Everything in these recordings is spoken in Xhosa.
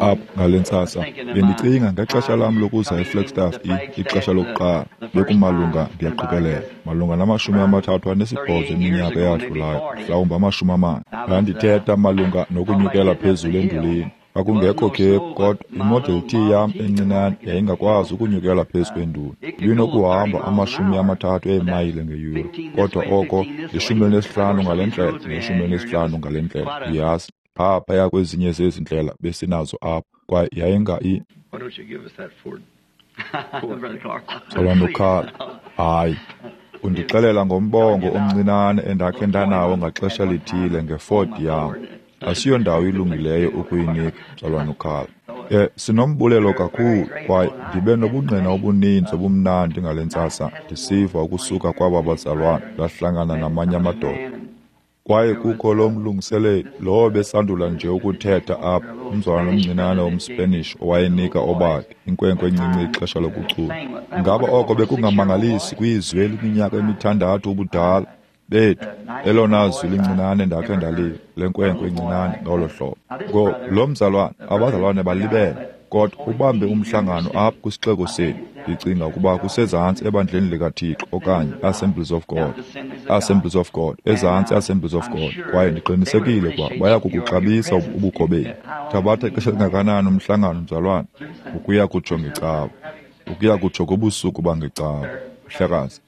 Apha ngale ntsasa, bendicinga ngexesha lam lokuza eFlagstaff ixesha lokuqala, bekumalunga, ndiyaqikelela, malunga nama-38 eminyaka eyadlulayo, mhlawumbi 40. Ndandithetha malunga nokunyukela phezulu endulini. Kwakungekho khephu, kodwa iModel T yam encinane yayingakwazi ukunyukela phezu kwenduli. Ibinokuhamba 30 eemayile ngeyure, kodwa oko 15 ngale ndlela ne-15 ngale ndlela, uyazi, phaya kwezinye zezi ndlela besinazo apha, kwaye yayinga Mzalwana, hayi, undixelela ngombongo omncinane endakhe ndanawo ngaxesha lithile ngeFord yam. Asiyondawo ilungileyo ukuyinika, Mzalwana uCarl. Sinombulelo kakhulu, kwaye ndibe nobungqina obuninzi obumnandi ngale ntsasa ndisiva ukusuka kwaba bazalwana ndahlangana namanye amadoda. Kwaye kukho lo mlungiseleli, lowo besandula nje ukuthetha apha, umzalwana omncinane womSpanish owayenika obakhe, inkwenkwe encinci ixesha lokucula. Ingaba oko bekungamangalisi kwizwi eliminyaka emithandathu ubudala? Bethu, elona zwi lincinane ndakhe ndaliva, lenkwenkwe encinane ngolo hlobo. Ngoku, lo mzalwana, abazalwane balibele, kodwa ubambe umhlangano apha kwisixeko sethu. Ndicinga ukuba kusezantsi ebandleni likaThixo okanye Assemblies of God. Assemblies of God, ezantsi Assemblies of God. Kwaye ndiqinisekile ukuba baya kukuxabisa ubukho benu. Thabatha ixesha elingakanani umhlangano, mzalwana? Ukuya kutsho ngeCawa. Ukuya kutsho kubusuku bangeCawa. Mhlekazi,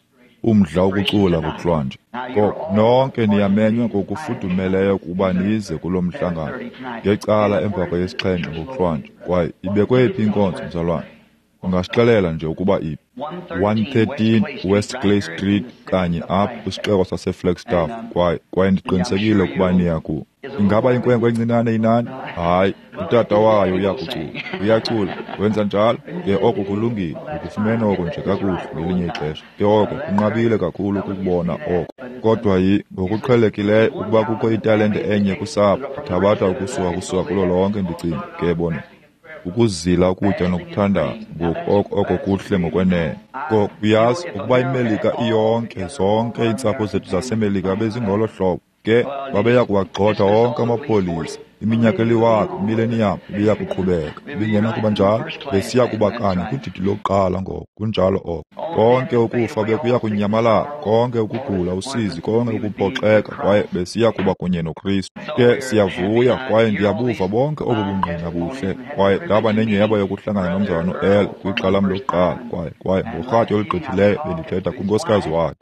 umdla wokucula ngokuhlwanje. Ngoko nonke niyamenywa ngokufudumeleyo ukuba nize kulo mhlangano ngecala emva kweyesixhenxe ngokuhlwanje. Kwaye ibekwe phi inkonzo, mzalwana? Ungasixelela nje ukuba iphi? 113 West Clay Street, kanye apha kwisixeko saseFlagstaff. Kwaye ndiqinisekile ukuba niya ku. Ingaba inkwenkwe encinane inani? Hayi, utata wayo uyakucula. Uyacula, wenza njalo? Ke oko kulungile, ukufumene oko nje kakuhle ngelinye ixesha. Ke oko kunqabile kakhulu ukukubona oko. Kodwa ngokuqhelekileyo ukuba kukho italente enye kusapho, ithabatha ukusuka kulo lonke, ndicinga, ke bona. Ukuzila ukutya nokuthandaza, ngoku oko kuhle ngokwenene. Uyazi ukuba iMelika iyonke, zonke iintsapho zethu zaseMelika bezingolo hlobo, ke babeya kuwagxotha onke amapolisa. Iminyaka eliwaka, imileniyam ibiya kuqhubeka, ibingenakuba njalo, besiya kuba kanye kudidi lokuqala ngoko, kunjalo oko. Konke ukufa bekuya kunyamalala, konke ukugula, usizi, konke ukuphoxeka, kwaye besiya kuba kunye noKristu. Ke siyavuya kwaye ndiyabuva bonke obu bungqina buhle, kwaye ndaba nenyhweba yokuhlangana nomzalwana uEarl kwixa lam lokuqala, kwaye ngorhatya olugqithileyo bendithetha kunkosikazi wakhe.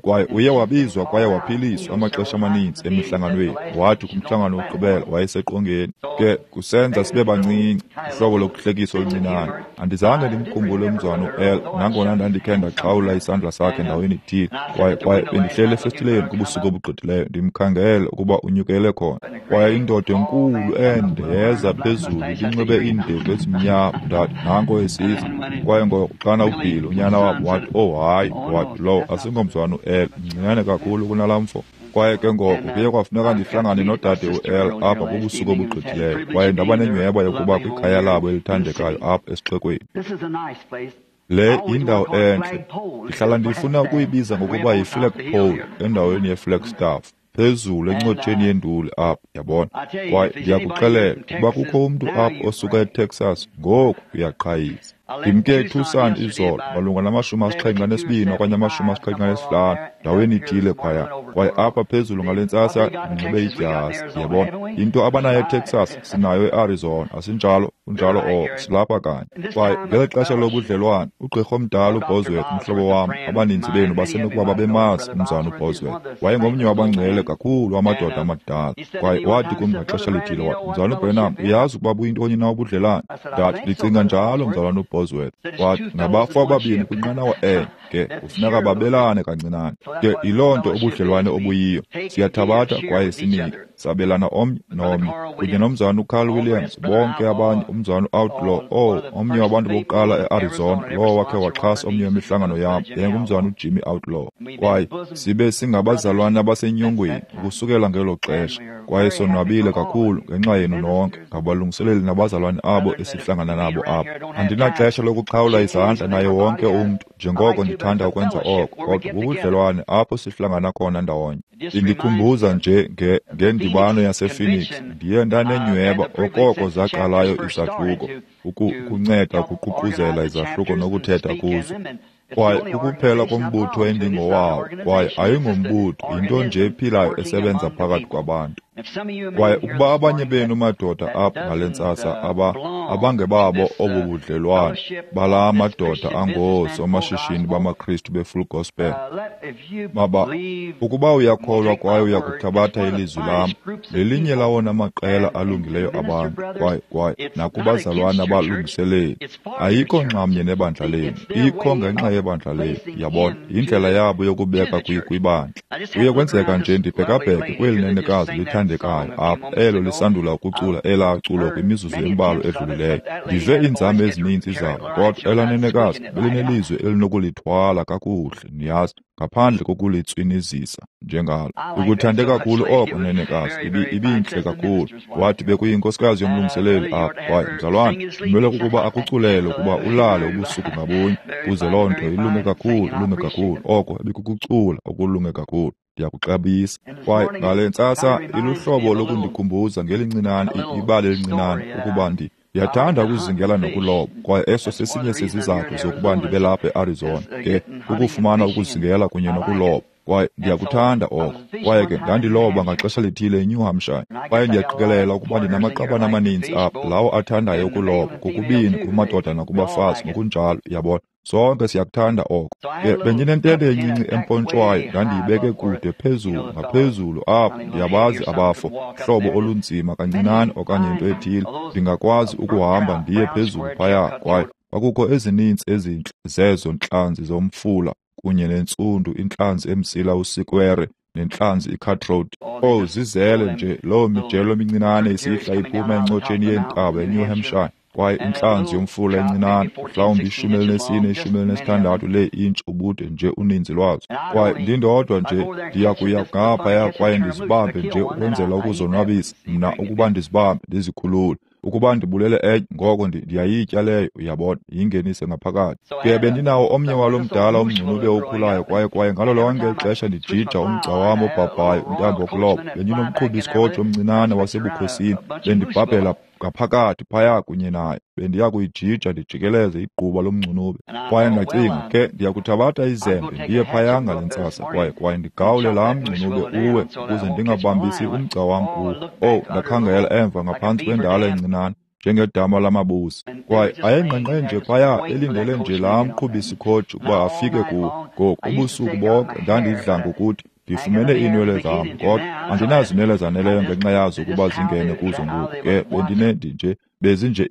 Kwaye uye wabizwa kwaye waphiliswa amaxesha amaninzi emihlanganweni, wathi kumhlangano wokugqibela wayeseqongeni. Ke kusenza sibe bancinci, uhlobo lokuhlekisa oluncinane. Andizange ndimkhumbule umzalwana uEarl, nangona ndandikhe ndaxhawula isandla sakhe ndaweni ithile. Kwaye bendihleli efestileni kubusuku obugqithileyo ndimkhangele ukuba unyukele khona. Kwaye indoda enkulu ende yeza phezulu ibinxibe iindevu ezimnyama. Ndathi, nanko esiza. Kwaye ngoko xana uBill, unyana wabo, wathi, oh hayi, wathi, lowo asingomzalwana uEarl, mncinane kakhulu kunalaa mfo. Kwaye ke ngoko kuye kwafuneka ndihlangane nodade uEarl apha kubusuku obugqithileyo, kwaye ndaba nenyhweba yokuba kwikhaya labo elithandekayo apha esixekweni. Le yindawo entle. Ndihlala ndifuna ukuyibiza ngokuba yiFlagpole endaweni yeFlagstaff, phezulu encotsheni yenduli apha, yabona. Kwaye ndiyakuxelela ukuba kukho umntu apha osuka eTexas, ngoku uyaqhayisa. Ndimke eTucson izolo malunga nama-72 okanye 75 ndaweni ithile phaya. Kwaye apha phezulu ngale ntsasa ndinxibe idyasi, yabona. Into abanayo eTexas sinayo eArizona, asinjalo? Kunjalo oko, silapha kanye. Kwaye ngeli xesha lobudlelwane, ugqirha omdala uBosworth, umhlobo wam, abaninzi benu basenokuba babemazi umzalwana uBosworth. Wayengomnye wabangcwele kakhulu wamadoda amadala. Kwaye wathi kum ngaxesha lithile, wathi, Mzalwana uBranham, uyazi ukuba buyintoni na ubudlelwane? Ndathi, ndicinga njalo, mzalwana uBosworth. Wathi, ngabafo ababini kwinqanawa enye, ke kufuneka babelane kancinane. Ke yiloo nto ubudlelwane obuyiyo. Siyathabatha kwaye sinike, sabelana omnye nomnye. Kunye nomzalwana uCarl Williams, bonke abanye, umzalwana u-Outlaw, omnye wabantu bokuqala e-Arizona, lowo wakhe waxhasa omnye wemihlangano yam, yayingumzalwana uJimmy Outlaw. Kwaye sibe singabazalwana abasenyongweni ukusukela ngelo xesha, kwaye sonwabile kakhulu ngenxa yenu nonke, ngabalungiseleli nabazalwane abo esihlangana nabo apha. Andinaxesha lokuxhawula izandla naye wonke umntu, njengoko ndithanda ukwenza oko, kodwa bubudlelwane apho sihlangana khona ndawonye. Indikhumbuza nje ngendibano yasePhoenix. Ndiye ndanenyweba okoko zaqalayo izahluko, ukunceda ukuququzela izahluko nokuthetha kuzo. Kwaye kukuphela kombutho endingowawo, kwaye ayingombutho, yinto nje ephilayo esebenza phakathi kwabantu. Kwaye ukuba abanye benu madoda apha ngale ntsasa abangebabo obu budlelwane balaa madoda angoosomashishini bamaKristu be-Full Gospel, ukuba uyakholwa kwaye uyakuthabatha ilizwi lam, lelinye lawona maqela alungileyo abantu, kwaye nakubazalwana abalungiseleli, ayikho nxamnye nebandla lenu, ikho ngenxa yebandla lenu. Yabona, yindlela yabo yokubeka kwibandla. Kuye kwenzeka nje ndibhekabheke kweli nenekazi lithandekayo apha, elo lisandula ukucula elaa culo kwimizuzu embalwa edlulileyo. Ndive iinzame ezininzi zabo, kodwa elaa nenekazi belinelizwi elinokulithwala kakuhle, niyazi, ngaphandle kokulitswinizisa njengalo. Ukuthande kakhulu oko, nenekazi, ibintle kakhulu. Wathi bekuyinkosikazi yomlungiseleli apha, kwaye mzalwane, kumele ukuba akuculele ukuba ulale ubusuku ngabunye, kuze loo nto ilunge kakhulu, ilunge kakhulu. Oko ibikukucula okulunge kakhulu. Ndiyakuxabisa. Kwaye ngale ntsasa iluhlobo lokundikhumbuza ngelincinane, ibali elincinane, ukuba ndiyathanda ukuzingela nokuloba, kwaye eso sesinye sezizathu zokuba ndibe lapha eArizona, ke ukufumana ukuzingela kunye nokuloba. Kwaye ndiyakuthanda oko. Kwaye ke ndandiloba ngaxesha lithile eNew Hampshire, kwaye ndiyaqikelela ukuba ndinamaqabane amaninzi apha lawo athandayo ukuloba, kokubini kumadoda nakubafazi ngokunjalo, yabona. Sonke siyakuthanda oko. Ke bendinentente encinci empontshwayo, ndandiyibeke kude phezulu ngaphezulu apho. Ndiyabazi abafo, hlobo olunzima kancinane okanye into ethile, ndingakwazi ukuhamba ndiye phezulu phaya. Kwaye kwakukho ezininzi ezintle zezo ntlanzi zomfula kunye nentsundu intlanzi emsila usikwere nentlanzi icutthroat. Zizele nje loo mijelo emincinane isihla iphuma encotsheni yeentaba eNew Hampshire. Kwaye intlanzi yomfula encinane, mhlawumbi 14, 16 lee-intshi ubude nje uninzi lwazo. Kwaye ndindodwa nje ndiya kuya ngaphaya kwaye ndizibambe nje ukwenzela ukuzonwabisa mna, ukuba ndizibambe ndizikhulule. Ukuba ndibulele enye, ngoko ndiyayitya leyo, uyabona, yingenise ngaphakathi. Ke bendinawo omnye walo mdala umngcunube okhulayo, kwaye ngalo lonke ixesha ndijija umgca wam obhabhayo, intambo yokuloba, bendinomqhubi isikhoji omncinane wasebukhosini, bendibhabhela ngaphakathi phaya kunye naye, bendiya kuyijija ndijikeleze igquba lomngcunube. Kwaye ndacinga, ke ndiyakuthabatha izembe ndiye phaya ngale ntsasa, kwaye ndigawule laa mngcunube uwe, ukuze ndingabambisi umgca wam kuwo. Ndakhangela emva ngaphantsi kwendala encinane njengedama lamabusi, kwaye ayengqengqe nje phaya elindele nje laa mqhubi-sikhoji ukuba afike kuwo. Ngoku ubusuku bonke ndandidla ngokuthi ndifumene iinwele zam, kodwa andinazinwele zaneleyo ngenxa yazo ukuba zingene kuzo ngoku. Ke bezinje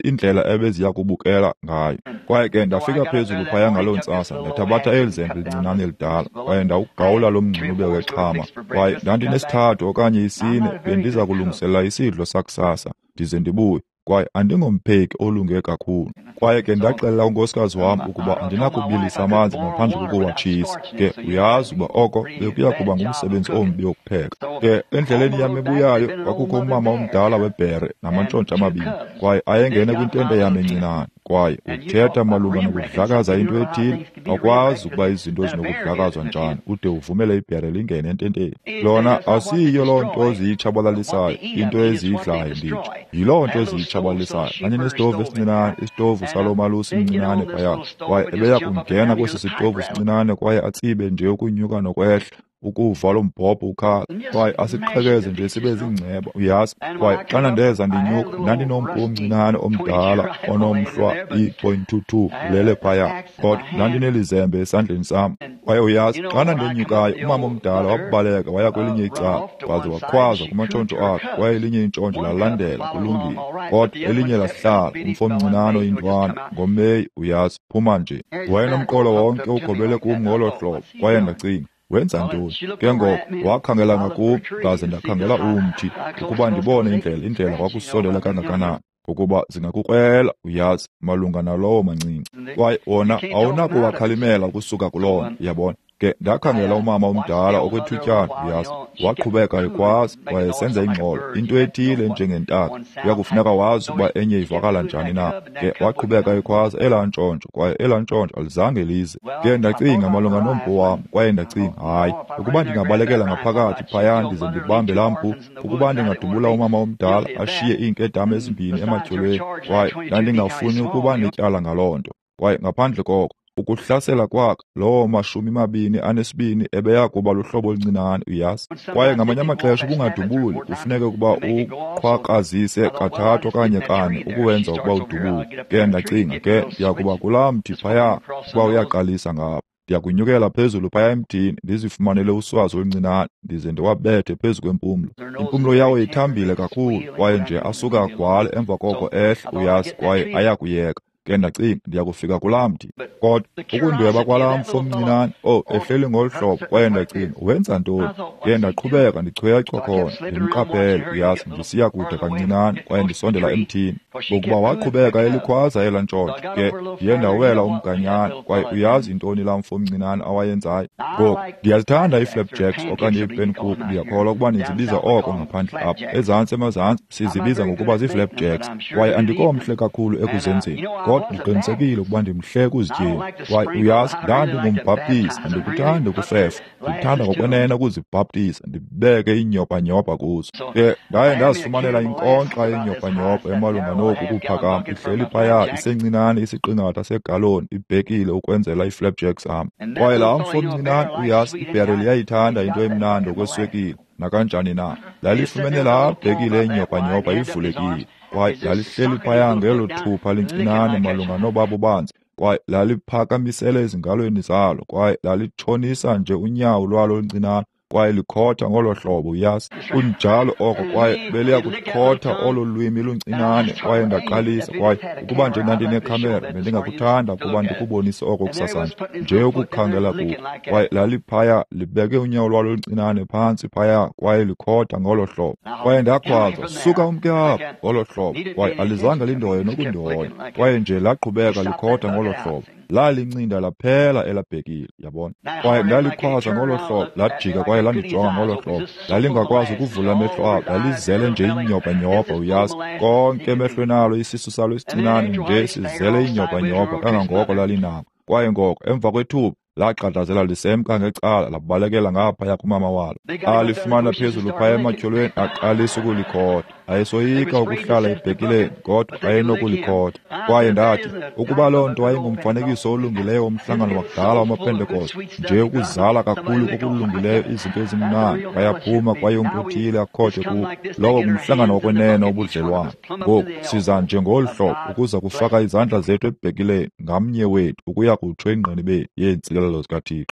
indlela ebeziya kubukela ngayo. Kwaye ke ndafika phezulu phaya ngaloo ntsasa, ndathabatha eli zembe lincinane elidala, kwaye ndawugawula lo mngcunube wexhama. Kwaye ndandinesithathu okanye isine, bendiza kulungiselela isidlo sakusasa ndize ndibuye. Kwaye andingompheki olunge kakhulu. Kwaye ke ndaxelela unkosikazi wam ukuba andinakubilisa amanzi ngaphandle kokuwatshisa. Ke uyazi uba oko bekuya kuba ngumsebenzi ombi wokupheka. Ke endleleni yam ebuyayo kwakukho umama omdala webhere namantshontsho amabini, kwaye ayengene kwintente yam encinane. Kwaye uthetha malunga nokudlakaza into ethile, awukwazi ukuba izinto zinokudlakazwa njani ude uvumele ibhere lingene ententeni. Lona asiyiyo loo nto ziyitshabalalisayo, into eziyidlayo nditsho, yiloo nto eziyitshabalalisayo. Ndandinesitovu esincinane, isitovu salo malusi mncinane phaya, kwaye ebeya kungena kwesi sitovu sincinane kwaye atsibe nje ukunyuka nokwehla, ukuva lo mbhobho ukhala, kwaye asiqhekeze nje sibe ziingceba, uyazi. Kwaye xana ndeza ndinyuka, ndandinompu omncinane omdala onomhlwa i-.22 ulele phaya, kodwa ndandinelizembe esandleni sam. Kwaye uyazi, xana ndenyukayo, umama omdala wabaleka waya kwelinye icala, waze wakhwaza kumantshontsho akhe, kwaye elinye intshontsho lalandela, kulungile, kodwa elinye lahlala. Umfo omncinane oyintwana ngoMeyi, uyazi, phuma nje. Wayenomqolo wonke ugobele kum ngolo hlobo, kwaye ndacinga, wenza ntoni? Ke ngoko wakhangela ngakum, ndaze ndakhangela umthi ukuba ndibone indlela kwakusondela kangakanani. Ngokuba zingakukrwela, uyazi, malunga nalowo mancinci. Kwaye wona awunakuwakhalimela ukusuka kuloo nto, uyabona. Ke ndakhangela umama omdala okwethutyana, uyazi, waqhubeka ekhwaza kwaye esenza ingxolo, into ethile njengentaka. Kuyakufuneka wazi ukuba enye ivakala njani na. Ke waqhubeka ekhwaza elaa ntshontsho, kwaye elaa ntshontsho alizange lize. Ke ndacinga malunga nompu wam, kwaye ndacinga, hayi, ukuba ndingabalekela ngaphakathi phaya ndize ndibambe laa mpu, ukuba ndingadubula umama omdala ashiye iinkedama ezimbini ematyholweni, kwaye ndandingafuni ukuba netyala ngaloo nto. Kwaye ngaphandle koko, ukuhlasela kwakhe lowo 22 ebeya kuba luhlobo oluncinane, uyazi. Kwaye ngamanye amaxesha ubungadubuli, kufuneke ukuba uqhwakrazise 3 okanye 4 ukuwenza ukuba udubule. Ke ndacinga, ke ndiya kuba kulaa mthi phaya, ukuba uyaqalisa ngapha. Ndiyakunyukela phezulu phaya emthini, ndizifumanele uswazi oluncinane, ndize ndiwabethe phezu kwempumlo. Impumlo yawo ithambile kakhulu, kwaye nje asuka agwale emva koko ehle, uyazi, kwaye ayakuyeka. Ke ndacinga, ndiyakufika kulaa mthi. Kodwa ukundweba kwalaa mfo omncinane, ehleli ngolu hlobo, kwaye ndacinga, wenza ntoni? Ke ndaqhubeka ndichwechwa khona, ndimqaphele, uyazi, ndisiya kude kancinane, kwaye ndisondela emthini. Ngokuba waqhubeka elikhwaza elaa ntshontsho, ke ndiye ndawela umganyana, kwaye uyazi intoni laa mfo omncinane awayenzayo? Ngoku, ndiyazithanda ii-flapjacks okanye ii-pankoek, ndiyakholwa ukuba nizibiza oko ngaphandle apha. Ezantsi emazantsi sizibiza ngokuba zii-flapjacks, kwaye andikomhle kakhulu ekuzenzeni, kodwa ndiqinisekile ukuba ndimhle ekuzityeni. Kwaye uyazi, ndandingumbhaptizi, andikuthandi ukufefa, ndikuthanda ngokwenene ukuzibhaptiza, ndibeke iinyobanyobha kuzo. Ke ndaye ndazifumanela inkonkxa yenyobanyobha emalunga noku kuphakama, ihleli phaya isencinane isiqingatha segaloni ibhekile ukwenzela ii-flapjacks zam. Kwaye laa mfo mncinane, uyazi, ibhereli iyayithanda into emnandi okweswekile, nakanjani na. Lalifumene laa bhekile yenyobanyobha ivulekile, kwaye lalihleli phaya ngelo thupha lincinane malunga nobabo banzi, kwaye laliphakamisele ezingalweni zalo, kwaye lalitshonisa nje unyawo lwalo oluncinane, kwaye likhotha ngolo hlobo, uyazi. Kunjalo oko, kwaye beliya kukhotha olo lwimi luncinane. Kwaye ndaqalisa, kwaye ukuba nje ndandinekhamera, bendingakuthanda ukuba ndikubonise oko kusasanje, nje ukukhangela kuko. Kwaye laliphaya libeke unyawo lwalo oluncinane phantsi phaya, kwaye likhotha ngolo hlobo. Kwaye ndakhwaza, suka umke apha, ngolo hlobo. Kwaye alizange lindoye nokundoya, kwaye nje laqhubeka likhotha ngolo hlobo. Lalincinda laphela elabhekile, yabona. Kwaye ndalikhwaza ngolo hlobo, lajika kwaye landijonga ngolo hlobo. Lalingakwazi ukuvula amehlo alo, lalizele nje inyobanyobha, uyazi. Konke emehlweni alo, isisu salo esincinane nje sizele inyobanyobha kangangoko lalinako. Kwaye ngoko emva kwethuba lagxadazela lisemka ngecala, labalekela ngaphaya kumama walo. Alifumana phezulu phaya ematyholweni, aqalisa ukulikhotha. Ayesoyika ukuhlala ebhekileni, kodwa ayenokulikhotha. Kwaye ndathi, ukuba loo nto ayingumfanekiso olungileyo womhlangano wakudala wamaPentekoste, nje ukuzala kakhulu kokulungileyo izinto ezimnandi, bayaphuma kwaye umntu othile akhothe kuwo, lowo ngumhlangano wokwenene wobudlelwane. Ngoku siza nje ngolu hlobo ukuza kufaka izandla zethu ebhekileni, ngamnye wethu ukuya kutsho engqinibeni yeentsikelelo zikaThixo.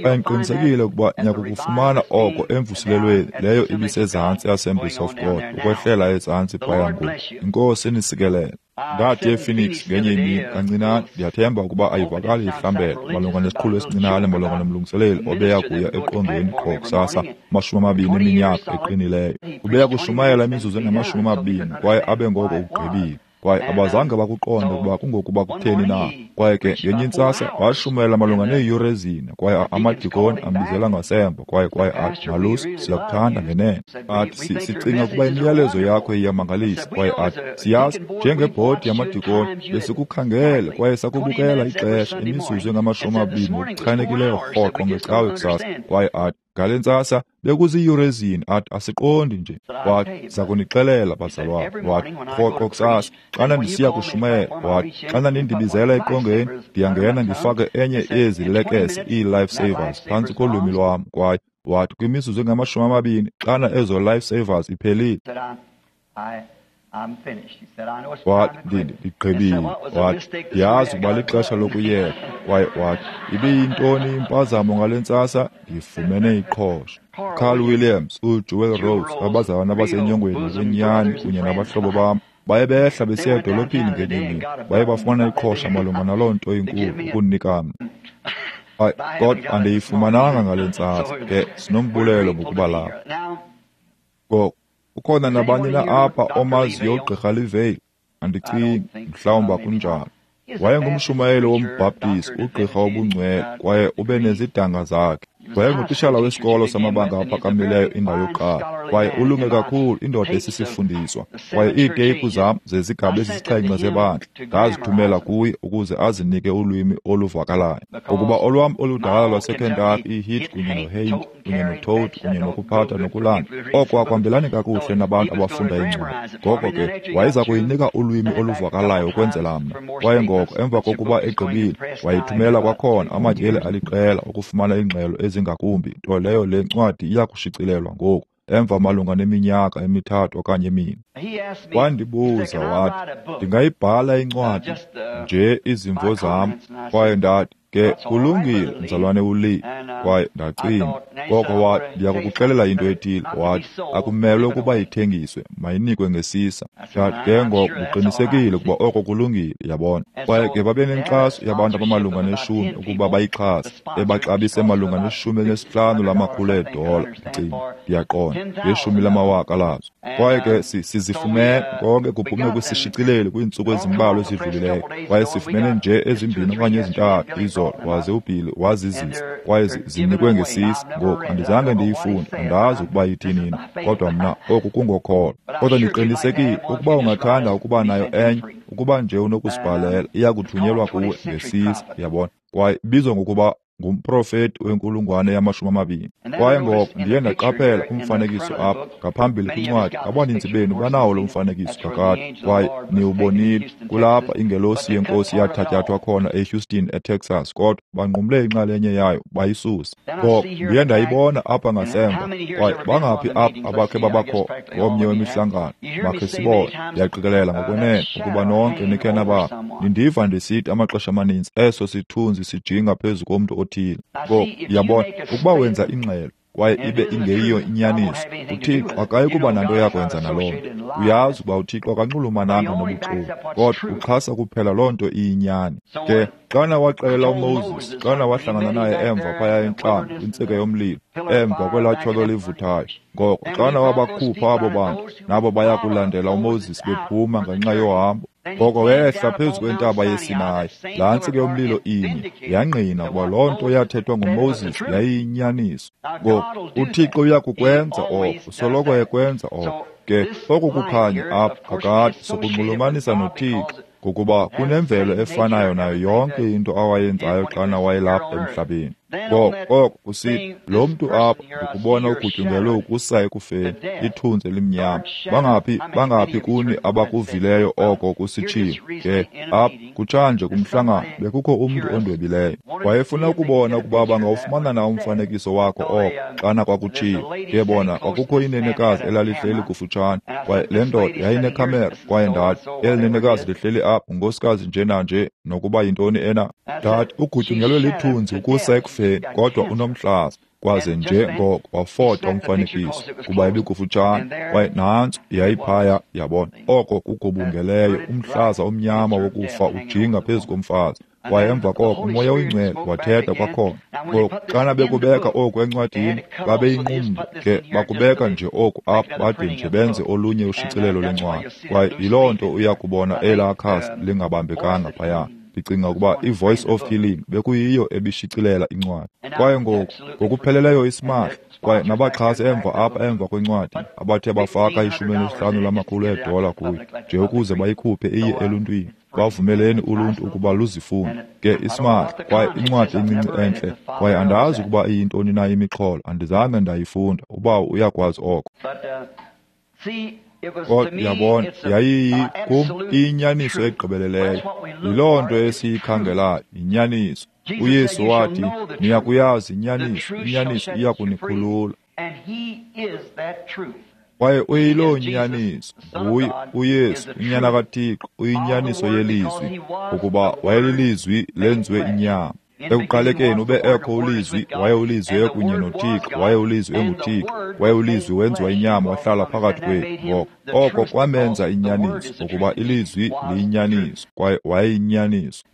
Kwaye ndiqinisekile ukuba niyakukufumana oko emvuselelweni leyo ibisezantsi eAssemblies of God, ukwehlela ezantsi phaya ngoku. Inkosi inisikelele. Ndathi ePhoenix ngenye imini kancinane, ndiyathemba ukuba ayivakali ihlambela malunga nesiqhulo esincinane malunga nomlungiseleli obeya kuya eqongeni qho kusasa 20 eminyaka eqinileyo. Ubeya kushumayela imizuzu engama-20 kwaye abe ngoko ugqibile. Kwaye abazange bakuqonde ukuba kungokuba kutheni na. Kwaye ke ngenye intsasa washumayela malunga neeyure ezine, kwaye amadikoni ambizela ngasemva, kwaye athi, Malusi, siyakuthanda ngenene. Athi, sicinga ukuba imiyalezo yakho iyamangalisa. Kwaye athi, siyazi, njengebhodi yamadikoni besikukhangele kwaye sakubukela ixesha, imizuzu engama-20 ngokuchanekileyo rhoqo ngecawe kusasa. Kwaye athi, ngale ntsasa bekuziiyure ezine. Athi, asiqondi nje. Wathi, zakunixelela bazalwane. Wathi, rhoqo kusasa xana ndisiya kushumayela, wathi, xana nindibizela eqongeni, ndiyangena ndifake enye yezi lekese, ii-life savers, phantsi kolwimi lwam. Kwaye wathi, kwimizuzu engama-20 xana ezo life savers iphelile, wathi, ndigqibile. Wathi, ndiyazi ukuba lixesha lokuyeka. Kwaye wathi, ibiyintoni impazamo ngale ntsasa? Ndifumene iqhosha. Carl Williams, uJewel Rose, abazalwana abasenyongweni ngokwenyani kunye nabahlobo bam, baye behla besiya edolophini ngenye imini, baye bafumana iqhosha malunga naloo nto inkulu ukunika mna. Kodwa andiyifumananga ngale ntsasa. Ke sinombulelo ngokuba lapha. Ngoku, ukhona nabani na apha omaziyo uGqirha Livale? Andicingi, mhlawumbi akunjalo. Wayengumshumayeli wombhaptizi, ugqirha wobungcwele, kwaye ube nezidanga zakhe. Wayengutishala wesikolo samabanga aphakamileyo indawo yokuqala, kwaye ulunge kakhulu, indoda esisifundiswa. Kwaye iiteyipu zam zezigaba ezisixhenxe zebandla ndazithumela kuye ukuze azinike ulwimi oluvakalayo, ngokuba olwam oludala lwaseKentucky, iHit kunye noHaint kunye noToad kunye nokuphatha nokulanda, oko akuhambelani kakuhle nabantu abafunda iincwadi. Ngoko ke wayeza kuyinika ulwimi oluvakalayo ukwenzela mna. Kwaye ngoko emva kokuba egqibile, wayithumela kwakhona amatyeli aliqela ukufumana iingxelo ezingakumbi, nto leyo le ncwadi iya kushicilelwa ngoku emva malunga neminyaka emithathu okanye emine. Wandibuza wathi, ndingayibhala incwadi nje izimvo zam? Kwaye ndathi, ke kulungile, mzalwane uLee. Kwaye ndacinga, ngoko wathi, ndiyakukuxelela into ethile. Wathi, akumelwe ukuba ithengiswe, mayinikwe ngesisa. Ndathi, ke ngoko ndiqinisekile ukuba oko kulungile, yabona. Kwaye ke babenenkxaso yabantu abamalunga neshumi ukuba bayixhase, ebaxabise malunga ne-15 lamakhulu eedola, ndicinga, ndiyaqonda, ngeshumi lamawaka lazo. Kwaye ke sizifumene konke kuphume kwisishicileli kwiintsuku ezimbalwa ezidlulileyo, kwaye sifumene nje ezimbini okanye ezintathu izolo, waze uBilly wazizisa, kwaye zinikwe ngesisa. Ngoku andizange ndiyifunde, andazi ukuba ithini na, kodwa mna oku kungokholo. Kodwa ndiqinisekile ukuba ungathanda ukuba nayo enye, ukuba nje unokusibhalela, iya kuthunyelwa kuwe ngesisa, yabona. Kwaye ibizwa ngokuba ngumprofeti wenkulungwane yama-20. Kwaye ngoko ndiye ndaqaphela umfanekiso apha ngaphambili kwincwadi. Abaninzi benu banawo lo mfanekiso kakade, kwaye niwubonile. Kulapha ingelosi yeNkosi yathatyathwa khona eHouston, eTexas, kodwa banqumle inxalenye yayo bayisusa. Ngoko ndiye ndayibona apha ngasemva. Kwaye bangaphi apha abakhe babakho komnye wemihlangano? Makhe sibone. Ndiyaqikelela ngokwenene ukuba nonke nikhe nabakho. Nindiva ndisithi amaxesha amaninzi eso sithunzi sijinga phezu komntu othile. Ngoko yabona, ukuba wenza ingxelo kwaye ibe ingeyiyo inyaniso, uThixo akayi kuba nanto yakwenza naloo nto. Uyazi ukuba uThixo akanxulumananga nobuxoki, kodwa uxhasa kuphela loo nto iyinyani. Ke xana waxelela uMoses, xana wahlangana naye emva phaya entlango kwintsika yomlilo, emva kwelaa tyholo livuthayo, ngoko xana wabakhupha abo bantu, nabo baya kulandela uMoses bephuma ngenxa yohambo, ngoko wehla phezu kwentaba yeSinayi, laa ntsika yomlilo inye yangqina ukuba loo nto yathethwa nguMoses yayiyinyaniso. Ngoku uThixo uya kukwenza oko, usoloko ekwenza oko. Ke oku kukhanya apha kakade sokunxulumanisa noThixo, ngokuba kunemvelo efanayo nayo yonke into awayenzayo xana wayelapha emhlabeni. Ngoko oko kusithi, lo mntu apha ndikubona ugutyungelwe ukusa ekufeni, ithunzi elimnyama. Bangaphi kuni abakuvileyo oko kusitshiwo? Ke apha kutshanje kumhlangano bekukho umntu ondwebileyo, wayefuna ukubona ukuba bangawufumana na umfanekiso wakho oko xana kwakutshiwo. Ke bona kwakukho inenekazi elalihleli kufutshane, kwaye le ndoda yayinekhamera. Kwaye ndathi, eli nenekazi lihleli apha ngunkosikazi nje nanje, nokuba yintoni ena. Ndathi, ugutyungelwe lithunzi ukusa ekufeni, kodwa unomhlaza. Kwaze nje ngoko wafota umfanekiso kuba ebikufutshane, kwaye nantso yayiphaya, yabona. Oko kugubungeleyo umhlaza omnyama wokufa ujinga phezu komfazi. Kwaye emva koko uMoya oyiNgcwele wathetha kwakhona. Ngoku xana bekubeka oku encwadini, babeyinqumla ke bakubeka nje oku apha bade nje benze olunye ushicilelo lwencwadi. Kwaye yiloo nto uya kubona elaa khasi lingabambekanga phaya. Ndicinga ukuba iVoice of Healing bekuyiyo ebishicilela incwadi. Kwaye ngoku ngokupheleleyo isimahla, kwaye nabaxhasi emva apha emva kwencwadi abathe bafaka 15 lamakhulu eedola kuyo nje ukuze bayikhuphe iye eluntwini. Bavumeleni uluntu ukuba luzifunde. Ke isimahla, kwaye incwadi encinci entle, kwaye andazi ukuba iyintoni na imixholo, andizange ndayifunda, ubawo uyakwazi oko. Kodwa yabona, yayiyi kum iyinyaniso egqibeleleyo. Yiloo nto esiyikhangelayo, yinyaniso. uYesu wathi, niya kuyazi inyaniso, inyaniso iya kunikhulula. Kwaye uyiloo nyaniso, nguye uYesu, uNyana kaThixo, uyinyaniso yelizwi, ukuba wayelilizwi lenziwe inyama. Ekuqalekeni ube ekho ulizwi, waye ulizwi ekunye noThixo, waye ulizwi enguThixo, waye ulizwi wenziwa inyama wahlala phakathi kwethu. Ngoko oko kwamenza inyaniso, ngokuba ilizwi liyinyaniso, kwaye wayeyinyaniso.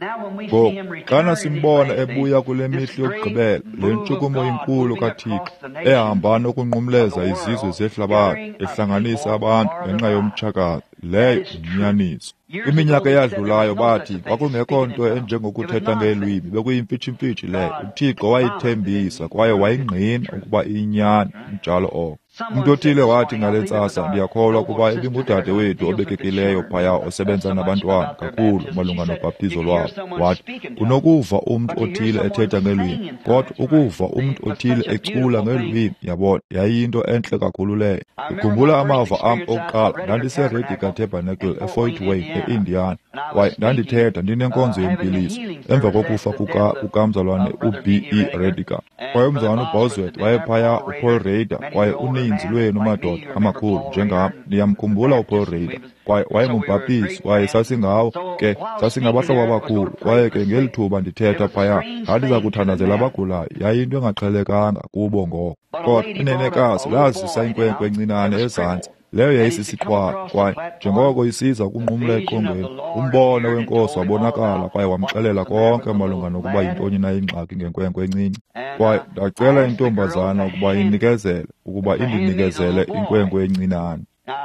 Ngoku xana simbona ebuya kule mihla yokugqibela, le ntshukumo inkulu kaThixo ehamba nokunqumleza izizwe zehlabathi, ehlanganisa abantu ngenxa yomtshakazi, Leyo yinyaniso. Kwiminyaka eyadlulayo bathi kwakungekho nto enjengokuthetha ngeelwimi, bekuyimfitshimfitshi leyo. UThixo wayithembisa kwaye wayingqina ukuba iyinyani, njalo oko. Umntu othile wathi ngale ntsasa, ndiyakholwa ukuba ibingudade wethu obekekileyo phaya osebenza nabantwana kakhulu malunga nobhaptizo lwabo. Wathi, unokuva umntu othile ethetha ngeelwimi, kodwa ukuva umntu othile ecula ngeelwimi, yabona, yayiyinto entle kakhulu leyo. Ndikhumbula amava am okuqala, ndandiseRediger Tabernacle eFort Wayne, e-Indiana, kwaye ndandithetha ndinenkonzo yempiliso emva kokufa kukamzalwane uB.E. Rediger. Kwaye umzalwane uBosworth wayephaya, uPaul Rader, kwaye uninzi lwenu madoda amakhulu njengam niyamkhumbula uPaul Rader. Kwaye wayengumbhaptizi, kwaye sasingawo ke, sasingabahlobo abakhulu. Kwaye ke ngeli thuba ndithetha phaya, ndandiza kuthandazela abagulayo. Yayinto engaqhelekanga kubo ngoko. Kodwa inenekazi lazisa inkwenkwe encinane ezantsi, leyo yayisisiqhwala, kwaye njengoko isiza ukunqumla eqongeni, umbono wenkosi wabonakala kwaye wamxelela konke malunga nokuba yintoni na ingxaki ngenkwenkwe encinci. Kwaye ndacela intombazana ukuba inikezele, ukuba indinikezele inkwenkwe encinane.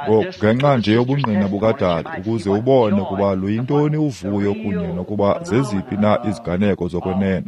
Ngoku, ngenxa nje yobungqina bukadade, ukuze ubone ukuba luyintoni uvuyo kunye nokuba zeziphi na iziganeko zokwenene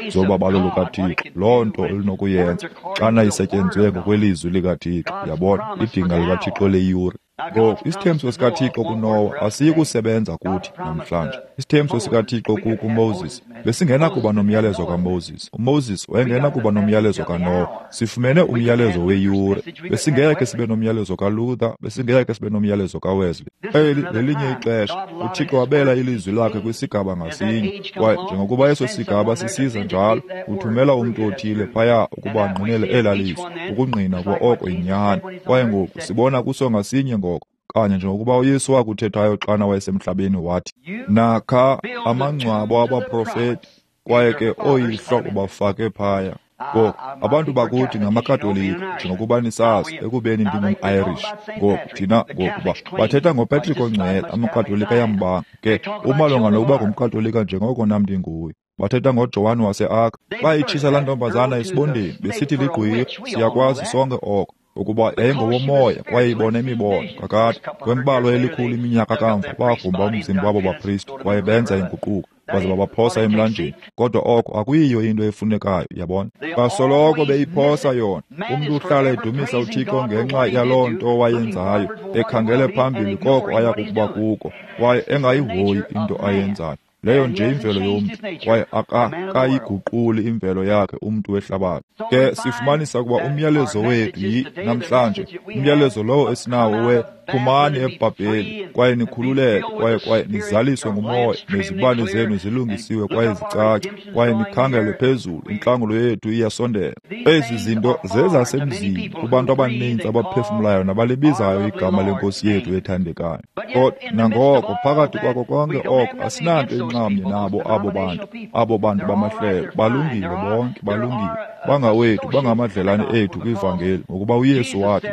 zobabalo lukaThixo, loo nto olunokuyenza xana isetyenzwe ngokwelizwi likaThixo, yabona, idinga likaThixo leyure. Ngoku, isithembiso sikaThixo kuNowa asiyi kusebenza kuthi namhlanje. Isithembiso sikaThixo kuMoses besingenakuba nomyalezo kaMoses. UMoses wayengenakuba nomyalezo kaNowa. Sifumene umyalezo weyure. Besingeke sibe nomyalezo kaLuther, besingeke sibe nomyalezo kaWesley. Eli lelinye ixesha. UThixo wabela ilizwi lakhe kwisigaba ngasinye, kwaye njengokuba eso sigaba sisiza njalo, uthumela umntu othile phaya ukuba angqinele elaa lizwi, ukungqina ukuba oko yinyani. Kwaye ngoku sibona kuso ngasinye ngoko, kanye njengokuba uYesu wakuthethayo xana wayesemhlabeni, wathi, nakha amangcwabo abaprofeti, kwaye ke ooyihlo ubafake phaya. Ngoku, abantu bakuthi ngamaKatolika, njengokuba nisazi, ekubeni ndingum-Irish. Ngoku, thina ngokuba bathetha ngoPatrick oNgcwele, amaKatolika ayambanga. Ke, umalunga nokuba ngumKatolika njengoko nam ndinguye. Bathetha ngoJohn wase-Arc. Bayitshisa laa ntombazana esibondeni, besithi ligqwirha. Siyakwazi sonke oko, ukuba yayingowomoya kwaye ibona imibono. Kakade, kwembalwa elikhulu iminyaka kamva, bagrumba umzimba wabo bapristi kwaye benza inguquko, baze babaphosa emlanjeni. Kodwa oko akuyiyo into efunekayo, yabona. Basoloko beyiphosa yona. Umntu uhlala edumisa uThixo ngenxa yaloo nto wayenzayo, ekhangele phambili koko aya kukuba kuko, kwaye engayihoyi into ayenzayo. Leyo nje imvelo yomntu, kwaye akayiguquli imvelo yakhe umntu wehlabathi. Ke sifumanisa ukuba umyalezo wethu yi namhlanje, umyalezo lowo esinawo we phumani eBhabheli kwaye nikhululeke, kwaye nizaliswe ngumoya, nezibane zenu zilungisiwe kwaye zicace, kwaye nikhangele phezulu, intlangulo yethu iyasondela. Ezi zinto zezasemzini kubantu abaninzi abaphefumlayo nabalibizayo igama lenkosi yethu ethandekayo. Kodwa nangoko, phakathi kwako konke oko, asinanto inxamnye nabo abo bantu, abo bantu bamahlelo. Balungile bonke, balungile, bangawethu, bangamadlelane ethu kwivangeli, ngokuba uYesu wathi,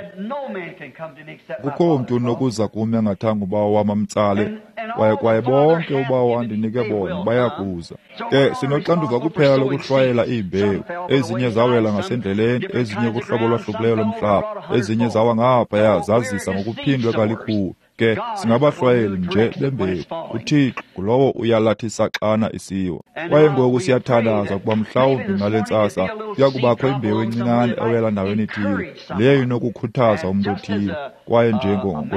kukho mntu unokuza kum engathanga ubawo wam amtsale, kwaye bonke ubawo andinike bona bayakuza. Ke sinoxanduva kuphela lokuhlwayela iimbewu. Ezinye zawela ngasendleleni, ezinye kuhlobo olwahlukileyo lomhlaba, ezinye zawa ngaphaya zazisa ngokuphindwe kalikhulu. Ke singabahlwayeli nje bembewu. UThixo ngulowo uyalathisa xana isiwa. Kwaye ngoku siyathandaza ukuba mhlawumbi ngale ntsasa kuya kubakho imbewu encinane ewela ndaweni ethile, leyo inokukhuthaza umntu othile. Kwaye nje ngomntu,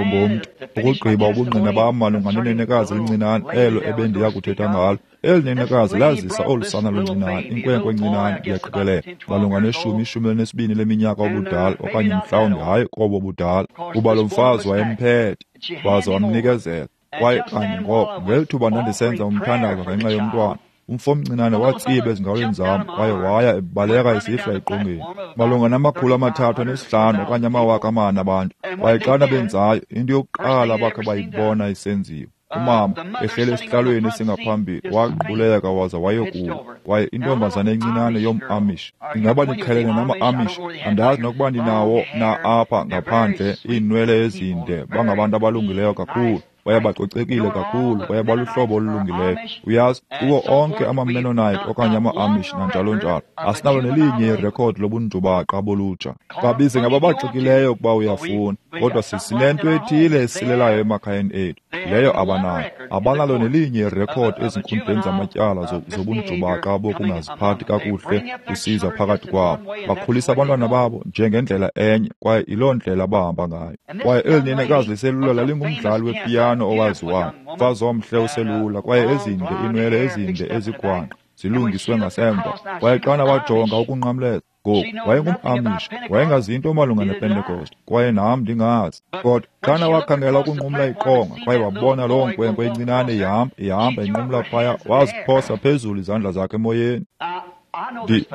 ukugqiba ubungqina bam malunga nenenekazi elincinane elo ebendiya kuthetha ngalo. Eli nenekazi lazisa olu sana luncinane, inkwenkwe encinane, ndiyaqikelela malunga ne-12 leminyaka ubudala, okanye mhlawumbi hayi kobo budala, kuba lo mfazi wayemphethe waze wamnikezela. Kwaye kanye ngoko, ngeli thuba ndandisenza umthandazo ngenxa yomntwana, umfo omncinane watsiba ezingalweni zam kwaye waya ebaleka esihla eqongeni, malunga nama-305 okanye 4,000 abantu. Kwaye xana benzayo, into yokuqala abakhe bayibona isenziwa, umama ehleli esihlalweni esingaphambili waquleka waza wayokuwa. Kwaye intombazana encinane yom-Amish, ingaba niqhelene nama-Amish? Andazi nokuba ndinawo na apha ngaphandle, iinwele ezinde, bangabantu abalungileyo kakhulu. Kwaye bacocekile kakhulu, kwaye baluhlobo olulungileyo. Uyazi, kuwo onke amaMennonite okanye ama-Amish nanjalo njalo, asinalo nelinye irekhodi lobunjubaqa bolutsha. Babize ngababaxikileyo ukuba uyafuna, kodwa sinento ethile esilelayo emakhayeni ethu, leyo abanayo. Abanalo nelinye irekhodi ezinkundleni zamatyala zobunjubaqa bokungaziphathi kakuhle kusiza phakathi kwabo. Bakhulisa abantwana babo njengendlela enye, kwaye yiloo ndlela bahamba ngayo. Kwaye eli nenekazi liselula lalingumdlali wepiyano owaziwayo, mfazi omhle oselula, kwaye ezinde iinwele ezinde ezigwangqa zilungiswe ngasemva. Kwaye xana wajonga ukunqamleza, ngoku wayengum-Amish, wayengazi into malunga nePentekoste, kwaye nam ndingazi. Kodwa xana wakhangela ukunqumla iqonga kwaye wabona loo nkwenkwe incinane ihamba inqumla phaya, waziphosa phezulu izandla zakhe emoyeni.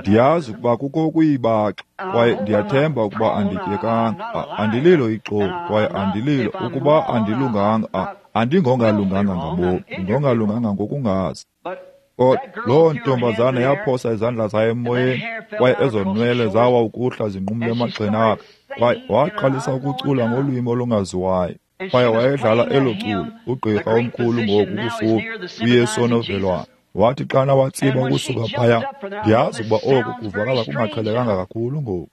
Ndiyazi ukuba kukho ukuyibaxa, kwaye ndiyathemba ukuba andityekanga. Andililo ixoki, kwaye andililo ukuba andilunganga. Andingongalunganga ngabomi, ndingongalunganga ngokungazi. Kodwa loo ntombazana yaphosa izandla zayo emoyeni, kwaye ezo nwele zawa ukuhla zinqumle emagxeni akhe, kwaye waqalisa ukucula ngolwimi olungaziwayo. Kwaye wayedlala elo culo, ugqirha omkhulu ngoku kufuphi, uYesu onovelwano. Wathi xana watsiba ukusuka phaya, ndiyazi ukuba oku kuvakala kungaqhelekanga kakhulu ngoku.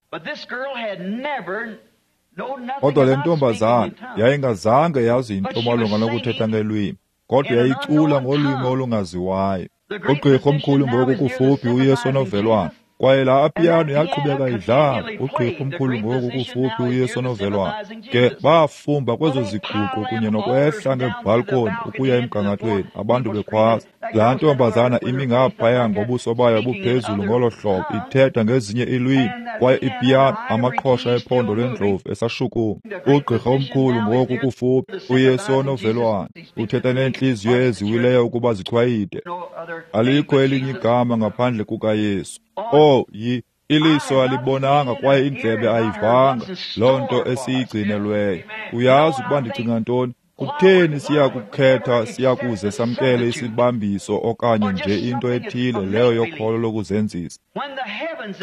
Kodwa le ntombazana yayingazange yazi into malunga nokuthetha ngelwimi, kodwa yayicula ngolwimi olungaziwayo. Ugqirha omkhulu ngoku kufuphi, uYesu onovelwano. Kwaye laa piyano yaqhubeka idlala, ugqirha omkhulu ngoku kufuphi, uYesu onovelwano. Ke bafumba kwezo ziguqo kunye nokwehla ngeebhalkoni ukuya emgangathweni, abantu bekhwaza. Laa ntombazana imi ngaphaya ngobuso bayo buphezulu ngolo hlobo, ithetha ngezinye iilwimi, kwaye ipiyano, amaqhosha ephondo lwendlovu esashukuma. Ugqirha omkhulu ngoku kufuphi, uYesu onovelwano, uthetha neentliziyo eziwileyo ukuba zichwayite. Alikho elinye igama ngaphandle kukaYesu. Oh, iliso alibonanga kwaye indlebe ayivanga loo nto esiyigcinelweyo. Uyazi ukuba ndicinga ntoni? Kutheni siyakukhetha siyakuze samkele isibambiso okanye nje into ethile leyo yokholo lokuzenzisa?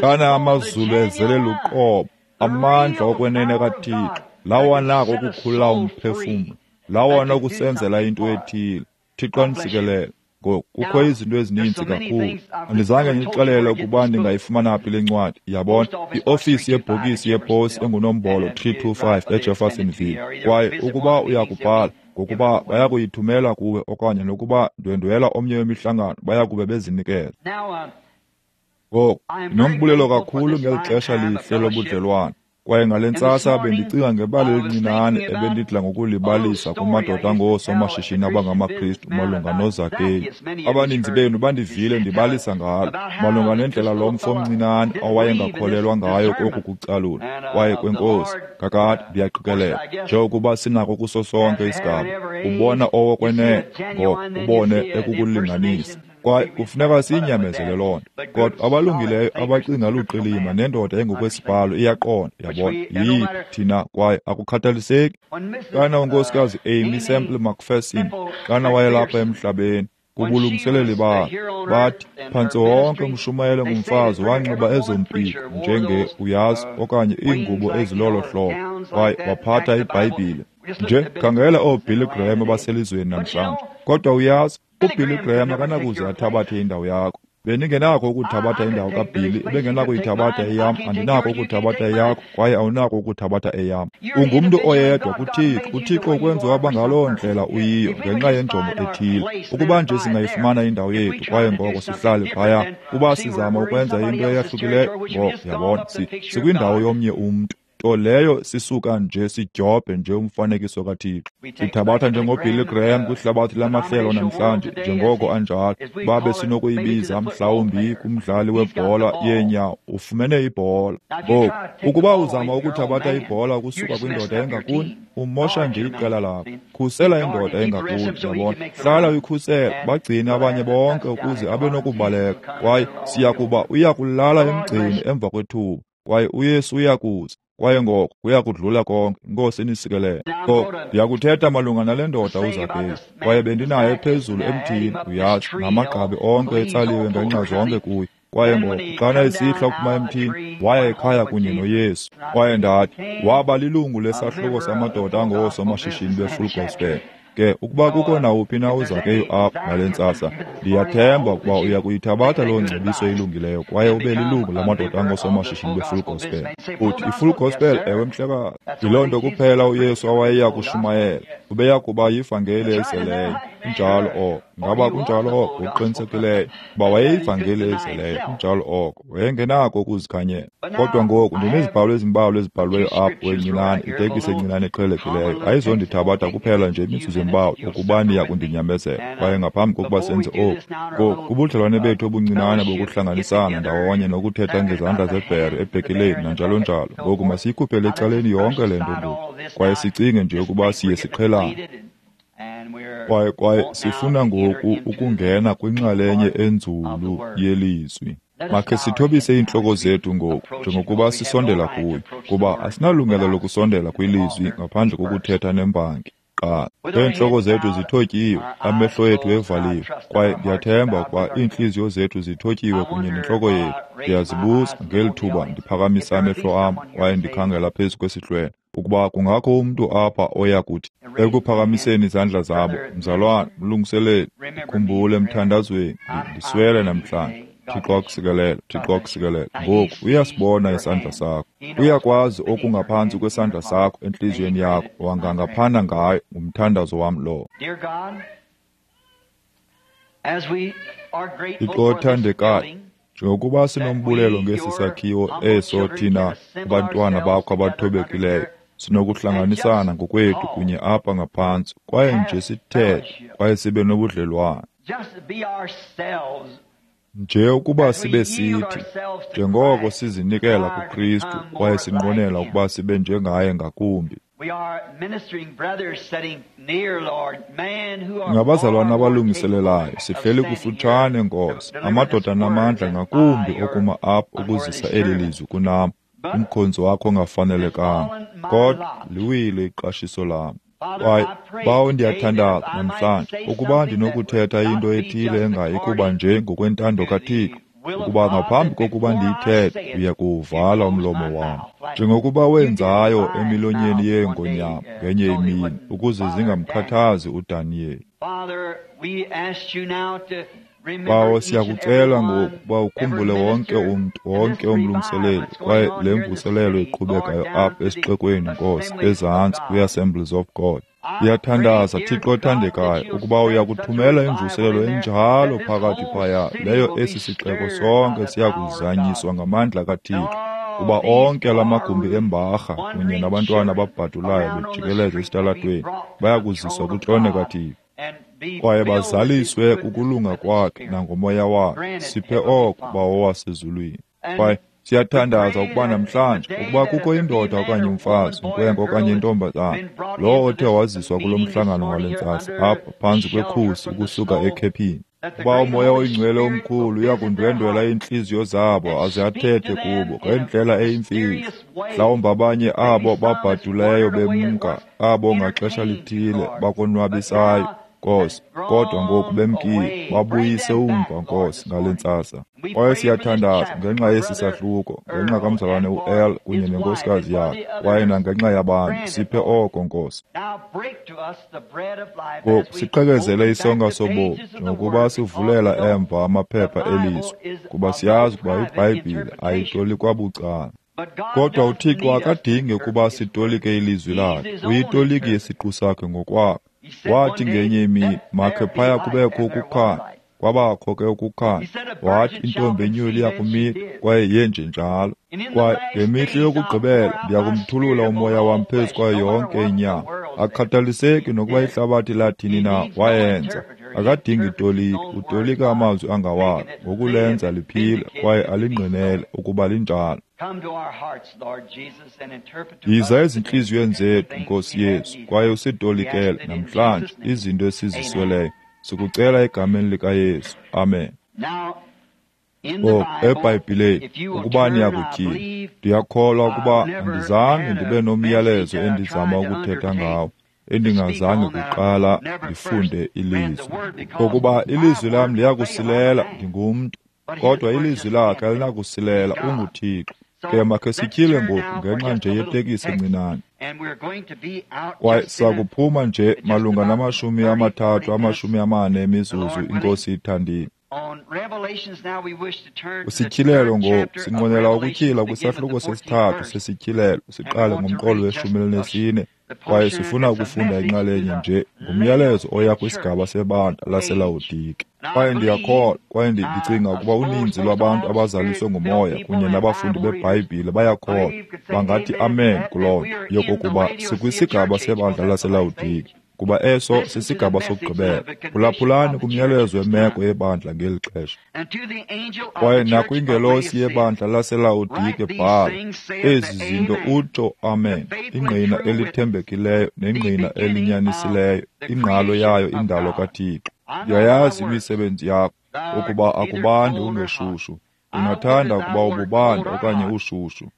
Xana amazulu ezele luqobo, amandla okwenene kaThixo, lawo anako ukukhulula umphefumlo, lawo anokusenzela into ethile. Thixo anisikelele. Ngoku kukho izinto ezininzi kakhulu. Andizange ndixelele ukuba ndingayifumana phi le ncwadi. Yabona, iofisi yebhokisi yeposi engunombolo 325 eJeffersonville. Kwaye ukuba uyakubhala, ngokuba bayakuyithumela kuwe, okanye nokuba ndwendwela omnye wemihlangano, bayakube bezinikela. Ngoku ndinombulelo kakhulu ngeli xesha lihle lobudlelwane. Kwaye ngale ntsasa bendicinga ngebali elincinane ebendidla ngokulibalisa kumadoda angoosomashishini abangamaKristu malunga noZakeyu. Abaninzi benu bandivile ndibalisa ngalo, malunga nendlela lo mfo omncinane awayengakholelwa ngayo koku kucalula kwaye kwenkosi. Kakade ndiyaqikelela, njengokuba sinako kuso sonke isigaba, ubona owokwenene, ngoko ubone ekukulinganisa. Kwaye kufuneka siyinyamezele loo nto. Kodwa abalungileyo abacinga luqilima nendoda engokwesibhalo iyaqonda, yabona, yiyiphi thina, kwaye akukhathaliseki. Xana unkosikazi Amy Semple McPherson, xana wayelapha emhlabeni, kubulungiseleli bakhe, bathi phantse wonke umshumayelo ngumfazi wanxiba ezo mpiko njenge uyazi okanye iingubo ezilolo hlobo, kwaye waphatha iBhayibhile. Nje khangela ooBilly Graham abaselizweni namhlanje. Kodwa uyazi, uBilly Graham akanakuze athabathe indawo yakho. Bendingenakho ukuthabatha indawo kaBilly, ebengenakuyithabatha eyam, andinakho ukuthabatha eyakho, kwaye awunakho ukuthabatha eyam. Ungumntu oyedwa kuThixo. uThixo ukwenza waba ngaloo ndlela uyiyo ngenxa yenjongo ethile. Ukuba nje singayifumana indawo yethu, kwaye ngoko sihlale phaya, kuba sizama ukwenza into eyahlukileyo, ngoko yabona, sikwindawo yomnye umntu. Nto leyo sisuka nje sidyobhe nje umfanekiso kaThixo. Sithabatha njengoBilly Graham kwihlabathi lamahlelo namhlanje, njengoko anjalo, babe sinokuyibiza mhlawumbi kumdlali webhola yeenyawo, ufumene ibhola. Ngoku, ukuba uzama ukuthabatha ibhola ukusuka kwindoda engakuni, umosha nje iqela lakho. Khusela indoda engakuni, yabona. Hlala uyikhusela, bagcine abanye bonke ukuze abe nokubaleka. Kwaye siyakuba uyakulala emgceni emva kwethuba, kwaye uYesu uyakuza. Kwaye ngoko kuyakudlula konke. Inkosi inisikelele. Ngoku ndiyakuthetha malunga nale ndoda uZakeyu. Kwaye bendinaye phezulu emthini, uyazi, namagqabi onke etsaliwe ngenxa zonke kuye. Kwaye ngoko xana esihla ukuphuma emthini, waya ekhaya kunye noYesu. Kwaye ndathi, waba lilungu lesahluko samadoda angoosomashishini be-Full Gospel. Ke ukuba kukho nawuphi na uZakeyu apha ngale ntsasa, ndiyathemba ukuba uya kuyithabatha loo ngcebiso ilungileyo kwaye ube lilungu lamadoda angoosomashishini be-Full Gospel. Uthi i-Full Gospel, ewe mhlekazi, yiloo nto kuphela uYesu awayeya kushumayela. Ubeya kuba yivangeli ezeleyo. Kunjalo oko. Ngaba kunjalo oko? Ngokuqinisekileyo. Kuba wayeyivangeli ezeleyo. Kunjalo oko. Wayengenako ukuzikhanyela. Kodwa ngoku ndinezibhalo ezimbalwa ezibhaliweyo apho encinane, itekisi encinane eqhelekileyo. Ayizondithabatha kuphela nje imizuzu embalwa ukuba niya kundinyamezela. Kwaye ngaphambi kokuba senze oku, ngoku kubudlelwane bethu obuncinane bokuhlanganisana ndawonye nokuthetha ngezandla zebhere ebhekileni nanjalo njalo. Ngoku masiyikhuphele ecaleni yonke le nto ngoku, kwaye sicinge nje ukuba siye siqhelane. Kwaye sifuna ngoku ukungena kwinxalenye enzulu yelizwi. Makhe sithobise iintloko zethu ngoku njengokuba sisondela kuyo, kuba asinalungelo lokusondela kwilizwi ngaphandle kokuthetha nembangi. Qala. Iintloko zethu zithotyiwe, amehlo ethu evaliwe, kwaye ndiyathemba ukuba iintliziyo zethu zithotyiwe kunye nentloko yethu. Ndiyazibuza ngeli thuba ndiphakamisa amehlo am kwaye ndikhangela phezu kwesihlwele, ukuba kungakho umntu apha oya kuthi ekuphakamiseni izandla zabo, mzalwane, mlungiseleli, ndikhumbule emthandazweni, ndiswele namhlanje. Thixo akusikelele, Thixo akusikelele. Ngoku uyasibona isandla sakho. Uyakwazi okungaphantsi kwesandla sakho entliziyweni yakho, wangangaphana ngayo. Ngumthandazo wam lowo. Thixo othandekayo, njengokuba sinombulelo ngesi sakhiwo eso thina abantwana bakho abathobekileyo sinokuhlanganisana ngokwethu kunye apha ngaphantsi kwaye nje sithethe kwaye sibe nobudlelwane. Nje ukuba sibe sithi, njengoko sizinikela kuKristu kwaye sinqwenela ukuba sibe njengaye ngakumbi. Ngabazalwana abalungiselelayo, sihleli kufutshane, Nkosi, amadoda namandla ngakumbi okuma apha ukuzisa eli lizwi kunam, umkhonzi wakho ongafanelekanga, kodwa liwile iqashiso lam. Kwaye Bawo, ndiyathandaza namhlanje ukuba ndinokuthetha into ethile engayi kuba nje ngokwentando kaThixo, ukuba ngaphambi kokuba ndiyithethe uya kuwuvala umlomo wam, njengokuba wenzayo emilonyeni yeengonyama ngenye imini, ukuze zingamkhathazi uDaniyeli. Bawo, siyakucela ngoku ukuba ukhumbule wonke umntu, wonke umlungiseleli, kwaye le mvuselelo iqhubekayo apha esixekweni, Nkosi, ezantsi kwi-Assemblies of God. Ndiyathandaza, Thixo othandekayo, ukuba uya kuthumela imvuselelo enjalo phakathi phaya, leyo esi sixeko sonke siya kuzanyiswa ngamandla kaThixo, kuba onke la magumbi embarha kunye nabantwana ababhadulayo bejikeleza esitalatweni baya kuziswa kwitrone kaThixo, kwaye bazaliswe kukulunga kwakhe nangomoya wakhe. Siphe oko, Bawo wasezulwini. Kwaye siyathandaza ukuba namhlanje, ukuba kukho indoda okanye umfazi, inkwenkwe okanye intombazana, lowo othe waziswa kulo mhlangano ngale ntsasa apha phantsi kwekhusi ukusuka ekhephini, ukuba uMoya oyiNgcwele omkhulu uya kundwendwela iintliziyo zabo aze athethe kubo ngendlela eyimfihlo. Mhlawumbi abanye abo babhaduleyo bemka, abo ngaxesha lithile bakonwabisayo, Nkosi, kodwa ngoku bemkile, babuyise umva, Nkosi, ngale ntsasa. Kwaye siyathandaza ngenxa yesi sahluko, ngenxa kamzalwane u-El kunye nenkosikazi yakhe, kwaye nangenxa yabantu. Siphe oko, Nkosi. Ngoku siqhekezele isonka sobomi, njengokuba sivulela emva amaphepha elizwi, kuba siyazi ukuba iBhayibhile ayitolikwa bucala. Kodwa uThixo akadingi ukuba sitolike ilizwi lakhe, uyitoliki yesiqu sakhe ngokwakhe. Wathi ngenye imini, makhe phaya kubekho ukukhanya. Kwabakho ke ukukhanya. Wathi intombi enyulu iyakumila, kwaye yenjenjalo. Kwaye ngemihla yokugqibela ndiyakumthulula umoya wam phezu kwayo yonke inyama. Akukhathaliseki nokuba ihlabathi lathini na, wayenza. Akadingi toliki, utolika amazwi angawakhe ngokulenza liphile kwaye alingqinele ukuba linjalo. Yiza ezintliziyweni zethu, Nkosi Yesu, kwaye usitolikele namhlanje izinto esizisweleyo. Sikucela egameni likaYesu. Amen. Ngoku eBhayibhileni, ukuba niyakutyhila, ndiyakholwa ukuba andizange ndibe nomyalezo endizama ukuthetha ngawo, endingazange kuqala ndifunde ilizwi. Ngokuba ilizwi lam liyakusilela, ndingumntu, kodwa ilizwi lakhe alinakusilela, unguThixo. Ke makhe sityhile ngoku ngenxa nje yetekisi encinane. Kwaye sakuphuma nje malunga nama-30, 40 emizuzu, iNkosi ithandile. Kwisityhilelo ngoku, sinqwenela ukutyhila kwisahluko sesithathu sesityhilelo, siqale ngomqolo we-14, kwaye sifuna ukufunda inxalenye nje ngumyalezo oya kwisigaba sebandla laseLawodike. Kwaye ndiyakholwa, kwaye ndicinga ukuba uninzi lwabantu abazaliswe nguMoya kunye nabafundi beBhayibhile bayakholwa, bangathi amen kuloo nto, yokokuba sikwisigaba sebandla laseLawodike, kuba eso sisigaba sokugqibela. Phulaphulani kumyalezo wemeko yebandla ngeli xesha. Kwaye nakwingelosi yebandla laseLawodike bhala, ezi zinto utsho Amen, ingqina elithembekileyo nengqina elinyanisileyo, ingqalo yayo indalo kaThixo. Ndiyayazi imisebenzi yakho, ukuba akubandi ungeshushu. Ndingathanda ukuba ububanda okanye ushushu.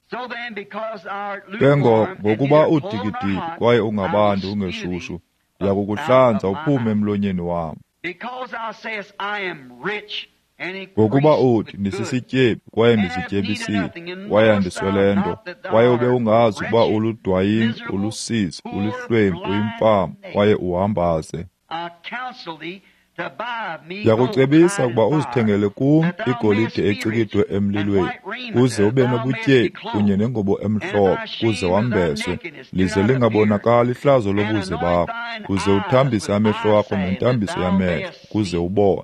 Ke ngoko, ngokuba udikidiki kwaye ungabandi ungeshushu, ndiyakukuhlanza uphume emlonyeni wam. Ngokuba uthi, ndisisityebi kwaye ndizityebisile, kwaye andiswele nto, kwaye ube ungazi ukuba uludwayingi, ulusizi, ulihlwempu, uyimfama, kwaye uhambaze. Ndiyakucebisa ukuba uzithengele kum igolide ecikidwe emlilweni, uze ube nobutyebi kunye nengubo emhlophe, uze wambeswe, lize lingabonakali ihlazo lobuze bakho, uze uthambise amehlo akho ngentambiso yamehlo, ukuze ubone.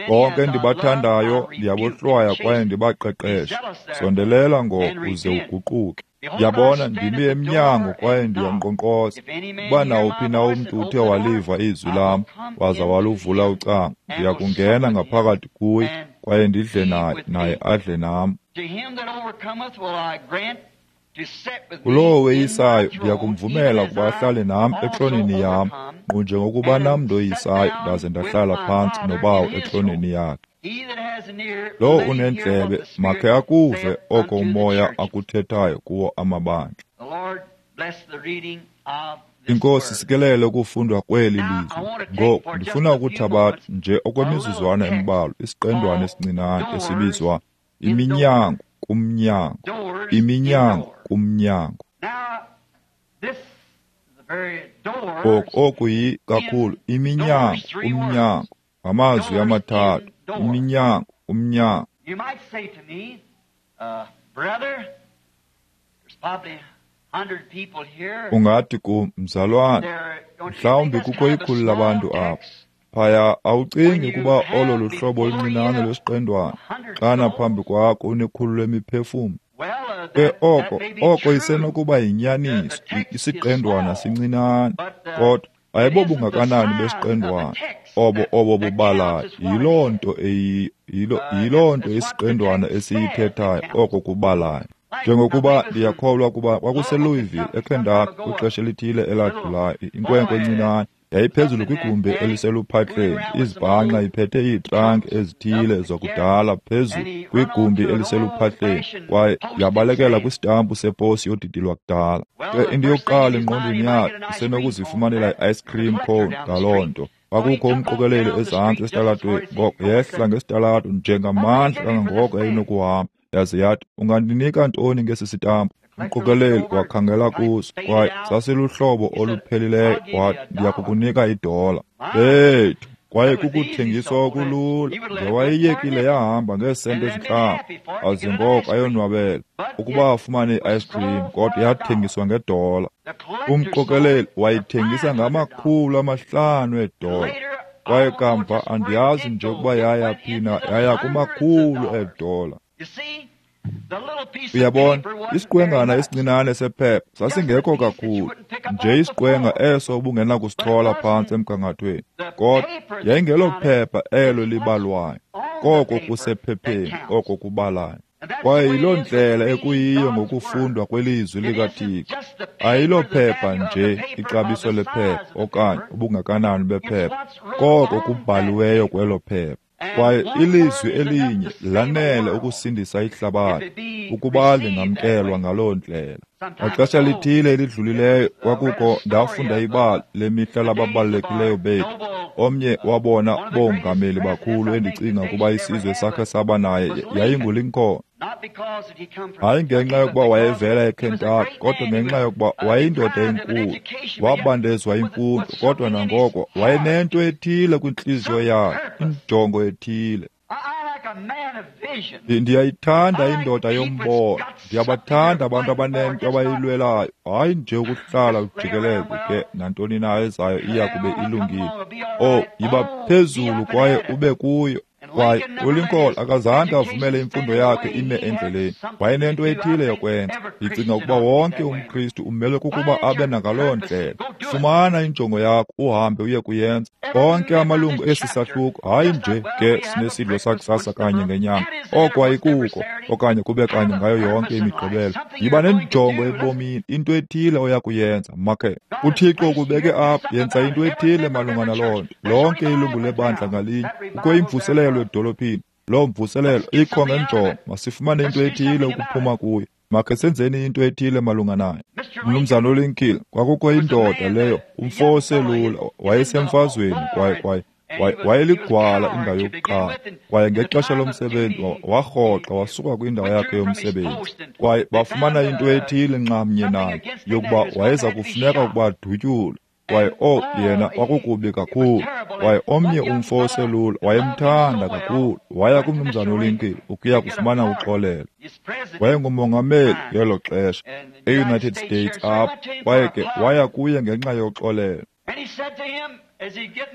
Bonke endibathandayo ndiyabohlwaya kwaye ndibaqeqeshe. Sondelela ngoko uze uguquke. Ndiyabona ndimi emnyango kwaye ndiyankqonkqoza. Ukuba nawuphi na umntu uthe waliva izwi lam waza waluvula ucango, ndiya kungena ngaphakathi kuye kwaye ndidle naye, naye adle nam. Kulowo weyisayo ndiya kumvumela ukuba ahlale nam etroneni yam, nkqu njengokuba nam ndoyisayo ndaze ndahlala phantsi noBawo etroneni yakhe. Lowo unendlebe makhe akuve oko uMoya akuthethayo kuwo amabandla. INkosi sikelele ukufundwa kweli lizwi. Ngoku ndifuna ukuthabatha nje okwemizuzwana embalwa isiqendwana esincinane esibizwa Iminyango kumnyango, iminyango kumnyango. Ngoku oku yi kakhulu iminyango kumnyango, ngamazwi amathathu, iminyango kumnyango. Ungathi kum, mzalwane, mhlawumbi kukho ikhulu labantu apha. Phaya awucingi ukuba olo luhlobo oluncinane lwesiqendwana xana phambi kwakho unekhulu lemiphefumlo? Ke oko isenokuba yinyaniso, isiqendwana sincinane, kodwa ayibobungakanani besiqendwana obo bubalayo. Yiloo nto eyiyo, yiloo nto isiqendwana esiyithethayo oko kubalayo. Njengokuba ndiyakholwa ukuba kwakuseLouisville eKentucky kwixesha elithile eladlulayo, inkwenkwe encinane yayiphezulu kwigumbi eliseluphahleni, izibhanxa iphethe iitranki ezithile zakudala phezulu kwigumbi eliseluphahleni, kwaye yabalekela kwisitampu seposi yodidi lwakudala. Ke into yokuqala engqondweni yakhe isenokuzifumanela i-ice cream cone ngaloo nto. Kwakukho umqokeleli ezantsi esitalatweni, ngoko yehla ngesitalato njengamandla kangangoko yayinokuhamba, yaze yathi, ungandinika ntoni ngesi sitampu? Umqokeleli wakhangela kuso, kwaye sasiluhlobo oluphelileyo, wathi, ndiyakukunika $1. Bethu, kwaye kukuthengiswa okulula. Ngewayiyekile yahamba ngeesenti ezintlanu, aze ngoko ayonwabela ukuba afumane i-ice cream, kodwa yathengiswa ngedola. Umqokeleli wayithengisa ngama-500 eedola, kwaye kamva andiyazi nje ukuba yaya phi na, yaya kumakhulu eedola. Uyabona, isiqwengana esincinane sephepha sasingekho kakhulu, nje isiqwenga eso ubungenakusichola phantsi emgangathweni, kodwa yayingelophepha elo libalwayo, koko kusephepheni oko kubalayo. Kwaye yiloo ndlela ekuyiyo ngokufundwa kwelizwi likaThixo. Ayilophepha nje ixabiso lephepha okanye ubungakanani bephepha, koko kubhaliweyo kwelo phepha. Kwaye ilizwi elinye lanele ukusindisa ihlabathi ukuba lingamkelwa ngaloo ndlela. Ngaxesha lithile elidlulileyo kwakukho ndafunda ibali lemihla lababalulekileyo bethu. Omnye wabona bongameli bakhulu endicinga ukuba isizwe sakhe saba naye yayinguLincoln. Hayi ngenxa yokuba wayevela eKentucky, kodwa ngenxa yokuba wayeyindoda enkulu. Wabandezwa imfundo, kodwa nangoko wayenento ethile kwintliziyo yakhe, injongo ethile. Ndiyayithanda indoda yombono. Ndiyabathanda abantu abanento abayilwelayo, hayi nje ukuhlala ujikeleze ke nantoni na ezayo iya kube ilungile. Oh, yiba phezulu kwaye ube kuyo. Kwaye uLincoln akazange avumele imfundo yakhe ime endleleni. Wayenento ethile yokwenza. Ndicinga ukuba wonke umKristu umelwe kukuba abe nangaloo ndlela. Fumana injongo yakho uhambe uye kuyenza. Onke amalungu esi sahluko, hayi nje ke sinesidlo sakusasa kanye ngenyanga, oko ayikuko, okanye kube kanye ngayo yonke imigqibelo. Yiba nenjongo ebomini, into ethile oya kuyenza. Makhe uThixo ukubeke apha, yenza into ethile malunga naloo nto. Lonke ilungu lebandla ngalinye, kukho imvuselelo edolophini. Loo mvuselelo ikho ngenjongo. Masifumane into ethile ukuphuma kuyo. Makhe senzeni into ethile malunga nayo. Mnumzana uLincoln, kwakukho indoda leyo, umfo oselula, wayesemfazweni kwaye wayeligwala indawo yokuqala. Kwaye ngexesha lomsebenzi warhoxa wasuka kwindawo yakhe yomsebenzi. Kwaye bafumana into ethile nxamnye naye yokuba wayeza kufuneka ukuba adutyulwe. Kwaye yena kwakukubi kakhulu. Kwaye omnye umfo oselula wayemthanda kakhulu, waya kumnumzana uLincoln ukuya kufumana uxolelo. Wayengumongameli ngelo xesha eUnited States apha, kwaye ke waya kuye ngenxa yoxolelo.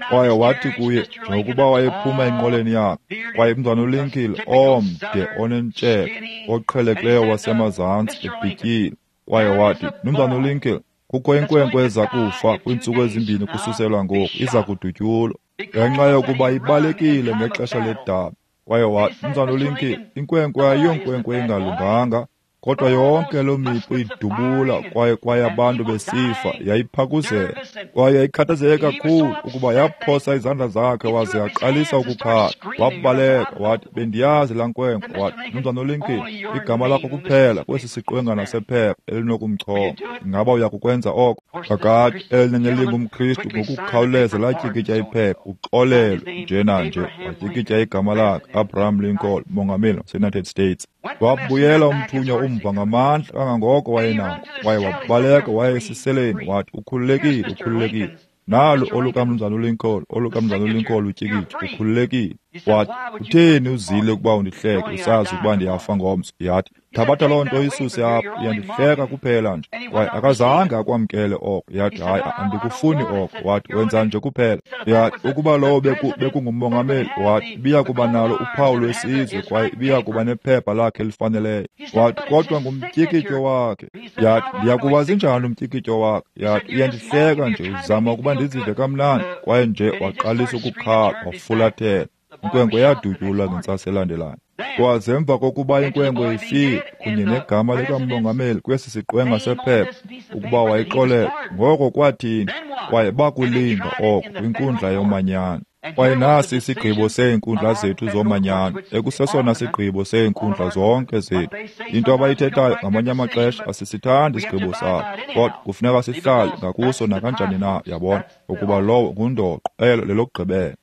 Kwaye wathi kuye njengokuba wayephuma enqoleni yakhe, kwaye umntwana uLincoln omde onentshebe oqhelekileyo wasemazantsi ebhityile, kwaye wathi, "Mnumzana uLincoln, kukho inkwenkwe eza kufa kwiintsuku ezimbini kususelwa ngoku, iza kudutyulwa ngenxa yokuba ibalekile ngexesha ledabi." Kwaye wathi, "Mnumzana uLincoln, inkwenkwe ayiyonkwenkwe engalunganga, kodwa yonke loo mipu idubula kwaye abantu besifa, yayiphakuzela. Kwaye yayikhathazeke kakhulu ukuba yaphosa izandla zakhe waze yaqalisa ukukhala. Wabaleka, wathi, bendiyazi laa nkwenkwe." Wathi, "Mnumzana uLincoln, igama lakho kuphela kwesi siqwengana sephepha elinokumchonga. Ingaba uya kukwenza oko?" Kakade elinye lingumKristu ngokukhawuleza latyikitya iphepha, uxolelwe nje nanje. Watyikitya igama lakhe, Abraham Lincoln, mongameli waseUnited States. Wabuyela umthunywa umva ngamandla kangangoko wayenako, kwaye wabaleka waya esiseleni, wathi, "Ukhululekile, ukhululekile. Nalo olukamnumzana uLincoln, olukamnumzana uLincoln utyikityo, ukhululekile." Wathi, "Utheni uzile ukuba undihleke usazi ukuba ndiyafa ngomso?" Yathi, "Thabatha loo nto uyisuse apha, uyandihleka kuphela nje." Kwaye akazange akwamkele oko. Yathi, "Hayi, andikufuni oko." Wathi, "Wenza nje kuphela." Yathi, "Ukuba lowo bekungumongameli," wathi, "ibiya kuba nalo uphawu lwesizwe kwaye ibiya kuba nephepha lakhe elifaneleyo." Wathi, "Kodwa ngumtyikityo wakhe." Yathi, "Ndiyakuwazi njani umtyikityo wakhe?" Yathi, "Uyandihleka nje, uzama ukuba ndizive kamnandi." Kwaye nje waqalisa ukukhala, wafulathela. Inkwenkwe yadutyulwa ngentsasa elandelayo. Kwaze emva kokuba inkwenkwe ifile kunye negama likamongameli kwesi siqwenga sephepha ukuba wayixolela, ngoko kwathini? Kwaye bakulinga oko kwinkundla yomanyano. Kwaye nasi isigqibo seenkundla zethu zomanyano, ekusesona sigqibo seenkundla zonke zethu. Into abayithethayo ngamanye amaxesha asisithandi isigqibo sabo, kodwa kufuneka sihlale ngakuso nakanjani na, yabona, ukuba lowo ngundoqo, elo lelokugqibela.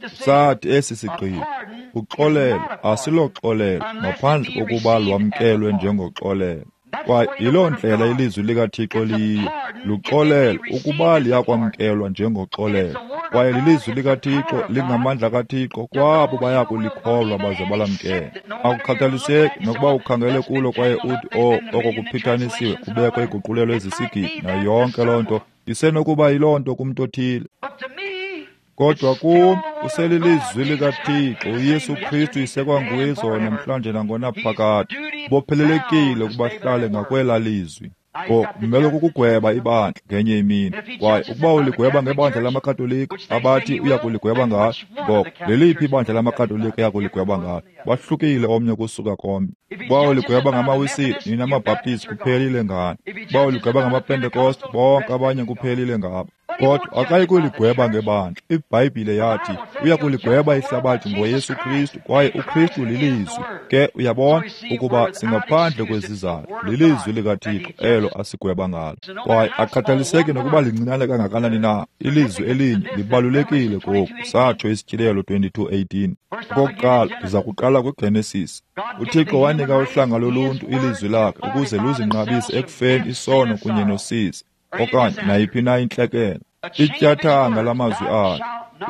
Sathi esi sigqibo, uxolelo asiloxolelo ngaphandle kokuba lwamkelwe njengoxolelo. Kwaye yiloo ndlela ilizwi likaThixo liyiyo, luxolelo ukuba liyakwamkelwa njengoxolelo. Kwaye lilizwi likaThixo, lingamandla kaThixo kwabo baya kulikholwa baze balamkele. Akukhathaliseki nokuba ukhangele kulo kwaye uthi, "Oh, oko kuphithanisiwe, kubekho iguqulelo ezisigidi," nayo yonke loo nto isenokuba yiloo nto kumntu othile. Kodwa kum uselilizwi likaThixo, uYesu Kristu isekwanguye izolo namhlanje nangonaphakade. Bophelelekile ukuba hlale ngakwela lizwi. Kumele kukugweba ibandla ngenye imini. Kwaye ukuba uligweba ngebandla lamaKatolika abathi uya kuligweba ngalo, ngoko leliphi ibandla lamaKatolika eya kuligweba ngalo? Bahlukile omnye kusuka komnye. Ukuba uligweba ngamaWisile, nina maBhaptizi kuphelile ngani. Ukuba uligweba ngamaPentekoste, bonke abanye kuphelile ngabo. Kodwa akayi kuligweba ngebandla. IBhayibhile yathi uya kuligweba ihlabathi ngoYesu Kristu, kwaye uKristu lilizwi. Ke uyabona ukuba singaphandle kwezizathu, lilizwi likaThixo elo asigweba ngalo. Kwaye akhathaliseki nokuba lincinane kangakanani na, ilizwi elinye libalulekile koku, satsho iSityhilelo 22:18. Okokuqala, ndiza kuqala kwiGenesis. UThixo wanika uhlanga loluntu ilizwi lakhe ukuze luzinqabise ekufeni isono kunye nosizi, okanye nayiphi na intlekele. Ityathanga lamazwi akhe,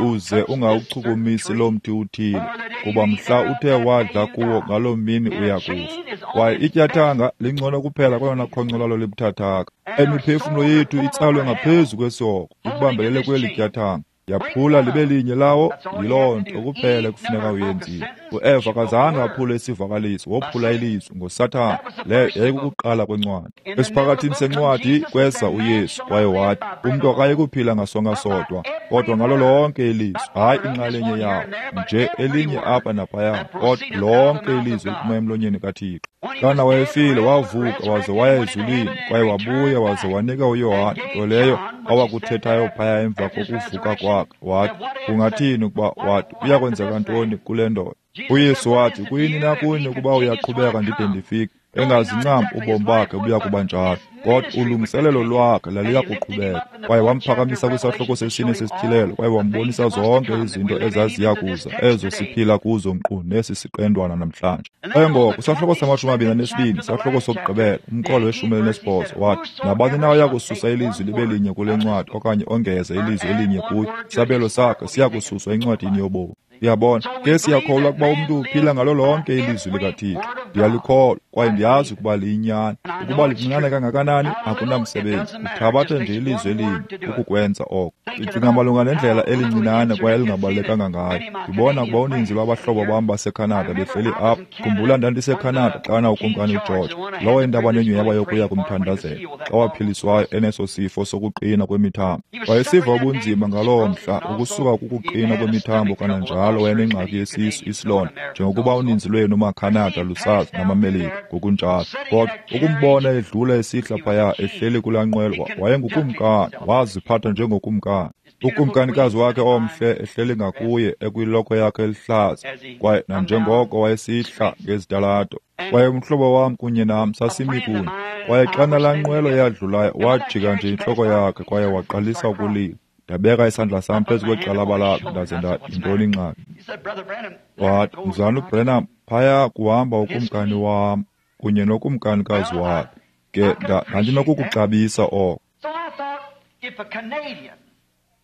uze ungawuchukumisi lo mthi uthile, kuba mhla uthe wadla kuwo ngaloo mini uya kufa. Kwaye ityathanga lingcono kuphela kwelona khonco lalo libuthathaka. Emiphefumlo yethu itsalwe ngaphezu kwesihogo, ikubambelele kweli tyathanga. Yaphula libe linye lawo, yiloo nto kuphela ekufuneka uyenzile. UEva akazange aphule isivakaliso, wophula ilizwi ngoSathana. Leyo yayikukuqala kwencwadi. Esiphakathini sencwadi kweza uYesu kwaye wathi, umntu akayi kuphila ngasonka sodwa, kodwa ngalo lonke ilizwi, hayi inxalenye yawo, nje elinye apha naphaya, kodwa lonke ilizwi eliphuma emlonyeni kaThixo. Xana wayefile, wavuka waze waya ezulwini, kwaye wabuya waze wanika uYohane nto leyo awakuthethayo phaya emva kokuvuka kwakhe. Wathi, kungathini ukuba, wathi, kuya kwenzeka ntoni kule ndoda? UYesu wathi, kuyini na kuni ukuba uyaqhubeka ndide ndifike? Engazincam ubomi bakhe buya kuba njalo, kodwa ulungiselelo lwakhe laliya kuqhubeka. Kwaye wamphakamisa kwisahluko sesine sesityhilelo, kwaye wambonisa zonke izinto ezaziya kuza, ezo siphila kuzo nkqu nesi siqendwana namhlanje. Kwaye ngoko isahluko sama-22, isahluko sokugqibela, umqolo we-18, wathi, nabani na oya kususa ilizwi libe linye kule ncwadi okanye ongeze ilizwi elinye kuyo, isabelo sakhe siya kususwa encwadini yobomi. Uyabona, ke siyakholwa ukuba umntu uphila ngalo lonke ilizwi likaThixo. Ndiyalikholwa kwaye ndiyazi ukuba liyinyani. Ukuba lincinane kangakanani akunamsebenzi, uthabatha nje ilizwi elinye ukukwenza oko. Ndicinga malunga nendlela elincinane kwaye elingabalulekanga ngayo. Ndibona ukuba uninzi lwabahlobo bam baseKhanada behleli apha. Khumbula, ndandiseKhanada xana uKumkani uGeorge, lowo endaba nenyhweba yokuya kumthandazela, xa waphiliswayo eneso sifo sokuqina kwemithambo. Wayesiva ubunzima ngaloo mhla ukusuka kukuqina kwemithambo, kananjalo wayenengxaki yesisu, isilonda, njengokuba uninzi lwenu maKhanada lusazi, namaMelika ngokunjalo. Kodwa ukumbona edlula esihla phaya ehleli kulaa nqwelo, wayengukumkani, waziphatha njengokumkani. Ukumkanikazi wakhe omhle ehleli ngakuye ekwilokhwe yakhe elihlaza, kwaye nanjengoko wayesihla ngezitalato. Kwaye umhlobo wam kunye nam sasimi kunye. Kwaye xana laa nqwelo yadlulayo, wajika nje intloko yakhe kwaye waqalisa ukulila. Ndabeka isandla sam phezu kwegxalaba lakhe, ndaze ndathi, yintoni ingxaki? Wathi, Mzalwana uBranham, phaya kuhamba ukumkani wam kunye nokumkanikazi wakhe. Ke ndandinokukuxabisa oko.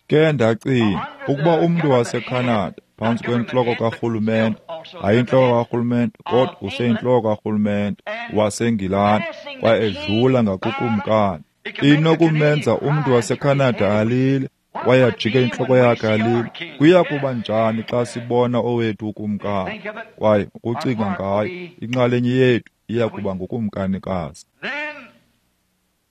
Ke ndacinga, ukuba umntu waseKhanada phantsi kwentloko karhulumente, hayi intloko karhulumente, kodwa useyintloko karhulumente waseNgilani, kwaye edlula ngakukumkani, inokumenza umntu waseKhanada alile kwaye ajike intloko yakhe alile. Kuya kuba njani xa sibona owethu ukumkani? Kwaye ukucinga ngayo, inxalenye yethu iya kuba ngukumkanikazi.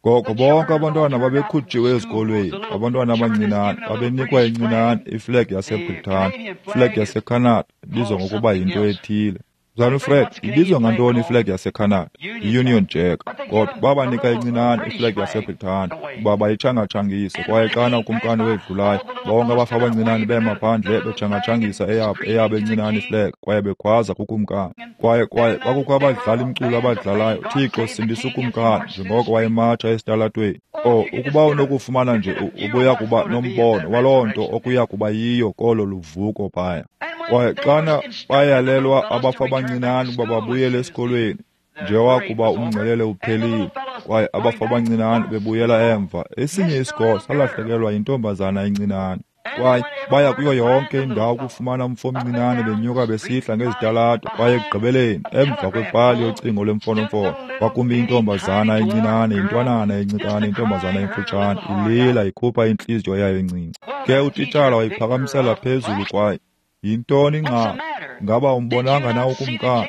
Ngoko bonke abantwana babekhutshiwe ezikolweni, abantwana abancinane babenikwa incinane iflegi yaseBritani, iflegi yaseKhanada ibizwa ngokuba yinto ethile. Mzalwana uFred, ibizwa ngantoni iflegi yaseKhanada? I-Union Jack. Kodwa babanika incinane iflegi yaseBritani ukuba bayitshangatshangise, kwaye xana ukumkani wedlulayo, bonke abafa abancinane bema phandle betshangatshangisa eyabo encinane iflegi, kwaye bekhwaza kukumkani. Kwaye kwakukho abadlali mculo abadlalayo, Thixo sindisa ukumkani, njengoko wayematsha esitalatweni. O, ukuba unokufumana nje, ubuya kuba nombono waloo nto okuya kuba yiyo kolo luvuko phaya. Kwaye xana bayalelwa abafa abancinane ukuba babuyele esikolweni, njengokuba umngcelele uphelile, kwaye abafa abancinane bebuyela emva, esinye isikolo salahlekelwa yintombazana encinane. Kwaye baya kuyo yonke indawo ukufumana umfo omncinane benyuka besihla ngezitalato, kwaye ekugqibeleni, emva kwepali yocingo lwemfonomfono, kwakumi intombazana encinane, intwanana encinane, intombazana emfutshane, ilila ikhupha intliziyo yayo encinci. Ke utitshala wayiphakamisela phezulu kwaye, yintoni ingxaki? Ngaba umbonanga na ukumkani?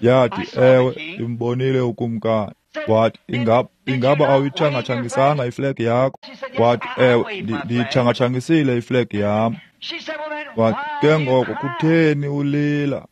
Yathi, ewe, ndimbonile ukumkani. Wathi, ingaba awuyitshangatshangisanga iflegi yakho? Wathi, ewe, ndiyitshangatshangisile iflegi yam. Wathi, ke ngoko kutheni ulila?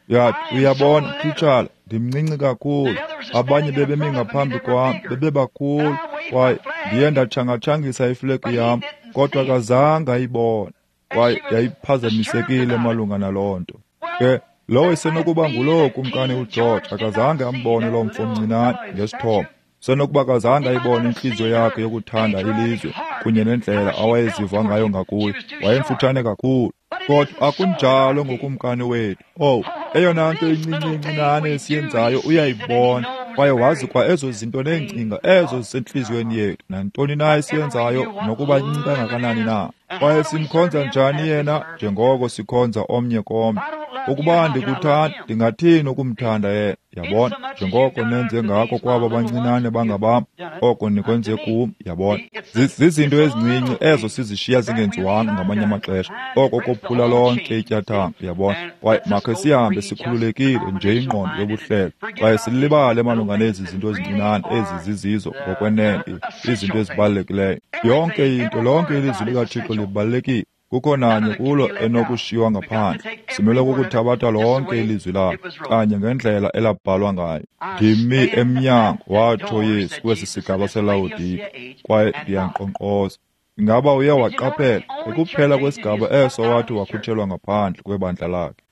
Yathi, uyabona, titshala, ndimncinci kakhulu. Abanye bebemi ngaphambi kwam, bebebakhulu, Kwaye ndiye ndatshangatshangisa iflegi yam, kodwa akazange ayibone. Kwaye yayiphazamisekile malunga naloo nto. Ke lowo isenokuba nguloo Kumkani uGeorge akazange ambone loo mfo mncinane ngesithomo. Senokuba akazange ayibone intliziyo yakhe yokuthanda ilizwe kunye nendlela awayeziva ngayo ngakuyo. Wayemfutshane kakhulu. Kodwa akunjalo ngokumkani wethu. Owu, eyona nto incinci incinane esiyenzayo uyayibona, kwaye wazi kwa ezo zinto neengcinga ezo zisentliziyweni yethu, nantoni na esiyenzayo nokuba incinci kangakanani na. Kwaye simkhonza njani yena njengoko sikhonza omnye komnye. Ukuba ndikuthanda, ndingathini ukumthanda yena? Yabona, njengoko nenze ngako kwaba bancinane bangabam, oko nikwenze kum. Yabona, zizinto ezincinci ezo sizishiya zingenziwanga ngamanye amaxesha, oko kophula lonke ityathanga. Yabona, kwaye makhe sihambe sikhululekile nje ingqondo yobuhlelo, kwaye silibale malunga nezi zinto ezincinane ezi zizizo ngokwenene, izinto ezibalulekileyo. Yonke into, lonke ilizwi likaThixo libalulekile. Kukho nanye kulo enokushiywa ngaphandle. Simele kukuthabatha lonke ilizwi lakhe kanye ngendlela elabhalwa ngayo. Ndimi emnyango, watsho Yesu kwesi sigaba seLawodike, kwaye ndiyankqonkqoza. Ingaba uye waqaphela ekuphela kwesigaba eso wathi wakhutshelwa ngaphandle kwebandla lakhe?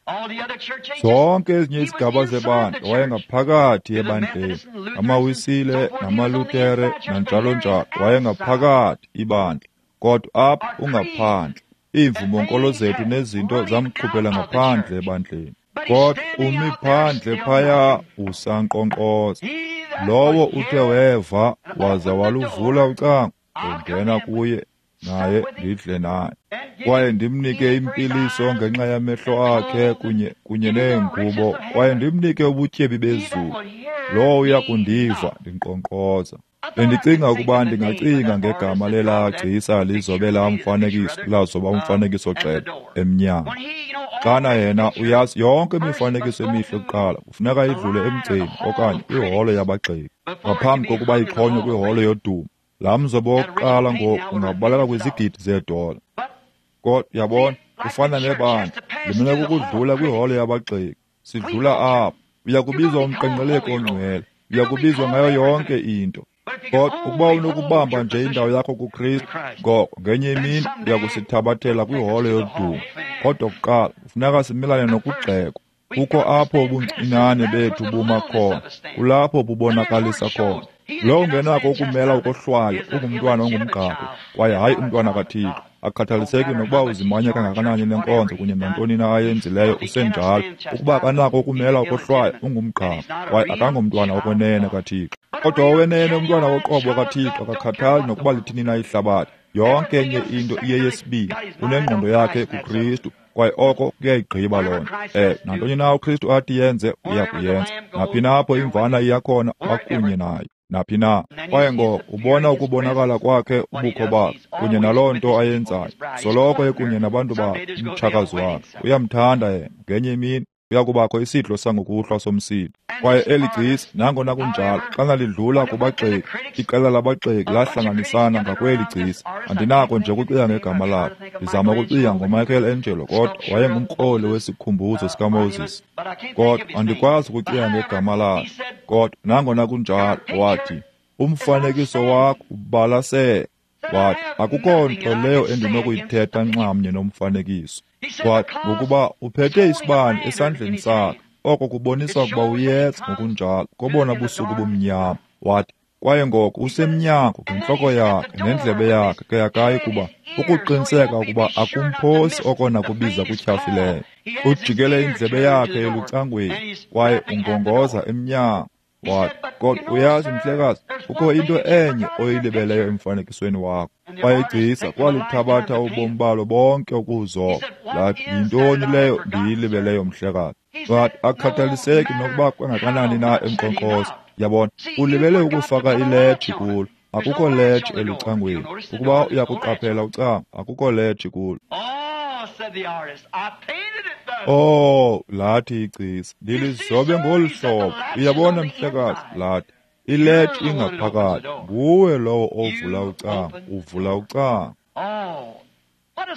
Zonke ezinye izigaba zebandla wayengaphakathi ebandleni, amaWisile namaLutere nanjalo njalo, wayengaphakathi ibandla, kodwa apha ungaphandle. Iimvumo-nkolo zethu nezinto zamkhuphela ngaphandle ebandleni, kodwa umi phandle phaya usankqonkqoza. Lowo uthe weva waza waluvula ucango, ndongena kuye naye ndidle naye, kwaye ndimnike impiliso ngenxa yamehlo akhe kunye neengubo, kwaye ndimnike ubutyebi bezulu. Lowo uya kundiva ndinkqonkqoza. Bendicinga ukuba ndingacinga ngegama lelaa gcisa lizobe laa mfanekiso, lazoba umfanekiso gxebe emnyango. Xana yena uyazi yonke imifanekiso emihle kuqala kufuneka idlule emgceni okanye kwiholo yabagxeki ngaphambi kokuba ixhonywe kwiholo yodumo. Laa mzobo wokuqala ngoku ungabaleka kwizigidi zeedola. Kodwa yabona, ufana nebandla, limele kukudlula kwiholo yabagxeki. Sidlula apho, uya kubizwa umqenqeleko ongcwele, uya kubizwa ngayo yonke into. Kodwa ukuba unokubamba nje indawo yakho kuKristu, ngoko ngenye imini uya kusithabathela kwiholo yodumo. Kodwa kuqala kufuneka simelane nokugxekwa. Kukho apho ubuncinane bethu buma khona, kulapho bubonakalisa khona. Lowo ungenako ukumela ukohlwaywa ungumntwana ongumgqakhwe, kwaye hayi umntwana kaThixo. Akukhathaliseki nokuba uzimanya kangakanani nenkonzo kunye nantoni na ayenzileyo, usenjalo. Ukuba akanako ukumela ukohlwaywa ungumgqakhwe, kwaye akangomntwana wokwenene kaThixo. Kodwa owenene umntwana woqobo kaThixo akakhathali nokuba lithini na ihlabathi. Yonke enye into iyeyesibini, unengqondo yakhe kuKristu, kwaye oko kuyayigqiba loo nto. Nantoni na uKristu athi yenze, uya kuyenza. Naphi na apho imvana iya khona, bakunye nayo. Naphi na. Kwaye ngoko ubona ukubonakala kwakhe, ubukho bakhe kunye naloo nto ayenzayo. Soloko ekunye nabantu bakhe, umtshakazi wakhe. Uyamthanda yena. Ngenye imini kuya kubakho isidlo sangokuhlwa somsitho. Kwaye eli gcisa, nangona kunjalo, xana lidlula kubagxeki, iqela labagxeki lahlanganisana ngakweli gcisa. Andinako nje ukucinga ngegama lakhe. Ndizama ukucinga ngoMichael Angelo, kodwa wayengumkroli wesikhumbuzo sikaMoses. Kodwa andikwazi ukucinga ngegama lakhe. Kodwa nangona kunjalo, wathi, umfanekiso wakho ubalasele. Wathi, akukho nto leyo endinokuyithetha nxamnye nomfanekiso. Wathi, ngokuba uphethe isibane esandleni sakhe, oko kubonisa ukuba uyeza ngokunjalo kobona busuku bumnyama. Wathi, kwaye ngoko usemnyango ngentloko yakhe nendlebe yakhe ke akayi kuba ukuqiniseka ukuba akumphosi okona kubiza kutyhafileyo. Ujikele indlebe yakhe elucangweni kwaye ungongoza emnyango. Wathi, kodwa uyazi mhlekazi, kukho into enye oyilibeleyo emfanekisweni wakho. Kwaye igcisa kwalithabatha ubomi balo bonke ukuwuzoba. Lathi, yintoni leyo ndiyilibeleyo mhlekazi? Wathi, akukhathaliseki nokuba kangakanani na emnkqonkqoza. Yabona, ulibele ukufaka iletshi kulo. Akukho letshi elucangweni. Ukuba uyakuqaphela ucango, akukho letshi kulo. Oh, lathi igcisa, ndilizobe ngolu hlobo. Uyabona mhlekazi, lathi, iletshi ingaphakathi. Nguwe lowo ovula ucango, uvula ucango.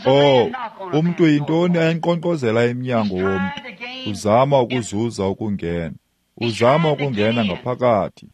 Oh, umntu yintoni ayinkqonkqozela emnyango womntu? Uzama ukuzuza ukungena. Uzama ukungena ngaphakathi.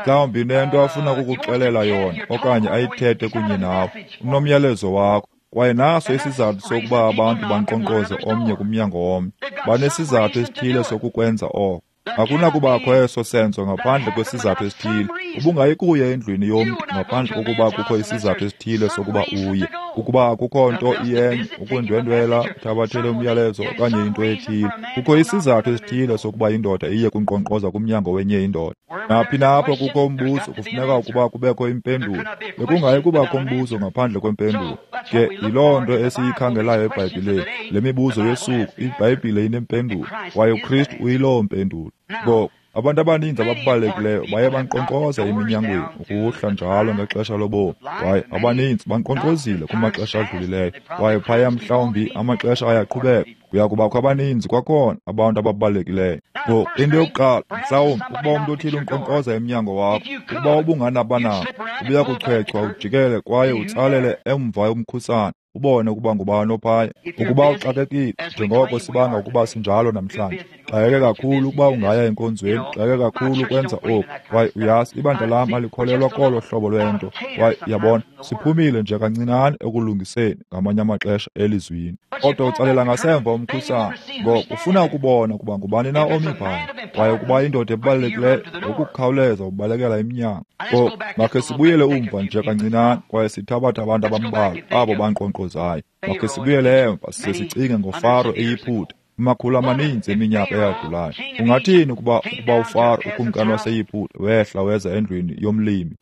Mhlawumbi unento afuna ukukuxelela yona okanye ayithethe kunye nawe. Unomyalezo wakho. Kwaye naso isizathu sokuba abantu bankqonkqoze omnye kumnyango womnye. Banesizathu esithile sokukwenza oko. Akunakubakho eso senzo ngaphandle kwesizathu esithile. Ubungayi kuya endlwini yomntu ngaphandle kokuba kukho isizathu esithile sokuba uye. Ukuba akukho nto iyenye, ukundwendwela, uthabathele umyalezo okanye into ethile. Kukho isizathu esithile sokuba indoda iye kunkqonkqoza kumnyango wenye indoda. Naphi na apho kukho umbuzo, kufuneka ukuba kubekho impendulo. Bekungayi kubakho mbuzo ngaphandle kwempendulo. Ke yiloo nto esiyikhangelayo eBhayibhileni. Le mibuzo yosuku, iBhayibhile inempendulo, kwaye uKristu uyiloo mpendulo. Ngoku, abantu abaninzi ababalulekileyo baye bankqonkqoza eminyangweni ukuhla njalo ngexesha lobomi, kwaye abaninzi bankqonkqozile kumaxesha adlulileyo, kwaye phaya mhlawumbi amaxesha ayaqhubeka. Kuya kubakho abaninzi kwakhona abantu ababalulekileyo. Ngoku, into yokuqala, mhlawumbi ukuba umntu othile unkqonkqoza emnyango wakho, ukuba ubunganabanako, ubuya kuchwechwa ujikele kwaye utsalele emva umkhusane, ubone ukuba ngubani ophaya. Ukuba uxakekile, njengoko sibanga ukuba sinjalo namhlanje, xakeke kakhulu ukuba ungaya enkonzweni, xakeke kakhulu ukwenza oku, kwaye uyazi ibandla lam alikholelwa kolo hlobo lwento, kwaye uyabona, siphumile nje kancinane ekulungiseni ngamanye amaxesha elizwini. Kodwa utsalela ngasemva umkhusane, ngoku ufuna ukubona ukuba ngubani na omi phaya, kwaye ukuba indoda ebalulekileyo, ngokukhawuleza ubalekela emnyango. Ngoku makhe sibuyele umva nje kancinane kwaye sithabathe abantu abambalwa abo bankqonkqozayo. Makhe sibuyele emva size sicinge ngoFaro eYiputa, amakhulu amaninzi eminyaka eyadlulayo. Ungathini ukuba uFaro, ukumkani waseYiputa, wehla weza endlwini yomlimi?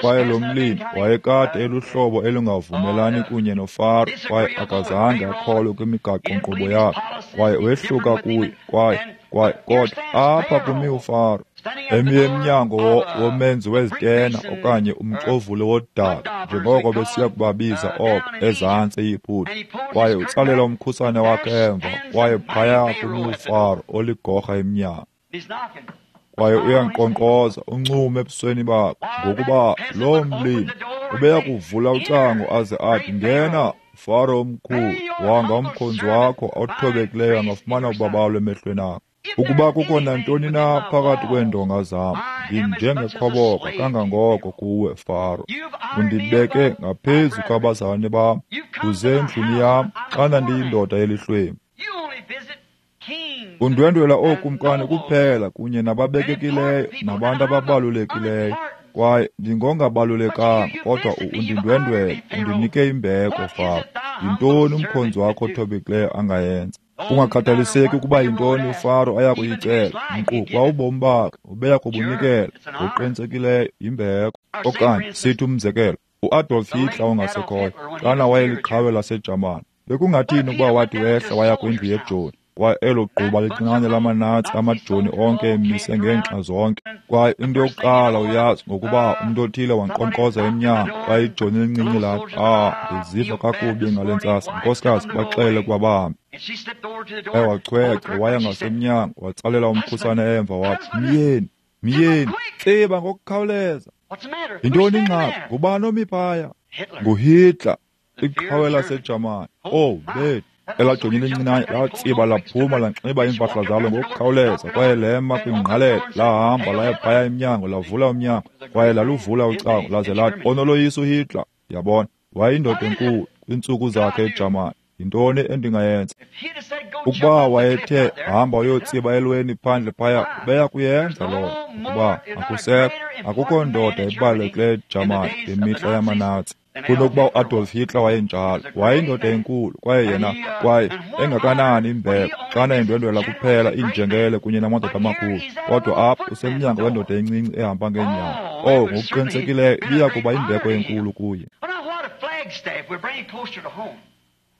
Kwaye lo mlimi wayekade eluhlobo elungavumelani kunye noFaro, kwaye akazange akholwe kwimigaqo-nkqubo yakhe, kwaye wehluka kuye, kwaye kodwa apha kumi uFaro emi emnyango womenzi wezitena okanye umxovuli wodaka, njengoko besiya kubabiza oko ezantsi eYiputa, kwaye utsalela umkhusane wakhe emva, kwaye phaya kumi uFaro oligorha emnyango. Kwaye uyankqonkqoza uncume ebusweni bakhe, ngokuba loo mlimi ubeya kuvula ucango aze athi, "Ngena, Faro omkhulu, wanga umkhonzi wakho othobekileyo angafumana ubabalo emehlweni akho. Ukuba kukho nantoni na phakathi kweendonga zam, ndinjengekhoboka kangangoko kuwe, Faro. Undibeke ngaphezu kwabazalwane bam, uze endlwini yam xana ndiyindoda elihlwempu. Undwendwela ookumkani kuphela kunye nababekekileyo nabantu ababalulekileyo, kwaye ndingongabalulekanga, kodwa undindwendwele, undinike imbeko, Faro. Yintoni umkhonzi wakho othobekileyo angayenza?" Kungakhathaliseki ukuba yintoni uFaro aya kuyicela, nkqu kwa ubomi bakhe ubeya kubunikela ngokuqinisekileyo yimbeko. Okanye sithi umzekelo, uAdolf Hitler ongasekhoyo, xana wayeliqhawe laseJamani, bekungathini ukuba wathi wehla waya kwindlu yejoni, kwaye elo gquba lincinane lamaNatsi amajoni onke emise ngeenxa zonke, kwaye into yokuqala uyazi ngokuba umntu othile wankqonkqoza emnyango, kwaye ijoni elincinci lathi, "Ah, ndiziva kakubi ngale ntsasa, nkosikazi, baxele ukuba bahambe." Wachwechwa waya ngasemnyango, watsalela umkhusane emva wathi, "Myeni, myeni, tsiba ngokukhawuleza." Yintoni ingxaki? Ngubani omi phaya? NguHitler, iqhawe laseJamani. Oh, bethu! Elaa joni lincinane latsiba laphuma lanxiba iimpahla zalo ngokukhawuleza, kwaye lema kwingqalelo, lahamba laya phaya emnyango, lavula umnyango, kwaye laluvula ucango, laze lathi, "Onoloyiso uHitler." Yabona, wayeyindoda enkulu kwiintsuku zakhe eJamani. Yintoni endingayenza? Ukuba wayethe hamba uyotsiba elweni phandle phaya, ubeya kuyenza loo nto, ukuba akusekho, akukho ndoda ebalulekileyo eJamani ngemihla yamaNatsi kunokuba uAdolf Hitler wayenjalo. Wayeyindoda enkulu, kwaye yena, kwaye engakanani imbeko xana endwendwela kuphela iinjengele kunye namadoda amakhulu, kodwa apha usemnyango wendoda encinci ehamba ngeenyawo. Oh, ngokuqinisekileyo ibiya kuba imbeko enkulu kuye.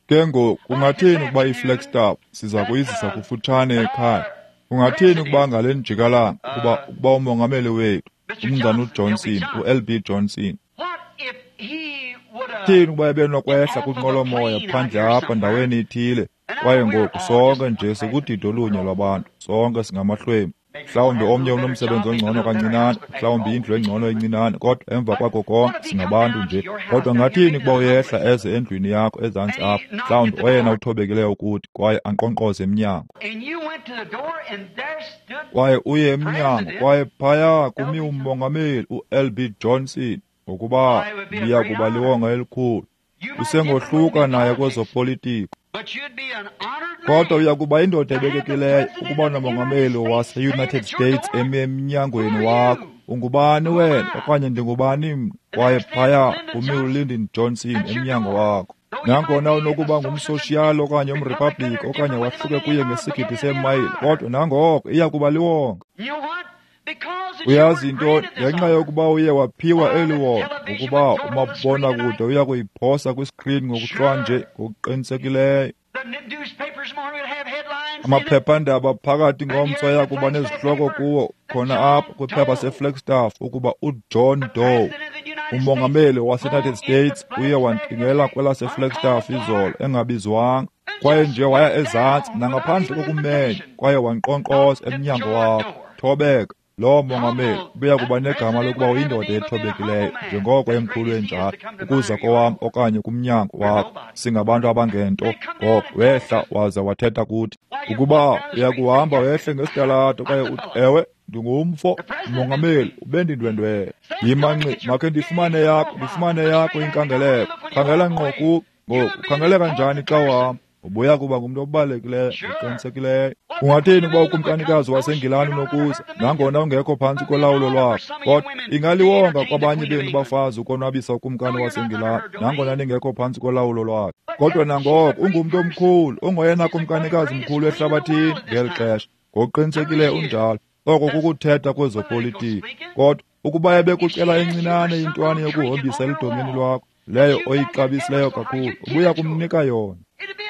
Ke ngoku, kungathini ukuba iFlagstaff siza kuyizisa kufutshane ekhaya? Kungathini ukuba ngale njikalanga ukuba umongameli wethu, uMnumzana uJohnson, uLB Johnson, thini ukuba ebenokwehla kwinqwelomoya phandle apha ndaweni ithile, kwaye ngoku sonke nje sikudidi olunye lwabantu, sonke singamahlwempu. Mhlawumbi omnye unomsebenzi ongcono kancinane, mhlawumbi indlu engcono encinane, kodwa emva kwako konke singabantu nje. Kodwa ngathini ukuba uyehla eze endlwini yakho ezantsi apha, mhlawumbi oyena uthobekileyo kuthi, kwaye ankqonkqoze emnyango. Kwaye uye emnyango, kwaye phaya kumi uMongameli u-L.B. Johnson, ngokuba liya kuba liwonga elikhulu. Usengohluka naye kwezopolitiko, kodwa uya kuba indoda ebekekileyo ukuba nomongameli wase-United States emi emnyangweni wakho. Ungubani wena okanye ndingubani mna? Kwaye phaya kumi uLyndon Johnson emnyango wakho. Nangona unokuba ngumsoshiyali okanye umriphabliki okanye wahluke kuye ngesigidi seemayile, kodwa nangoko iya kuba liwonga. Uyazi into, ngenxa yokuba uye waphiwa eli wonga, ngokuba umabonakude uya kuyiphosa kwiskrini ngokuhlwanje ngokuqinisekileyo. Amaphephandaba phakathi ngomso aya kuba nezihloko kuwo khona apha kwiphepha seFlagstaff ukuba uJohn Doe, umongameli waseUnited States, uye wantingela kwelaseFlagstaff izolo engabizwanga, kwaye nje waya ezantsi nangaphandle kokumenya kwaye wankqonkqoza emnyango wakho. Thobeka, loo mongameli ubuya kuba negama lokuba uyindoda ethobekileyo njengoko emkhulu enjalo ukuza kowam okanye kumnyango wakho. Singabantu abangento. Ngoko wehla waza wathetha kuthi. Ukuba uya kuhamba wehle ngesitalato kwaye uthi, ewe, ndingumfo, umongameli ubendindwendwele. Yima nxi, makhe ndifumane yakho inkangeleko. Khangela ngqo ku ngoku, khangeleka njani xa uhamba? Ubuya kuba ngumntu obalulekileyo ngokuqinisekileyo. Ungathini ukuba ukumkanikazi waseNgilani unokuza, nangona ungekho phantsi kolawulo lwakho? Kodwa ingaliwonga kwabanye benu bafazi ukonwabisa ukumkani waseNgilani, nangona ningekho phantsi kolawulo lwakhe. Kodwa nangoko ungumntu omkhulu, ungoyena kumkanikazi mkhulu ehlabathini ngeli xesha. Ngokuqinisekileyo unjalo. Oko kukuthetha kwezopolitiko. Kodwa ukuba ebekucela encinane intwana yokuhombisa eludongeni lwakho, leyo oyixabisileyo kakhulu, ubuya kumnika yona.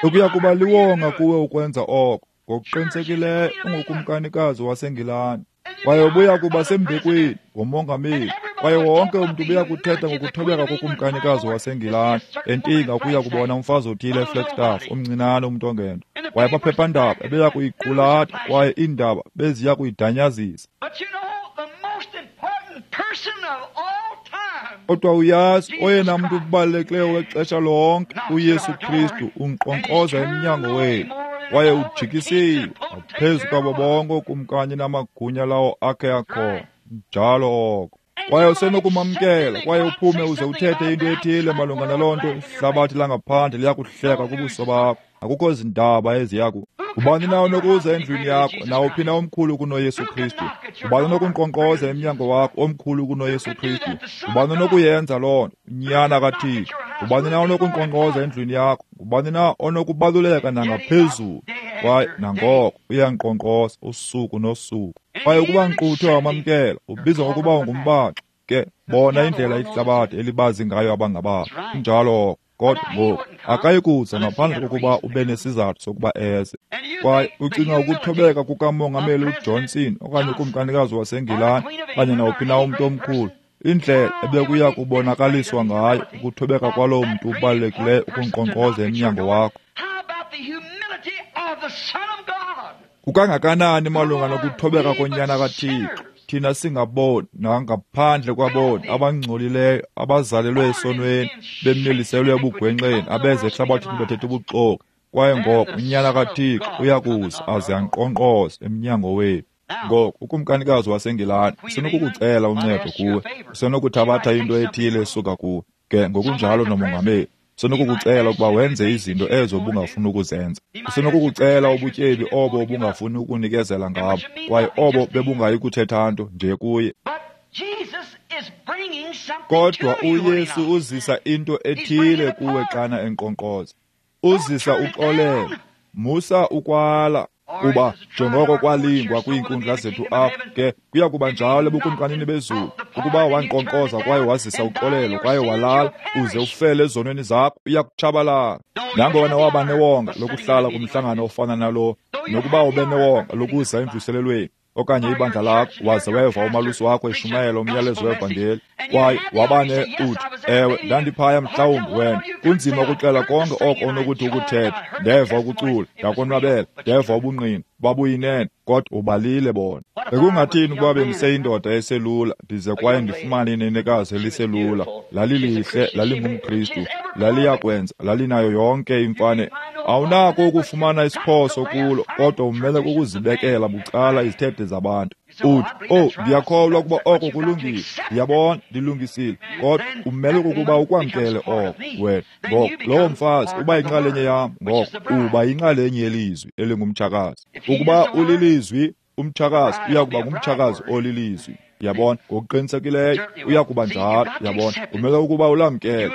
Ukuya kuba liwonga kuwe ukwenza oko. Ngokuqinisekileyo ungukumkanikazi waseNgilani, kwaye ubuya kuba sembekweni ngomongameli, kwaye wonke umntu ubuya kuthetha ngokuthobeka kokumkanikazi waseNgilani entinga ukuya kubona umfazi othile eFlagstaff, omncinane umntu ongento. Kwaye amaphephandaba ebeya kuyiqulatha, kwaye iindaba beziya kuyidanyazisa. Kodwa uyazi, oyena mntu ubalulekileyo wexesha lonke, uYesu Kristu, unkqonkqoza emnyango wethu, kwaye ujikisiwe ngaphezu kwabo bonke ookumkani namagunya lawo akhe akhona. Njalo oko. Kwaye usenokumamkela, kwaye uphume uze uthethe into ethile malunga naloo nto, ihlabathi langaphandle liyakuhleka kubuso bakho. Akukho zindaba eziya ku. Ubani na onokuza endlwini yakho, nawuphi na omkhulu kunoYesu Kristu? Ubani onokunkqonkqoza emnyango wakho omkhulu kunoYesu Kristu? Ubani onokuyenza loo nto, uNyana kaThixo? Ubani na onokunkqonkqoza endlwini yakho? Ubani na onokubaluleka nangaphezulu? Kwaye nangoko uyankqonkqoza usuku nosuku. Kwaye ukuba nkquthe wamamkela, ubizwa ngokuba ungumbaxi. Ke bona indlela ihlabathi elibazi ngayo abangababo. Injalo. Kodwa ngoku akayi kuza ngaphandle kokuba ube nesizathu sokuba eze. Kwaye ucinga ukuthobeka kukamongameli uJohnson okanye ukumkanikazi waseNgilani okanye nawuphi na umntu omkhulu, indlela ebekuya kubonakaliswa ngayo ukuthobeka kwaloo mntu ubalulekileyo ukunkqonkqoza emnyango wakho. Kukangakanani malunga nokuthobeka konyana kaThixo? Thina singaboni nangaphandle kwaboni abangcolileyo, abazalelwe esonweni, bemiliselwe ebugwenxeni, abeze ehlabathini bethetha ubuxoki. Kwaye ngoko uNyana kaThixo uyakuza aze ankqonkqoze emnyango wethu. Ngoku ukumkanikazi waseNgilani usenokukucela uncedo kuwe, usenokuthabatha into ethile esuka kuwe. Ke ngokunjalo nomongameli usenokukucela ukuba wenze izinto ezo ubungafuni ukuzenza. Usenokukucela ubutyebi obo ubungafuni ukunikezela ngabo, kwaye obo bebungayi kuthetha nto nje kuye. Kodwa uYesu uzisa into ethile kuwe xana enkqonkqoza. Uzisa uxolelo. Musa ukwala, kuba njengoko kwalingwa kwiinkundla zethu apha, ke kuya kuba njalo ebukumkanini bezulu. Ukuba wankqonkqoza kwaye wazisa uxolelo kwaye walala, uze ufele ezonweni zakho, uya kutshabalala. Nangona waba newonga lokuhlala kumhlangano ofana nalo, nokuba ube newonga lokuza emvuselelweni, okanye ibandla lakho, waze weva umalusi wakho eshumayela umyalezo wevangeli, kwaye wabane uthi, ewe, ndandiphaya mhlawumbi wena. Kunzima ukuxela konke oko onokuthi ukuthetha. Ndeva ukucula, ndakonwabela, ndeva ubungqina, babuyinene, kodwa ubalile bona. Bekungathini ukuba bendiseyindoda eselula, ndize kwaye ndifumane inenekazi eliselula, lalilihle, lalingumKristu, laliyakwenza, lalinayo yonke imfane. Awunako ukufumana isiphoso kulo, kodwa umele kukuzibekela bucala izithethe zabantu. Uthi, oh, ndiyakholwa ukuba oko kulungile, ndiyabona, ndilungisile, kodwa umele ukuba ukwamkele oko wena. Ngoko lowo mfazi uba yinxalenye yam, ngoko uba yinxalenye yelizwi elingumtshakazi. Ukuba ulilizwi, umtshakazi uya kuba ngumtshakazi olilizwi. Yabona, ngokuqinisekileyo uya kuba njalo. Yabona, umele ukuba ulamkele.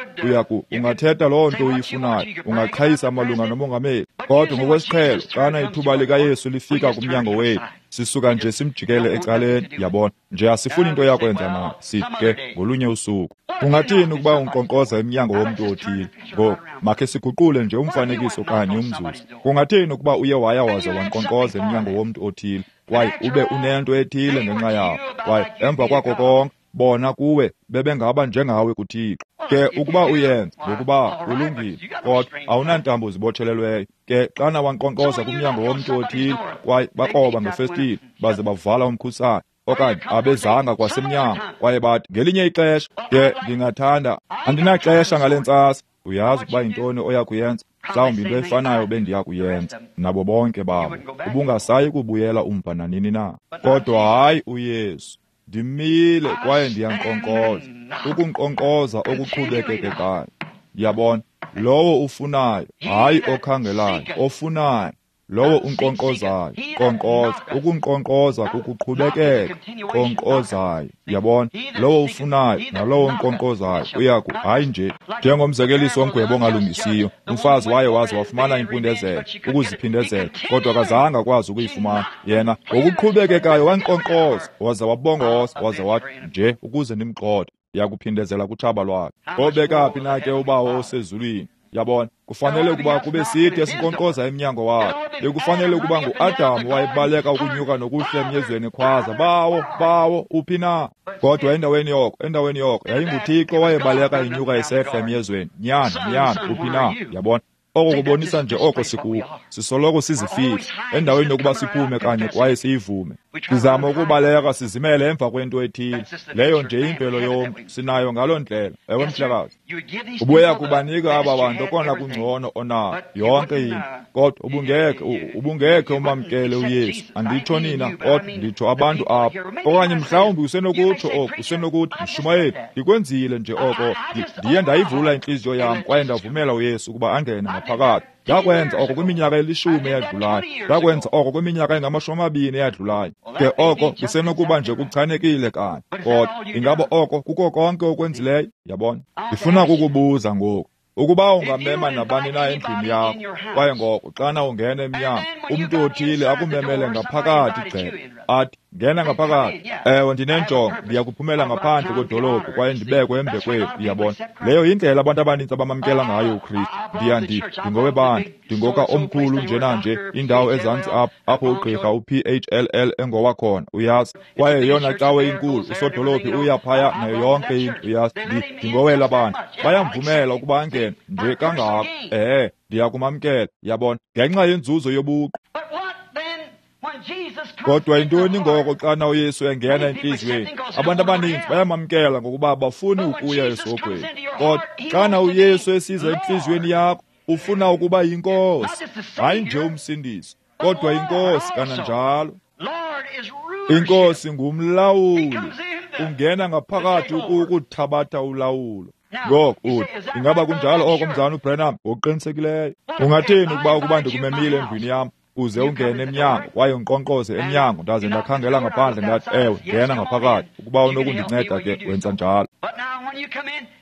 Ungathetha loo nto uyifunayo, ungaqhayisa malunga nomongameli, kodwa ngokwesiqhelo xana ithuba likaYesu lifika kumnyango wethu, sisuka nje simjikele ecaleni. Yabona, nje asifuni into yakwenza naye. Sithi ke ngolunye usuku. Ungathini ukuba unkqonkqoza emnyango womntu othile? Ngoku makhe siguqule nje umfanekiso kanye umzuzu. Kungathini ukuba uye waya waze wankqonkqoza emnyango womntu othile, kwaye ube unento ethile ngenxa yawo, kwaye emva kwako konke bona kuwe bebengaba njengawe kuThixo? Ke ukuba uyenza, ngokuba ulungile, kodwa awunantambo zibotshelelweyo. Ke xana wankqonkqoza kumnyango womntu othile, kwaye bakroba ngefestile baze bavala umkhusane, okanye abezanga kwasemnyango, kwaye bathi ngelinye ixesha, ke ndingathanda, andinaxesha ngale ntsasa. Uyazi ukuba yintoni oya kuyenza? Mhlawumbi into efanayo bendiya kuyenza nabo bonke babo. Ubungasayi kubuyela umva nanini na. Kodwa hayi uYesu, ndimile kwaye ndiyankqonkqoza, ukunkqonkqoza okuqhubekekayo. Yabona, lowo ufunayo, hayi okhangelayo, ofunayo, lowo unkqonkqozayo, nkqonkqoza, ukunkqonkqoza kukuqhubekeka, nkqonkqozayo. Yabona, lowo ufunayo nalowo unkqonkqozayo uyaku, hayi nje njengomzekeliso womgwebo ongalungisiyo. Umfazi waye waze wafumana impindezelo, ukuziphindezela, kodwa akazange akwazi ukuyifumana. Yena ngokuqhubekekayo wankqonkqoza, waze wabongoza, waze wathi, nje ukuze ndimgxothe, ndiyakuphindezela kutshaba lwakhe. Obeka phi na ke uBawo osezulwini? Yabona, kufanele ukuba kube sithi esinkqonkqoza emnyango wakhe. Bekufanele ukuba nguAdam wayebaleka ukunyuka nokuhla emyezweni ekhwaza, Bawo, Bawo, uphi na? Kodwa endaweni yoko yayinguThixo wayebaleka inyuka esehla emyezweni, Nyana, Nyana, uphi na? Yabona, oko kubonisa nje oko sikuko. Sisoloko sizifihla endaweni yokuba siphume kanye kwaye siyivume. Sizama ukubaleka sizimele emva kwento ethile. Leyo nje imvelo yomntu sinayo ngaloo ndlela. Ewe, mhlekazi, ubuya kubanika aba bantu okona kungcono onako, yonke into, kodwa ubungekhe umamkele uYesu. Anditsho nina, kodwa nditsho abantu apha. Okanye mhlawumbi usenokutsho oko, usenokuthi, mshumayeli, ndikwenzile nje oko, ndiye ndayivula intliziyo yam kwaye ndavumela uYesu ukuba angene ngaphakathi. Ndakwenza oko kwiminyaka elishumi eyadlulayo, ndakwenza oko kwiminyaka engama-20 eyadlulayo. Ke oko kusenokuba nje kuchanekile kanye, kodwa ingaba oko kuko konke okwenzileyo? Yabona, ndifuna kukubuza ngoku. Ukuba ungamema nabani na endlini yakho, kwaye ngoko xana ungena emnyango, umntu othile akumemele ngaphakathi gcebe, athi, ngena ngaphakathi. Ewe, ndinenjongo, ndiya kuphumela ngaphandle kwedolophu kwaye ndibekwe embekweni. Uyabona, leyo yindlela abantu abanintsi abamamkela ngayo uKristu. Ndingowebandla, ndingoka omkhulu njenanje, indawo ezantsi apho ugqirha uPHLL engowakhona, uyazi, kwaye yeyona cawe inkulu, usodolophi uya phaya nayo yonke into, uyazi, ndingowela bantu. Bayamvumela ukuba angene nje kangako. Ehe, ndiyakumamkela, yabona, ngenxa yenzuzo yobuqu. Kodwa yintoni ngoko xana uYesu engena entliziyweni? Abantu abaninzi bayamamkela ngokuba bafuni ukuya esihogweni. Kodwa xana uYesu esiza entliziyweni yakho, ufuna ukuba yinkosi, hayi nje umsindisi, kodwa inkosi kananjalo. Inkosi ngumlawuli, ungena ngaphakathi ukuthabatha ulawulo. Ngoku uthi, ingaba kunjalo oko, mzana uBrenham? Ngokuqinisekileyo. Ungathini ukuba ndikumemile endlwini yam, uze ungene emnyango kwaye unkqonkqoze emnyango, ndaze ndakhangela ngaphandle ndathi, ewe, ngena ngaphakathi, ukuba unokundinceda ke wenza njalo.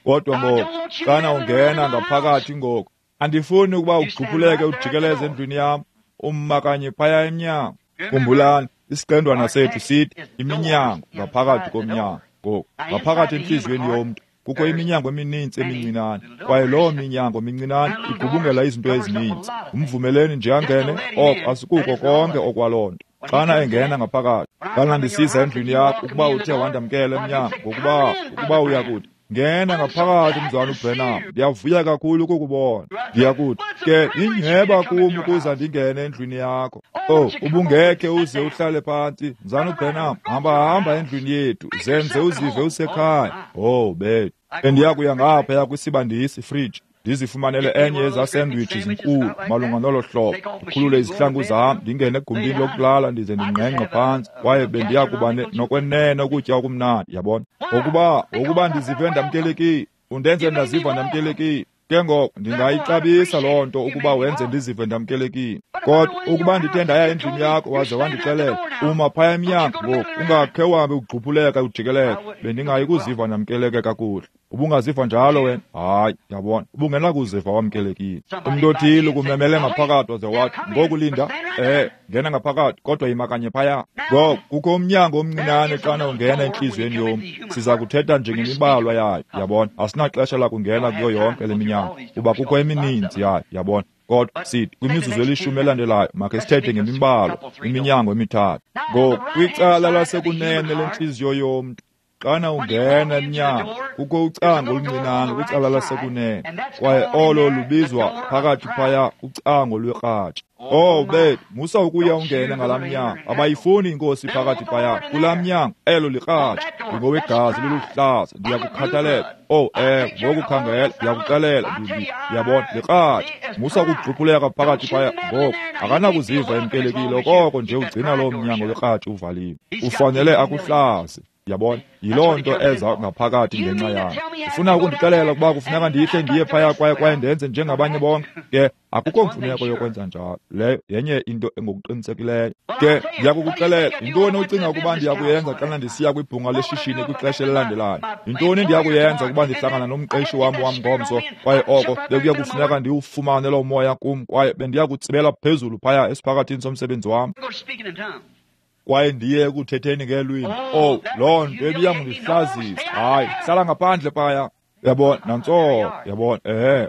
Kodwa ngoku xana ungena ngaphakathi ngoku, andifuni ukuba ugquphuleke ujikeleze endlwini yam, umma kanye phaya emnyango. Khumbulani, isiqendwana sethu sithi iminyango ngaphakathi komnyango. Ngoku ngaphakathi entliziyweni yomntu kukho iminyango emininzi emincinane, kwaye loo minyango mincinane igubungela izinto ezininzi. Umvumeleni nje angene, oko asikuko konke okwaloo nto. Xana engena ngaphakathi, Xana ndisiza endlwini yakho, ukuba uthe wandamkela emnyango, ngokuba ukuba uyakuthi, ngena ngaphakathi mzalwana uBranham, ndiyavuya kakhulu ukukubona. Ndiyakuthi ke inyhweba kum ukuza ndingene endlwini yakho. Oh, ubungekhe uze uhlale phantsi, mzalwana uBranham, hamba endlwini yethu, zenze uzive usekhaya. Oh bethu, bendiyakuya ngaphaya kwisibandisi fridge, ndizifumanele enye yezaa sandwich zinkulu malunga nolo hlobo, ndikhulule izihlangu zam, ndingene egumbini lokulala ndize ndingqengqe phantsi, kwaye bendiya kuba nokwenene ukutya okumnandi, yabona. Ngokuba ndizive ndamkelekile, undenze ndaziva ndamkelekile. Ke ngoku ndingayixabisa loo nto ukuba wenze ndizive ndamkelekile. Kodwa ukuba ndithe ndaya endlwini yakho waze wandixelela, uma phaya emnyango ngoku, ungakhe uhambe ugxuphuleka ujikeleka, bendingayi kuziva ndamkeleke kakuhle. Ubungaziva njalo wena? Hayi, yabona, ubungenakuziva wamkelekile. Umntu othile ukumemele ngaphakathi waze wathi, ngoku linda, ngena ngaphakathi, kodwa yima kanye phaya. Ngoku kukho umnyango omncinane xana ungena entliziyweni yomntu. Siza kuthetha nje ngemibalwa yayo, yabona. Asinaxesha lakungena kuyo yonke le minyango, kuba kukho emininzi yayo, yabona. Kodwa sithi kwimizuzu elishumi elandelayo makhe sithethe ngemibalwa, iminyango emithathu. Ngoku kwicala lasekunene lentliziyo yomntu, xana ungena emnyango, kukho ucango oluncinane kwicala lasekunene, kwaye olo lubizwa phakathi phaya ucango lwekratshi. Oh bethu, musa ukuya ungene ngalaa mnyango. Abayifuni inkosi phakathi phaya kulaa mnyango, elo likratshi. Ndingowegazi loluhlaza, ndiyakukhathalela. Oh ngoku khangela, ndiyakuxelela, ndiyabona, likratshi. Musa ukugxuphuleka phakathi phaya ngoku, akanakuziva emkelekile okoko nje ugcina loo mnyango wekratshi uvaliwe. Ufanele akuhlaze. Yabona, yiloo nto eza ngaphakathi ngenxa yayo. Ufuna ukundixelela ukuba kufuneka ndihle ndiye phaya kwaye ndenze njengabanye bonke? Ke akukho mfuneko yokwenza njalo. Leyo yenye into engokuqinisekileyo. Ke ndiyakukuxelela, yintoni ocinga ukuba ndiyakuyenza xana ndisiya kwibhunga leshishini kwixesha elilandelayo? Yintoni endiyakuyenza ukuba ndihlangana nomqeshi wam ngomso, kwaye oko bekuya kufuneka ndiwufumane loo moya kum, kwaye bendiya kutsibela phezulu phaya esiphakathini somsebenzi wam, kwaye ndiye ekuthetheni ngeelwimi. Oh, loo nto ibiyangundihlazisa. Hayi, hlala ngaphandle phaya. Uyabona, nantso, yabona,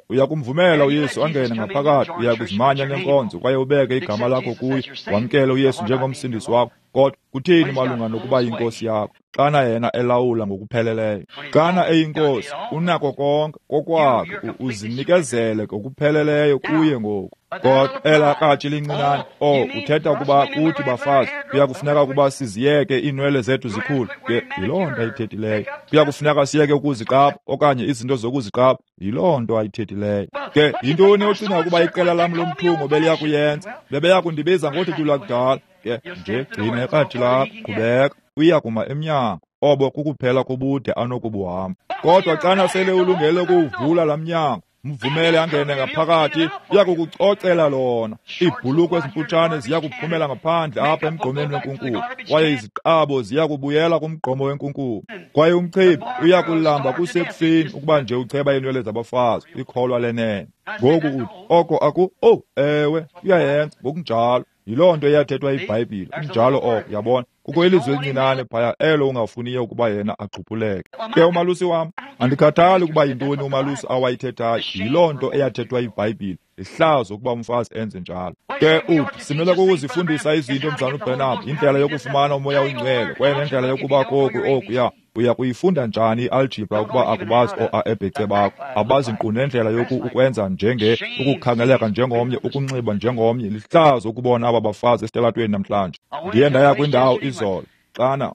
uyakumvumela uYesu angene ngaphakathi, uyakuzimanya nenkonzo kwaye ubeke igama lakho kuye, wamkele uYesu njengomsindisi wakho. Kodwa kutheni malunga nokuba yinkosi yakho? Xana yena elawula ngokupheleleyo, xana eyinkosi, unako konke kokwakhe, uzinikezele ngokupheleleyo kuye ngoku. Kodwa elaa kratshi lincinane, oh, uthetha ukuba kuthi bafazi kuyakufuneka ukuba siziyeke iinwele zethu zikhule. Ke yiloo nto ayithethileyo. Kuyakufuneka siyeke ukuziqapha okanye izinto zokuziqapha. Yiloo nto ayithethileyo. Ke yintoni ocinga ukuba iqela lam lomthungo beliya kuyenza? Bebeya kundibiza ngothuthu lwakudala. Ke nje gcina ikratshi lakho, qhubeka, uya kuma emnyango. Obo kukuphela kobude anokubuhamba. Kodwa xana sele ulungele ukuwuvula laa mnyango, mvumele angene ngaphakathi, uyakukucocela lona. Iibhulukhwe ezimfutshane ziya kuphumela ngaphandle apha emgqomeni wenkunkuma, kwaye iziqabo ziya kubuyela kumgqomo wenkunkuma. Kwaye umchibi uya kulamba kusekufeni ukuba nje ucheba iinwele zabafazi, ikholwa lenene. Ngoku uthi oko aku, oh ewe, uyayenza ngokunjalo. Yiloo nto eyathethwa iBhayibhile, kunjalo oko, yabona. Kukho ilizwi elincinane phaya elo ungafuniyo ukuba yena agxuphuleke. Ke umalusi wam, andikhathali ukuba yintoni umalusi awayithethayo, yiloo nto eyathethwa iBhayibhile. Lihlazo ukuba umfazi enze njalo. Ke uthi, simele kukuzifundisa izinto mzalwana uBranham, indlela yokufumana umoya oyingcwele kwaye nendlela yokuba koku okuya. Uya kuyifunda njani i-algebra ukuba akubazi oo-a-ebhece bakho? Abazi nkqu nendlela yoku ukwenza njenge ukukhangeleka njengomnye, ukunxiba njengomnye. Lihlazo ukubona aba bafazi esitalatweni namhlanje. Ndiye ndaya kwindawo izolo xana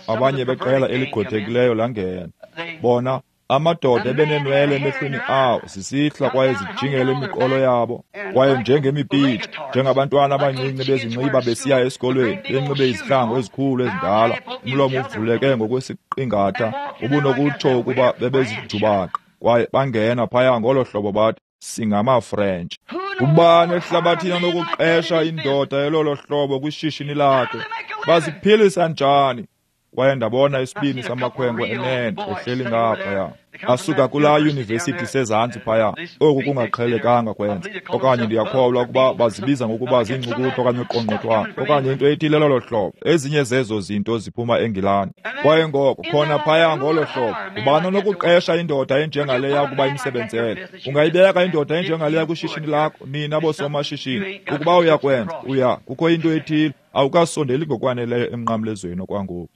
abanye beqela eligqwethekileyo langena. Bona amadoda ebeneenwele emehlweni awo zisihla kwaye zijingele imiqolo yabo, kwaye njengemipitsha, njengabantwana abancinci bezinxiba besiya esikolweni, benxibe izihlangu ezikhulu ezindala, umlomo uvuleke ngokwesiqingatha, ubunokutsho ukuba bebezijubaqa, kwaye bangena phaya ngolo hlobo bathi, singamaFrentshi. Ubani ehlabathini anokuqesha indoda elolo hlobo kwishishini lakhe? Baziphilisa njani? Kwaye ndabona isibini samakhwenkwe enene ehleli ngaphaya. Asuka kulaa yunivesithi sezantsi phaya. Oku kungaqhelekanga kwenza. Okanye ndiyakholwa ukuba bazibiza ngokuba ziincukuthu okanye uqongqothwane okanye into ethile lolo hlobo. Ezinye zezo zinto ziphuma eNgilani. Kwaye ngoko khona phaya ngolo hlobo, ubani onokuqesha indoda enjengaleya ukuba imsebenzele? Ungayibeka indoda enjengaleya kwishishini lakho, nina boosomashishini? Ukuba uyakwenza, uya kukho into ethile. Awukasondeli ngokwaneleyo emnqamlezweni okwangoku.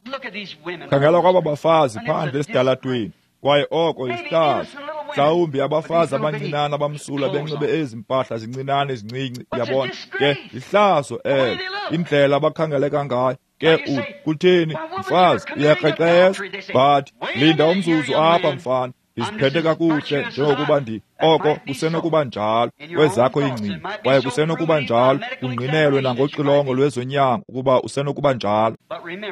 Khangela kwaba bafazi phandle esitalatweni, kwaye oko isihlazo. Mhlawumbi abafazi abancinane abamsulwa benxibe ezi mpahla zincinane ezincinci, yabona ke ihlazo elo, indlela abakhangeleka ngayo. Ke uthi, kutheni mfazi, uyakrexeza? But linda umzuzu apha mfana, ndiziphethe kakuhle njengokuba oko kusenokuba njalo kwezakho iingcinga, kwaye kusenokuba njalo kungqinelwe nangoxilongo lwezonyango ukuba usenokuba njalo.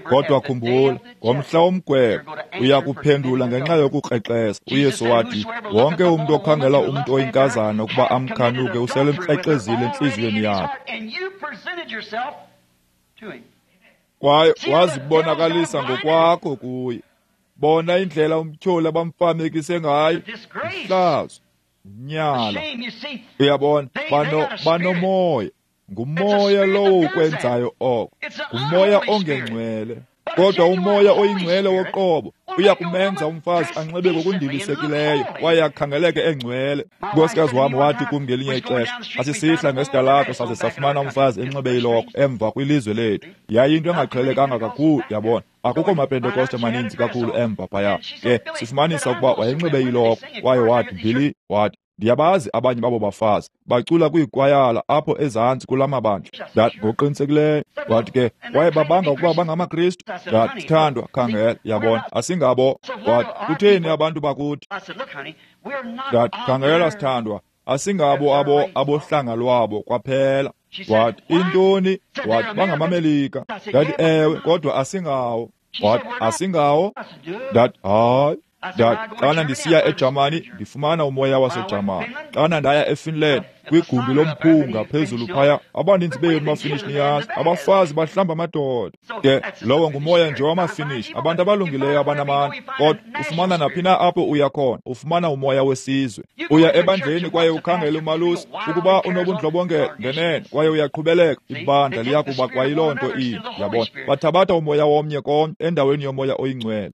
Kodwa khumbula, ngomhla womgwebo uya kuphendula ngenxa yokukrexeza. UYesu wathi, wonke umntu okhangela umntu oyinkazana ukuba amkhanuke uselemkrexezile entliziyweni yakhe. Kwaye wazibonakalisa ngokwakho kuye. Bona indlela umtyholi abamfamekise ngayo. Ihlazo, unyala. Uyabona, banomoya. Ngumoya lowo ukwenzayo oko. Ngumoya ongengcwele. Kodwa umoya oyingcwele woqobo uya kumenza umfazi anxibe ngokundilisekileyo kwaye akhangeleke engcwele. Unkosikazi wam wathi kum ngelinye ixesha, asisihla ngesidalato saze safumana umfazi enxibe iloko emva kwilizwe lethu. Yayinto engaqhelekanga kakhulu, yabona. Akukho maPentekoste maninzi kakhulu emva phaya. Ke sifumanisa ukuba wayenxibe iloko, kwaye wathi, Billy, wathi, ndiyabazi abanye babo bafazi bacula kwiikwayala apho ezantsi kula mabandla. Ndathi, ngokuqinisekileyo. Wathi ke, kwaye babanga ukuba bangamaKristu. Ndathi, sithandwa, khangela, yabona, asingabo. Wathi, kutheni abantu bakuthi? Ndathi, khangela, sithandwa, asingabo abo abohlanga lwabo kwaphela. Wathi, intoni? Wathi, bangamaMelika. Ndathi, ewe, kodwa asingawo. Wathi, asingawo? Ndathi, hayi. Ndathi, xana ndisiya eJamani, ndifumana umoya waseJamani. Xana ndaya eFinland, kwigumbi lomphunga phezulu phaya, abaninzi benu maFinish niyazi, abafazi bahlamba amadoda. Ke lowo ngumoya nje wamaFinish, abantu abalungileyo abanamandla. Kodwa ufumana naphi na apho uya khona, ufumana umoya wesizwe. Uya ebandleni kwaye ukhangele umalusi, ukuba unobundlobongela ngenene, kwaye uyaqhubeleka, ibandla liya kuba kwayiloo nto inye, yabona. Bathabatha umoya womnye komnye endaweni yomoya oyingcwele.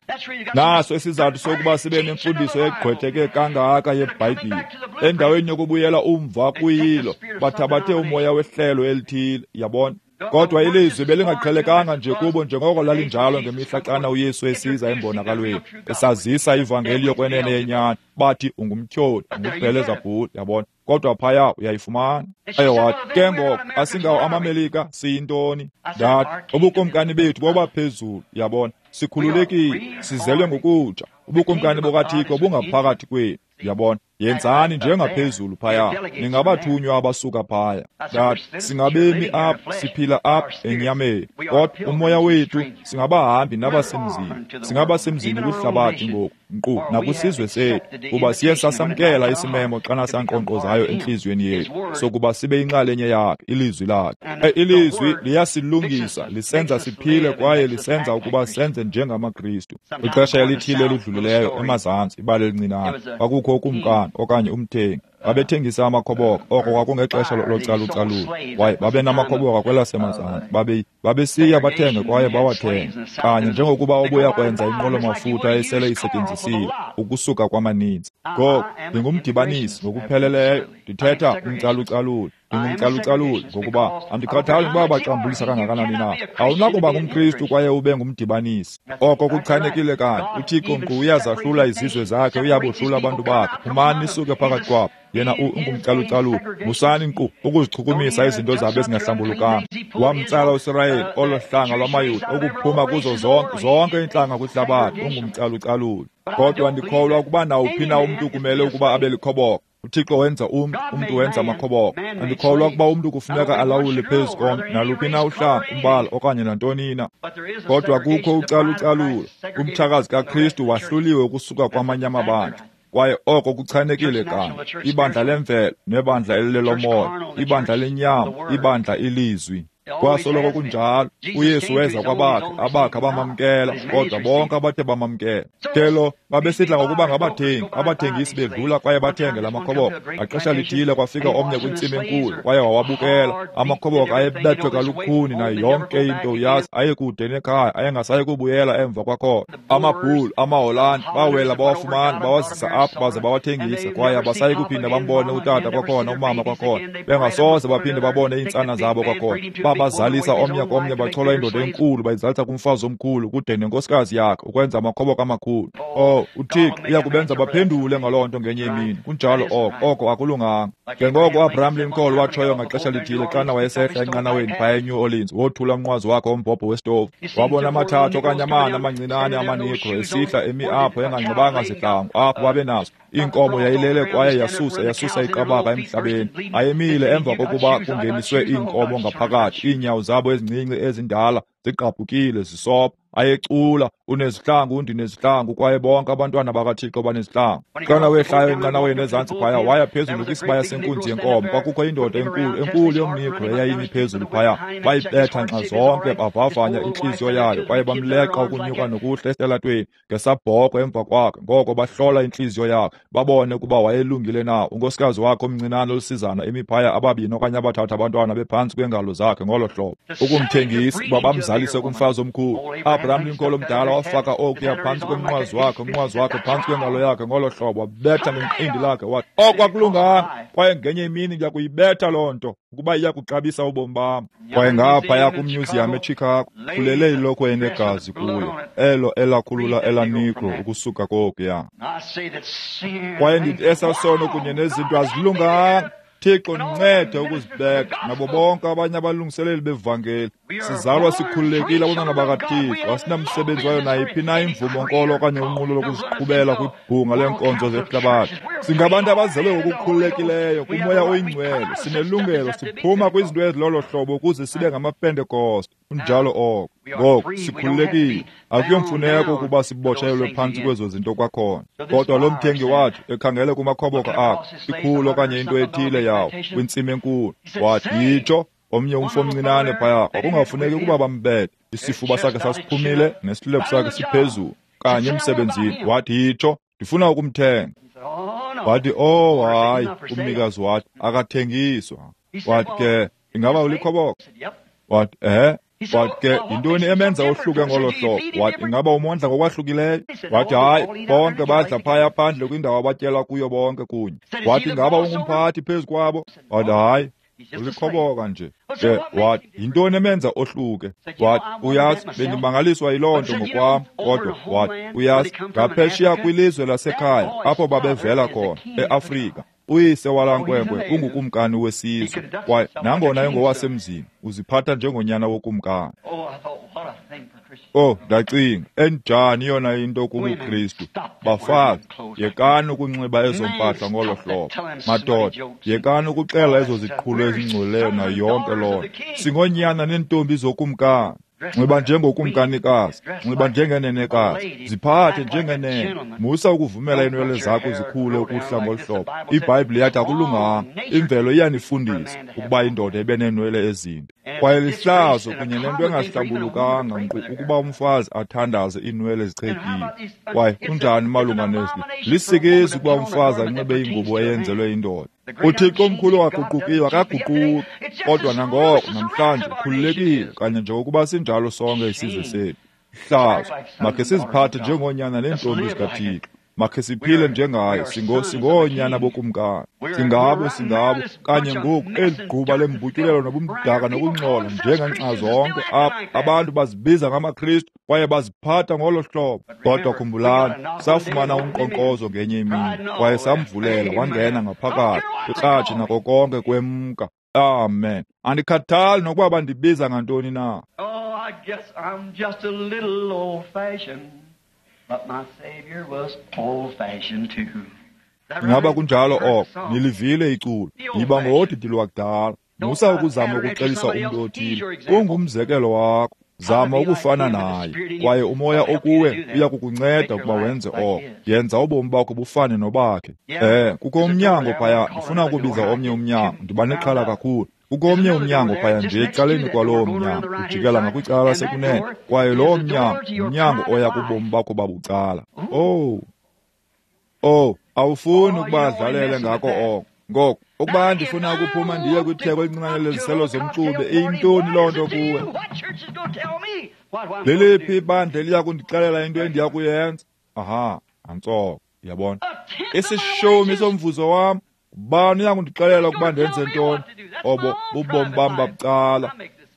Naso isizathu sokuba sibe nemfundiso egqwetheke kangaka yeBhayibhile. Endaweni yokubuyela umva kuyilo, bathabathe umoya wehlelo elithile, yabona. Kodwa ilizwi belingaqhelekanga nje kubo njengoko lalinjalo ngemihla xana uYesu esiza embonakalweni, esazisa ivangeli yokwenene yenyani. Bathi ungumtyholi, ungubhelezabhuli, yabona. Kodwa phaya uyayifumana. Aye wathi, ke ngoko asingawo amaMelika, siyintoni? Ndathi, ubukumkani bethu bobaphezulu, yabona. Sikhululekile, sizelwe ngokutsha. Ubukumkani bukaThixo bungaphakathi kwethu, yabona. Yenzani njengaphezulu phaya, ningabathunywa abasuka phaya. Ndathi, singabemi apha, siphila apha enyameni, kodwa umoya wethu singabahambi nabasemzini. Singabasemzini kwihlabathi ngoku, nkqu nakwisizwe sethu, kuba siye sasamkela isimemo xana sankqonkqozayo entliziyweni yethu sokuba sibe yinxalenye yakhe, ilizwi lakhe. Ilizwi liyasilungisa, lisenza siphile kwaye lisenza ukuba senze njengamaKristu. Ixesha elithile elidlulileyo emazantsi, ibali elincinane, kwakukho ukumkani okanye umthengi. Babethengisa amakhoboka, oko kwakungexesha localucalulo. Kwaye babenamakhoboka kwelasemazantsi, babesiya bathenge kwaye bawathenge, kanye njengokuba ubuya kwenza inqwelo-mafutha esele isetyenzisiwe ukusuka kwamaninzi. Ngoko ndingumdibanisi ngokupheleleyo, ndithetha umcalucalulo. Ndingumcalucaluli ngokuba andikhathali ukuba baxambulisa kangakanani na. Awunakuba ngumKristu kwaye ube ngumdibanisi. Oko kuchanekile kanye. uThixo nkqu uyazahlula izizwe zakhe, uyabohlula abantu bakhe. Phumani nisuke phakathi kwabo. Yena ungumcalucaluli. Musani nkqu ukuzichukumisa izinto zabo ezingahlambulukanga. Wamtsala uSirayeli, olo hlanga lwamaYuda, ukuphuma kuzo zonke iintlanga kwihlabathi. Ungumcalucaluli. Kodwa ndikholwa ukuba nawuphi na umntu kumele ukuba abe likhoboka. uThixo wenza umntu, umntu wenza amakhoboka. Andikholwa ukuba umntu kufuneka alawule phezu komntu naluphi na uhlanga, umbala okanye nantoni na. Kodwa kukho ucalucalulo. Umtshakazi kaKristu wahluliwe ukusuka kwamanye amabandla, kwaye oko kuchanekile kanye. Ibandla lemvelo nebandla elilelomoya, ibandla lenyama, ibandla ilizwi. Kwasoloko kunjalo. UYesu weza kwabakhe, abakhe abamamkela, kodwa bonke abathe bamamkela. Ke lo babesidla ngokuba ngabathengi, abathengisi bedlula kwaye bathenge la makhoboka. Ngaxesha lithile kwafika omnye kwintsimi enkulu, kwaye wawabukela. Amakhoboka ayebethwe kalukhuni nayo yonke into, uyazi, ayekude nekhaya, ayengasayi kubuyela emva kwakhona. Amabhulu, amaHolandi, bawela bawafumana, bawazisa apho baze bawathengisa, kwaye abasayi kuphinda bambone utata kwakhona, umama kwakhona, bengasoze baphinde babone iintsana zabo kwakhona. Babazalisa omnye komnye, bachola indoda enkulu, bayizalisa kumfazi omkhulu kude nenkosikazi yakhe, ukwenza amakhoboka amakhulu. Oh, uThixo uya kubenza baphendule ngaloo nto ngenye imini. Kunjalo oko, oko akulunganga. Njengoko uAbraham Lincoln watshoyo ngaxesha lithile xana wayesehla enqanaweni phaya eNew Orleans, wothula umnqwazi wakhe wombhobho wesitovu, wabona amathathu okanye amane amancinane amaNegro esihla emi apho enganxibanga zihlangu, apho babenazo. Inkomo yayilele kwaye yasusa iqabaka emhlabeni. Ayemile emva kokuba kungeniswe iinkomo ngaphakathi, iinyawo zabo ezincinci ezindala zigqabhukile zisopha. Ayecula, unezihlangu, ndinezihlangu, kwaye bonke abantwana bakaThixo banezihlangu. Xana wehlayo enqanaweni ezantsi phaya, waya phezulu kwisibaya senkunzi yenkomo. Kwakukho indoda enkulu, enkulu yomNegro eyayimi phezulu phaya. Bayibetha nxa zonke, bavavanya intliziyo yayo, kwaye bamleqa ukunyuka nokuhla esitalatweni ngesabhoko emva kwakhe. Ngoko bahlola intliziyo yakhe, babone ukuba wayelungile na. Unkosikazi wakhe omncinane olusizana emi phaya, ababini okanye abathathu abantwana bephantsi kweengalo zakhe ngolo hlobo, ukumthengisa uba bamzalise kumfazi omkhulu. Abraham Lincoln omdala wafaka okuya phantsi komnqwazi wakhe, umnqwazi wakhe phantsi kwengalo yakhe ngolo hlobo, wabetha ngenqindi lakhe, wathi oko akulunganga, kwaye ngenye imini ndiya kuyibetha loo nto ukuba iya kuxabisa ubomi bam. Kwaye ngaphaya kumyuziyam eChicago kulele ilokhwe enegazi kuyo, elo elakhulula elaNegro ukusuka kokuya. Kwaye ndithi esasono kunye nezinto azilunganga. Thixo ndincede ukuzibeka nabo bonke abanye abalungiseleli bevangeli. Sizalwa sikhululekile abantwana bakaThixo, asinamsebenzi wayo nayiphi na imvumo nkolo okanye unqulo lokuziqhubela kwibhunga leenkonzo zehlabathi. Singabantu abazelwe ngokukhululekileyo kuMoya oyiNgcwele, sinelungelo, siphuma kwizinto ezilolo hlobo ukuze sibe ngamaPentekoste. Kunjalo oko. Ngoku sikhululekile, akuyomfuneko ukuba sibotshelelwe phantsi kwezo zinto kwakhona. Kodwa lo mthengi wathi ekhangele kumakhoboka akhe, ikhulu okanye into ethile yawo kwintsimi enkulu, wathi yitsho omnye umfo omncinane phaya, kwakungafuneki ukuba bambethe, isifuba sakhe sasiphumile nesilevu sakhe siphezulu kanye emsebenzini. Wathi yitsho, ndifuna ukumthenga. Wathi oh hayi, umnikazi wathi akathengiswa. Wathi ke ingaba ulikhoboka? Wathi ehe. Wathi ke yintoni emenza ohluke ngolo hlobo? Wathi ingaba umondla ngokwahlukileyo? Wathi hayi, bonke badla phaya phandle kwindawo abatyela kuyo bonke kunye. Wathi ingaba ungumphathi phezu kwabo? Wathi hayi, ulikhoboka nje. Ke wathi yintoni emenza ohluke? Wathi uyazi, bendimangaliswa yiloo nto ngokwam, kodwa wathi uyazi, ngaphesheya kwilizwe lasekhaya apho babevela khona eAfrika, uyise walaa nkwenkwe ungukumkani wesizwe, kwaye nangona engowasemzini uziphatha njengonyana wokumkani. Oh, ndacinga, enjani yona into kubuKristu. Bafazi, yekani ukunxiba ezo mpahla ngolo hlobo. Madoda, yekani ukuxela ezo ziqhulo ezingcolileyo nayo yonke loo nto. Singoonyana neentombi zokumkani. Nxiba njengokumkanikazi, nxiba njengenenekazi, ziphathe njengenene. Musa ukuvumela iinwele zakho zikhule ukuhla ngolu hlobo. IBhayibhile yathi akulunganga. Imvelo iyanifundisa ukuba indoda ibe neenwele ezinde. Kwaye lihlazo kunye nento engahlambulukanga nkqu ukuba umfazi athandaze iinwele zichetyile. Kwaye kunjani malunga nezi? Lisikizi ukuba umfazi anxibe ingubo eyenzelwe indoda. UThixo omkhulu ongaguqukiyo akaguquki, kodwa nangoko namhlanje ukhululekile kanye njengokuba sinjalo sonke isizwe sethu. Hlazo, makhe siziphathe njengoonyana neentombi zikaThixo. Makhe siphile njengaye, singoonyana bokumkani. Singabo kanye ngoku eli gquba lembutyulelo nobumdaka nokungcola njengenxa zonke apha. Abantu bazibiza ngamaKristu kwaye baziphatha ngolo hlobo. Kodwa khumbulani, safumana unkqonkqozo ngenye imini kwaye samvulela wangena ngaphakathi kwikratshi nako konke kwemka. Amen. Andikhathali nokuba bandibiza ngantoni na. Oh, I guess I'm just a little old-fashioned. But my Savior was old-fashioned too. Ingaba kunjalo oko? Nilivile iculo. Yiba ngodidi lwakudala. Musa ukuzama ukuxelisa umntu othile. Ungumzekelo wakho. Zama ukufana naye, kwaye umoya okuwe uya kukunceda ukuba wenze oko. Yenza ubomi bakho bufane nobakhe. Kukho umnyango phaya. Ndifuna ukubiza omnye umnyango. Ndiba nexhala kakhulu. Kukho omnye umnyango phaya nje ecaleni kwalowo mnyango, ujikela ngakwicala lasekunene, kwaye lowo mnyango ngumnyango oya kubomi bakho babucala. Oh, awufuni ukuba adlalele ngako oko. Ngoko, ukuba ndifuna ukuphuma ndiye kwitheko elincinane leziselo zomxube, iyintoni loo nto kuwe? Leliphi ibandla eliya kundixelela into endiya kuyenza? Aha, antsoko, uyabona. Isishumi somvuzo wam, ubani uya kundixelela ukuba ndenze ntoni? Obo bubomi bam babucala.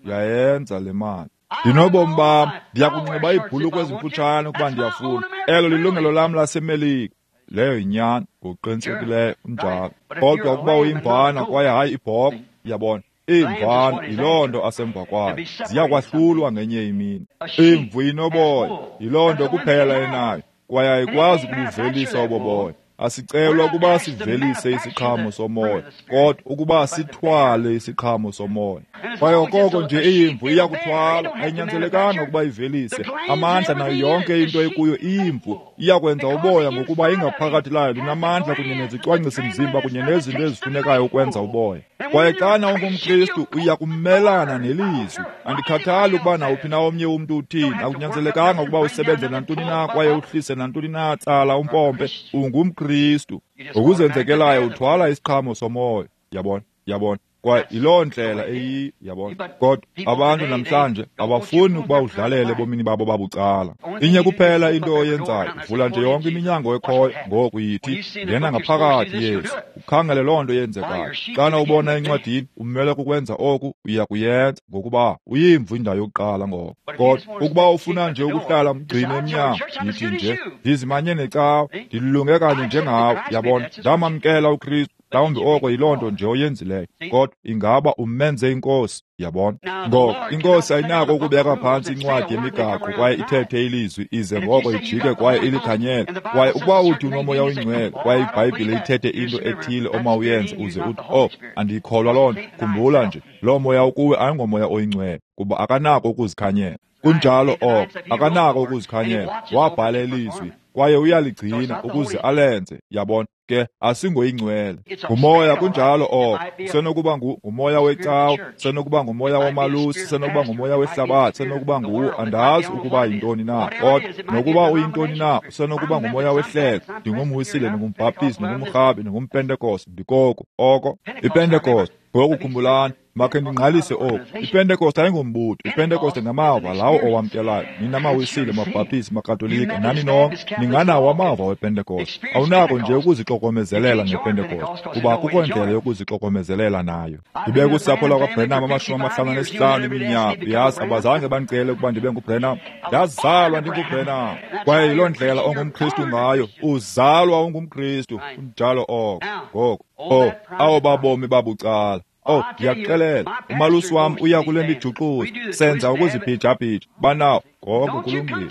Uyayenza le mali. Ndinobomi bam, ndiya kunxiba iibhulukhwe ezimfutshane ukuba ndiyafuna. Elo lilungelo lam laseMelika. Leyo yinyani, ngokuqinisekileyo, unjalo. Kodwa ukuba uyimvana kwaye hayi ibhokhwe, uyabona, iimvana yiloo nto asemva kwayo, ziya kwahlulwa ngenye imini. Imvu inoboya, yiloo nto kuphela enayo, kwaye ayikwazi ukubuvelisa obo boya. Asicelwa ukuba sivelise isiqhamo somoya, kodwa ukuba sithwale isiqhamo somoya. Kwaye okoko nje iyimvu iyakuthwala, ayinyanzelekanga ukuba ivelise amandla nayo yonke into ekuyo. Iyimvu iyakwenza uboya ngokuba ingaphakathi layo linamandla kunye nezicwangcisi-mzimba kunye nezinto ezifunekayo ukwenza uboya. Kwaye xana ungumKristu uya kumelana nelizwi. Andikhathali ukuba nawuphi na omnye umntu uthini, akunyanzelekanga ukuba usebenze nantoni na kwaye uhlise nantoni na, tsala umpompe. UngumKristu. Ngokuzenzekelayo uthwala isiqhamo somoya. Yabona, yabona. Kwaye yiloo ndlela eyiyo, yabona. Kodwa abantu namhlanje abafuni ukuba udlalele ebomini babo babucala. Inye kuphela into oyenzayo, uvula nje yonke iminyango ekhoyo, ngoku yithi, ngena ngaphakathi Yesu, ukhangele loo nto yenzekayo. Xana ubona encwadini, umele kukwenza oku, uya kuyenza, ngokuba uyimvu indawo yokuqala ngoko. Kodwa ukuba ufuna nje ukuhlala mgcine emnyango, yithi nje, ndizimanye necawa, ndilunge kanye njengawe, yabona, ndamamkela uKristu. Mhlawumbi oko yiloo nto nje oyenzileyo, kodwa ingaba umenze inkosi, yabona. Ngoko inkosi ayinako ukubeka phantsi incwadi yemigaqo kwaye ithethe ilizwi ize ngoko ijike kwaye ilikhanyele. Kwaye ukuba uthi unomoya oyingcwele kwaye iBhayibhile ithethe into ethile omawuyenze uze uthi, oh, andiyikholwa loo nto, khumbula nje, loo moya ukuwe ayingomoya oyingcwele, kuba akanako ukuzikhanyela. Kunjalo oko, akanako ukuzikhanyela. Wabhala ilizwi kwaye uyaligcina ukuze alenze, yabona. Ke asingoyingcwele, ngumoya. Kunjalo oko. Senokuba ngumoya wecawa, senokuba ngumoya womalusi, senokuba ngumoya wehlabathi, senokuba nguwo, andazi ukuba yintoni na. Kodwa nokuba uyintoni na, senokuba ngumoya wehlelo. Ndingumwisile, ndingumbhaptizi, ndingumrhabi, ndingumpentekoste, ndikoko oko. IPentekoste, ngoku khumbulani, makhe ndingqalise oku. IPentekoste ayingombutho. IPentekoste ngamava lawo owamkelayo. Nina mawisile, mabhaptizi, makatolika, nani nonke ninganawo amava wePentekoste. Awunako nje ukuzixokomezelela ngePentekoste, kuba akukho ndlela yokuzixokomezelela nayo. Ndibe kusapho lakwaBrenham 55 iminyaka. Uyazi, abazange bandicele ukuba ndibe nguBrenham. Ndazalwa ndinguBrenham. Kwaye yiloo ndlela ongumKristu ngayo. Uzalwa ungumKristu. Kunjalo oko. Ngoko, oh, awo babomi babucala. Oh, ndiyakuxelela, umalusi wam uya kule mijuxuzo, senza ukuzibhijabhija, banawo. Ngoko kulungile.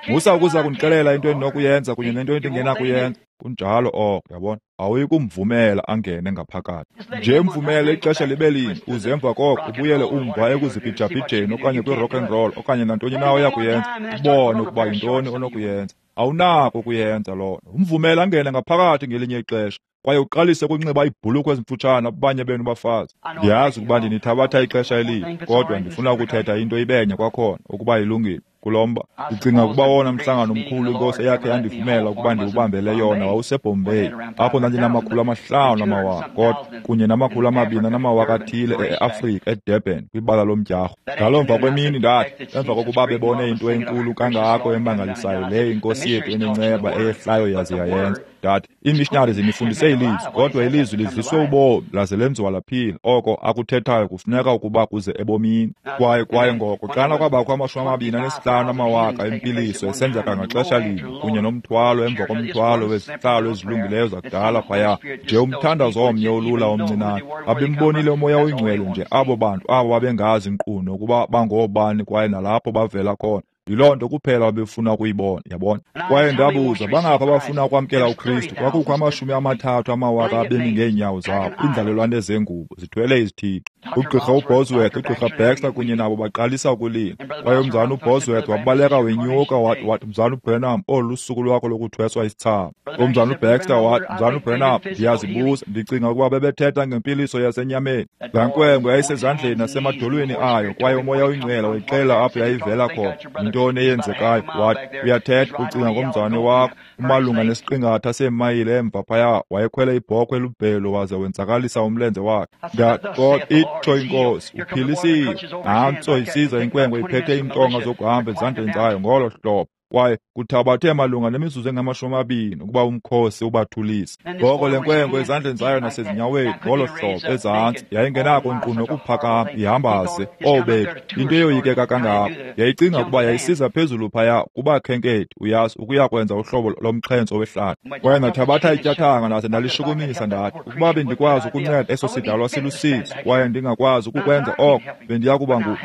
Musa ukuza kundixelela into endinokuyenza kunye nento endingenakuyenza. Kunjalo oko, yabona. Awuyi kumvumela angene ngaphakathi. Nje mvumele ixesha libe linye, uze emva koko ubuyele umva ekuzibhijabhijeni okanye kwi-rock and roll okanye nantoni na oya kuyenza, ubone ukuba yintoni onokuyenza. Awunako ukuyenza loo nto. Umvumele angene ngaphakathi ngelinye ixesha kwaye uqalise ukunxiba iibhulukhwe ezimfutshane abanye benu bafazi. Ndiyazi ukuba ndinithabatha ixesha elide, kodwa ndifuna ukuthetha into ibenye kwakhona, ukuba ilungile. Kulo mba, ndicinga ukuba wona mhlangano omkhulu inkosi eyakhe yandivumela ukuba ndiwubambele yona wawuseBombay, apho ndandinama-500 amawaka, kodwa kunye nama-200 athile e-Afrika, eDurban, kwibala lomdyarho. Ngaloo mva kwemini ndathi, emva kokuba bebone into enkulu kangako emangalisayo leyo inkosi yethu enenceba eyehlayo yaze yayenza, ndathi, iimishinari zinifundise ilizwi, kodwa ilizwi lidliswe ubomi laze lenziwa laphila. Oko akuthethayo kufuneka ukuba kuze ebomini. Kwaye ngoko xana kwabakho 25 amawaka empiliso esenzeka ngaxesha linye, kunye nomthwalo emva komthwalo wezihlalo ezilungileyo zakudala phaya, nje umthandazo omnye olula omncinane, babembonile umoya oyingcwele nje abo bantu abo babengazi nkqu nokuba bangoobani kwaye nalapho bavela khona. Yiloo nto kuphela babefuna ukuyibona, yabona. Kwaye ndabuza, bangaphi abafuna ukwamkela uKristu? Kwakukho 30,000 abemi ngeenyawo zabo, iinzalelwane zengubo, zithwele izithixo. Ugqirha uBosworth, ugqirha Baxter kunye nabo baqalisa ukulila. Kwaye umzana uBosworth wabaleka wenyuka wathi, Mzana uBranham, olu lusuku lwakho lokuthweswa isithsaba. Umzana uBaxter wathi, Mzana uBranham, ndiyazibuza, ndicinga ukuba bebethetha ngempiliso yasenyameni. Laa nkwenkwe yayisezandleni nasemadolweni ayo, kwaye uMoya oyiNgcwele wayixelela apho yayivela khona. Yintoni eyenzekayo? Wathi, uyathetha, ucinga ngomzane wakho, umalunga nesiqingatha seemayile emva phaya, wayekhwele ibhokhwe elubhelu waze wenzakalisa umlenze wakhe. Ndathi, kodwa itsho iNkosi, uphilisiwe. Nantso isiza inkwenkwe iphethe iintonga zokuhamba ezandleni zayo ngolo hlobo. Kwaye kuthabathe malunga nemizuzu engama-20 ukuba umkhosi ubathulise. Ngoko le nkwenkwe ezandleni zayo nasezinyaweni ngolo hlobo ezantsi yayingenako nkqu nokuphakama ihambaze. Obethu, into eyoyikeka kangako. Yayicinga ukuba yayisiza phezulu phaya kubakhenkethi, uyazi, ukuya kwenza uhlobo lomxhentso wehlathi. Kwaye ndathabatha ityathanga ndaze ndalishukumisa ndathi, ukuba bendikwazi ukunceda eso sidalwa silusizi kwaye ndingakwazi ukukwenza oko,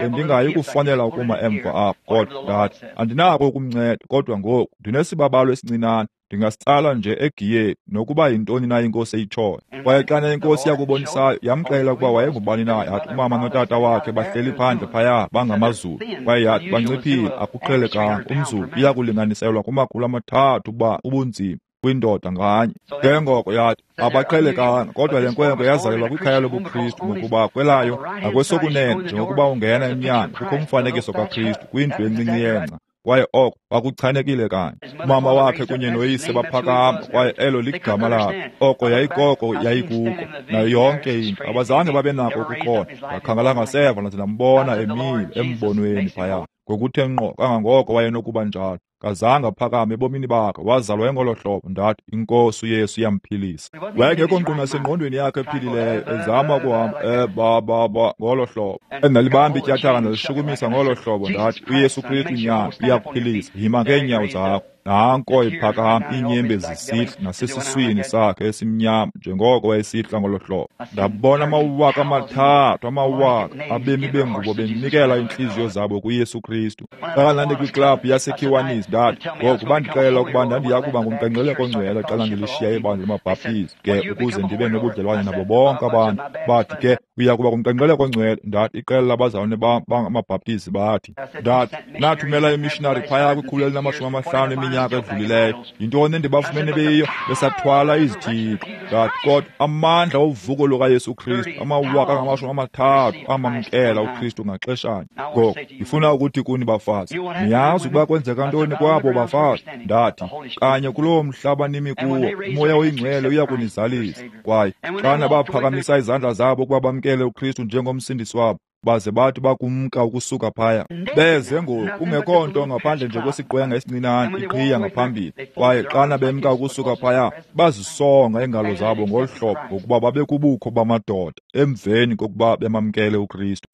bendingayi kufanela ukuma emva apho. Kodwa ndathi, andinako ukumnceda, kodwa ngoku ndinesibabalo esincinane, ndingasitsala nje egiyeni nokuba yintoni na iNkosi eyitshoyo. Kwaye xana iNkosi yakubonisayo, yamxelela ukuba wayengubani na. Yathi umama notata wakhe bahleli phandle phaya bangamaZulu. Kwaye yathi banciphile, akuqhelekanga. UmZulu uyakulinganiselwa kuma-300 uba ubunzima kwindoda nganye. Ke ngoko yathi abaqhelekanga, kodwa le nkwenkwe yazalelwa kwikhaya lobuKristu, ngokuba kwelayo ngakwesokunene njengokuba ungena emnyango kukho umfanekiso kaKristu kwindlu encinci yengca. Kwaye oko kwakuchanekile kanye. Umama wakhe kunye noyise baphakama, kwaye elo ligama lakhe. Oko yayikoko yayikuko, nayo yonke into. Abazange babe nako ukuqonda. Ndakhangela ngaseva ndaze ndambona emile embonweni phaya, ngokuthe ngqo kangangoko wayenokuba njalo. Kazange aphakame ebomini bakhe, wazalwa engolo hlobo. Ndathi, iNkosi uYesu iyamphilisa. Wayengekho nkqu nasengqondweni yakhe ephilileyo, ezama ukuhamba ngolo hlobo. Endalibamba ityathanga ndalishukumisa ngolo hlobo. Ndathi, uYesu Kristu nyana uyakuphilisa, yima ngeenyawo zakho. Nanko iphakama, iinyembezi zisihla nasesiswini sakhe esimnyama njengoko wayesihla ngolo hlobo. Ndabona 3,000 abemi bengubo benikela iintliziyo zabo kuYesu Kristu. Xa ndandikwiklabhu yaseKiwanis, ndathi, ngoku bandixelela ukuba ndandiya kuba ngumqengqeleko ongcwele xa ndilishiya ibandla lamaBhaptizi ke ukuze ndibe nobudlelwane nabo bonke abantu. Bathi ke, uya kuba ngumqengqeleko ongcwele. Ndathi, iqela labazalwane bam bangamaBhaptizi bathi, ndathi, nathumela imishinari phaya kwi-150 eminyaka edlulileyo. Yintoni endibafumene beyiyo? Besathwala izithixo. Ndathi, kodwa amandla ovuko lukaYesu Kristu, 30,000 amamkela uKristu ngaxeshanye. Ngoku ndifuna ukuthi kuni bafazi, niyazi ukuba kwenzeka ntoni kwabo bafazi? Ndathi, kanye kuloo mhlaba nimi kuwo, uMoya oyiNgcwele uya kunizalisa. Kwaye xana baphakamisa izandla zabo ukuba bamkele uKristu njengomsindisi wabo, baze bathi bakumka ukusuka phaya, beze ngoku kungekho nto ngaphandle nje kwesiqwenga esincinane iqhiya ngaphambili. Kwaye xana bemka ukusuka phaya, bazisonga iingalo zabo ngolu hlobo, ngokuba babekubukho bamadoda emveni kokuba bemamkele uKristu.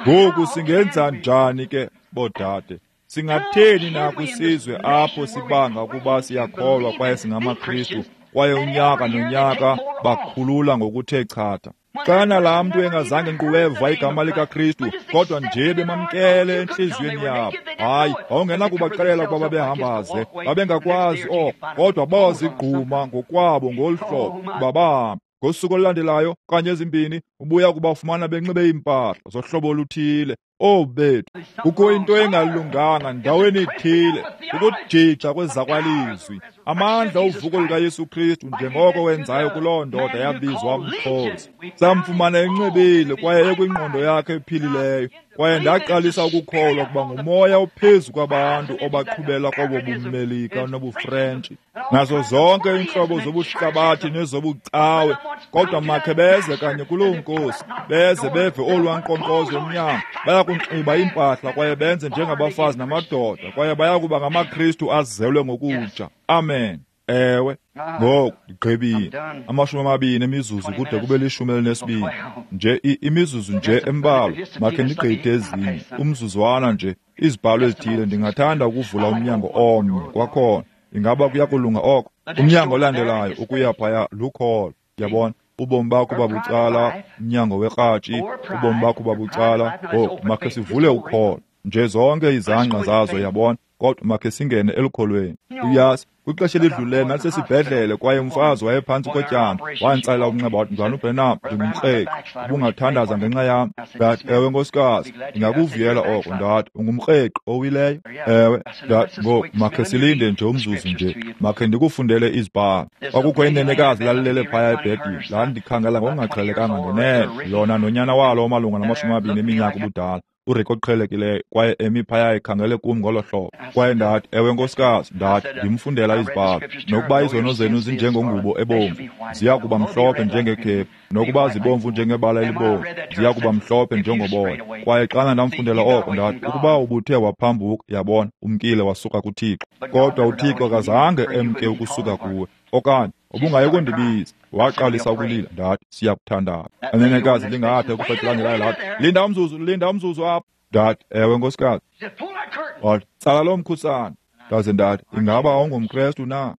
Ngoku singenza njani ke, bodade? Singatheni na kwisizwe apho sibanga ukuba siyakholwa kwaye singamaKristu, kwaye unyaka nonyaka bakhulula ngokuthe chatha? Xana laa mntu engazange nkqu weva igama likaKristu, kodwa nje bemamkele entliziyweni yabo. Hayi, wawungenakubaxelela ukuba babehambaze, babengakwazi oko, kodwa bazigquma ngokwabo ngolu hlobo ukuba bahambe. Ngosuku olulandelayo okanye ezimbini, ubuya kubafumana benxibe iimpahla zohlobo oluthile. Obethu, kukho into engalunganga ndaweni ithile, ukujija kwezakwalizwi. Amandla ovuko lukaYesu Kristu njengoko wenzayo kuloo ndoda yabizwa mkhosi. Samfumana enxibile kwaye ekwingqondo yakhe ephilileyo. Kwaye ndaqalisa ukukholwa ukuba ngumoya ophezu kwabantu obaqhubela kobo buMelika nobuFrentshi, nazo zonke iintlobo zobuhlabathi nezobucawe. Kodwa makhe beze kanye kuloo Nkosi, beze beve olwaa nkqonkqozo emnyango. Bayakunxiba iimpahla kwaye benze njengabafazi namadoda, kwaye bayakuba ngamaKristu azelwe ngokutsha. Amen. Ewe, ngoku ndigqibile. 20 emizuzu kude kube 12. Nje imizuzu nje embalwa, makhe ndigqithe ezinye. Umzuzwana nje, izibhalo ezithile. Ndingathanda ukuvula umnyango omnye kwakhona. Ingaba kuyakulunga oko? Umnyango olandelayo ukuya phaya lukholo. Yabona, ubomi bakho babucala, umnyango wekratshi, ubomi bakho babucala. Ngoku makhe sivule ukholo. Nje zonke izangqa zazo, yabona, kodwa makhe singene elukholweni. Uyazi, kwixesha elidlulileyo ndandisesibhedlele kwaye umfazi wayephantsi kotyando. Wanditsalela umnxeba wathi, "Mzalwana uBranham, ndingumkreqi, ubungathandaza ngenxa yam?" Ndathi, "Ewe nkosikazi, ndingakuvuyela oko." Ndathi, "Ungumkreqi owileyo?" Ewe. Ndathi, "Ngoku makhe silinde nje umzuzu nje, makhe ndikufundele izibhalo." Kwakukho inenekazi lalilele phaya ebhedini, landikhangela ngokungaqhelekanga ngenene, lona nonyana walo omalunga nama-20 eminyaka ubudala, uRick oqhelekileyo, kwaye emi phaya ekhangele kum ngolo hlobo. Kwaye ndathi, "Ewe nkosikazi," ndathi, "ndimfundela izibhalo. Nokuba izono zenu zinjengongubo ebomvu, ziya kuba mhlophe njengekhephu, nokuba zibomvu njengebala elibomvu, ziya kuba mhlophe njengoboya." Kwaye xana ndamfundela oko, ndathi, "Ukuba ubuthe waphambuka, yabona, umkile wasuka kuThixo. Kodwa uThixo akazange emke ukusuka kuwe, okanye ubungayi kundibiza." Waqalisa ukulila. Ndathi, "Siyakuthandaza." Inenekazi lingathi ekufetelangelayo lathi, "Linda umzuzu, linda umzuzu apha." Ndathi, "Ewe nkosikazi." Wathi, "Tsala loo mkhusane." Ndaze ndathi, "Ingaba awungumKrestu na?"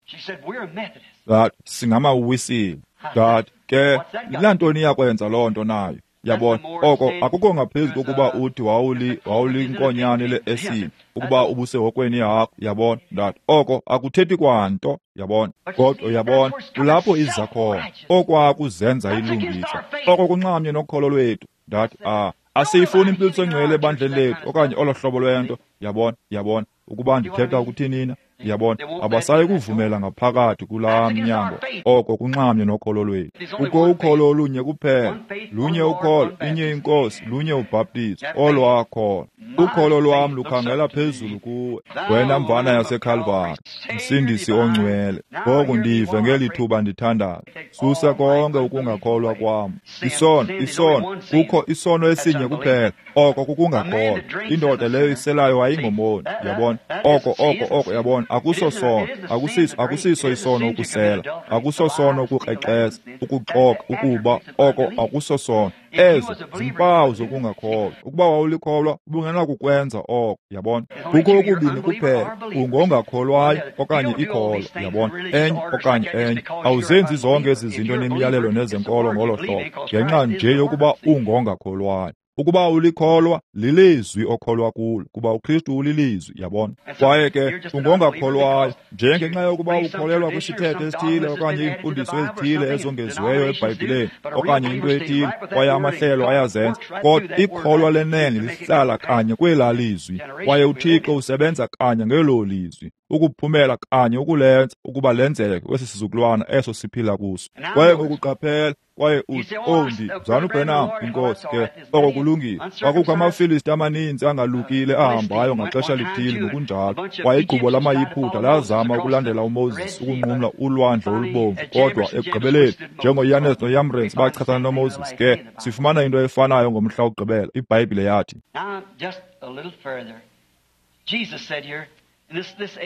Ndathi, "Singamawisile." Ndathi, "Ke, lantoni iyakwenza loo nto nayo?" Yabona, oko akukho ngaphezu kokuba uthi wawulinkonyane le-esile ukuba ubusehokweni yakho, yabona. Ndathi, oko akuthethi kwanto, yabona. Kodwa uyabona, kulapho iza khona, okwakuzenza ilungisa, oko kunxamnye nokholo lwethu. Ndathi, asiyifuni impiliso engcwele ebandleni lethu okanye olo hlobo lwento, yabona, yabona, ukuba ndithetha ukuthini na, yabona. Abasayi kuvumela ngaphakathi kulaa mnyango, oko kunxamnye nokholo lwethu. Kukho ukholo olunye kuphela, lunye ukholo, inye inkosi, lunye ubhaptizo, olwakholo. Ukholo lwam lukhangela phezulu kuwe, wena mvana yaseKhalvari, Msindisi ongcwele. Ngoku ndive ngeli thuba ndithandaza. Susa konke ukungakholwa kwam. Isono, isono, kukho isono esinye kuphela, oko kukungakholwa. Indoda leyo iselayo ayingomoni, yabona. Oko, oko, oko, yabona, akuso sono, akusiso isono ukusela, akuso sono ukukrexeza, ukuxoka, ukuba, oko akuso sono. Ezo zimpawu zokungakholwa. Ukuba wawulikholwa, ubungenakukwenza oko, yabona. Kukho okubini kuphela, ungongakholwayo okanye ikholwa, yabona, enye okanye enye. Awuzenzi zonke ezi zinto nemiyalelo nezenkolo ngolo hlobo, ngenxa nje yokuba ungongakholwayo. Ukuba ulikholwa, lilizwi okholwa kulo, kuba uKristu ulilizwi, yabona. Kwaye ke ungongakholwayo njengenxa yokuba ukholelwa kwisithethe esithile okanye iimfundiso ezithile ezongeziweyo eBhayibhileni okanye into ethile, kwaye amahlelo ayazenza. Kodwa ikholwa lenene lihlala kanye kwelaa lizwi, kwaye uThixo usebenza kanye ngelo lizwi, ukuphumela kanye ukulenza ukuba lenzeke kwesi sizukulwana eso siphila kuso. Kwaye ngokuqaphela, kwaye uthi, "Oh, Mzalwana uBranham, inkosi ke, oko kulungile." Kwakukho amaFilisti amaninzi angalukile ahambayo ngaxesha lithile ngokunjalo, kwaye igqubo lamaYiputa lazama ukulandela uMoses ukunqumla ulwandle olubomvu, kodwa ekugqibeleni, njengoYanes noYambresi bachasana noMoses. Ke sifumana into efanayo ngomhla wokugqibela. iBhayibhile yathi,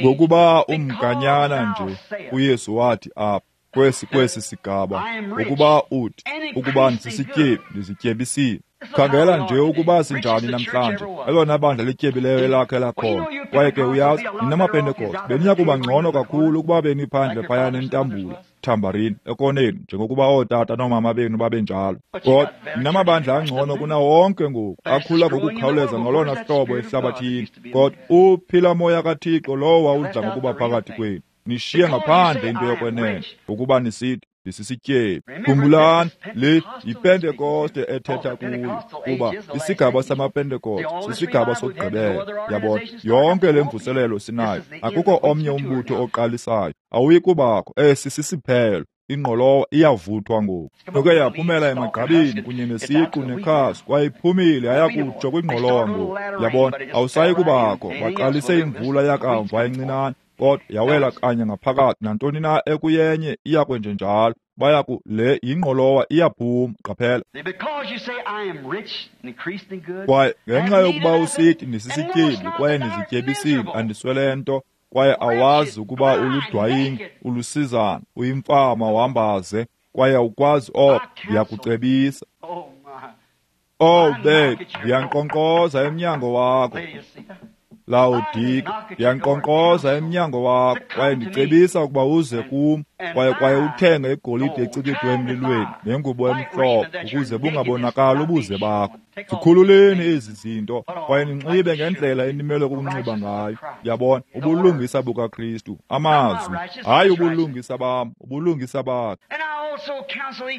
ngokuba umganyana nje, uYesu wathi apha kwesi sigaba, ukuba uthi, ukuba ndisisityebi, ndizityebisile. Khangela nje ukuba sinjani namhlanje, elona bandla lityebileyo elakhe lakhona. Kwaye ke uyazi, ninamaPentekoste, beniya kuba ngcono kakhulu ukuba beniphandle phaya nentambula, thambarini, ekoneni, njengokuba ootata noomama benu babenjalo. Kodwa ninamabandla angcono kunawo wonke ngoku, akhula ngokukhawuleza ngolona hlobo ehlabathini. Kodwa uphila moya kaThixo lowo wawudla ngokuba phakathi kwenu, nishiye ngaphandle into yokwenene, ukuba nisithi ndisisityebi. Khumbulani, le yiPentekoste ethetha kuyo, kuba isigaba samaPentekoste sisigaba sokugqibela, yabona. Yonke le mvuselelo sinayo, akukho omnye umbutho oqalisayo, awuyi kubakho. Esi sisiphelo. Ingqolowa iyavuthwa ngoku. Noke yaphumela emagqabini kunye nesiqu nekhasi, kwaye iphumile yayakutsho kwingqolowa ngoku, yabona. Awusayi kubakho. Baqalise imvula yakamva encinane, kodwa yawela kanye ngaphakathi. Nantoni na ekuyenye iya kwenjenjalo. Baya ku le yingqolowa iyaphuma, qaphela. Kwaye ngenxa yokuba usithi ndisisityebi kwaye ndizityebisile, andiswele nto, kwaye awazi ukuba uludwayingi, ulusizana, uyimfama, uhambaze, kwaye awukwazi oko, ndiyakucebisa. Oh, bethu, ndiyankqonkqoza emnyango wakho. Lawodike, ndiyankqonkqoza emnyango wakho, kwaye ndicebisa ukuba uze kum, kwaye uthenge igolide ecikidwe emlilweni nengubo emhlophe, ukuze bungabonakali ubuze bakho. Zikhululeni ezi zinto, kwaye ninxibe ngendlela enimele ukunxiba ngayo. Yabona, ubulungisa bukaKristu, amazwi, hayi ubulungisa bam, ubulungisa bakhe.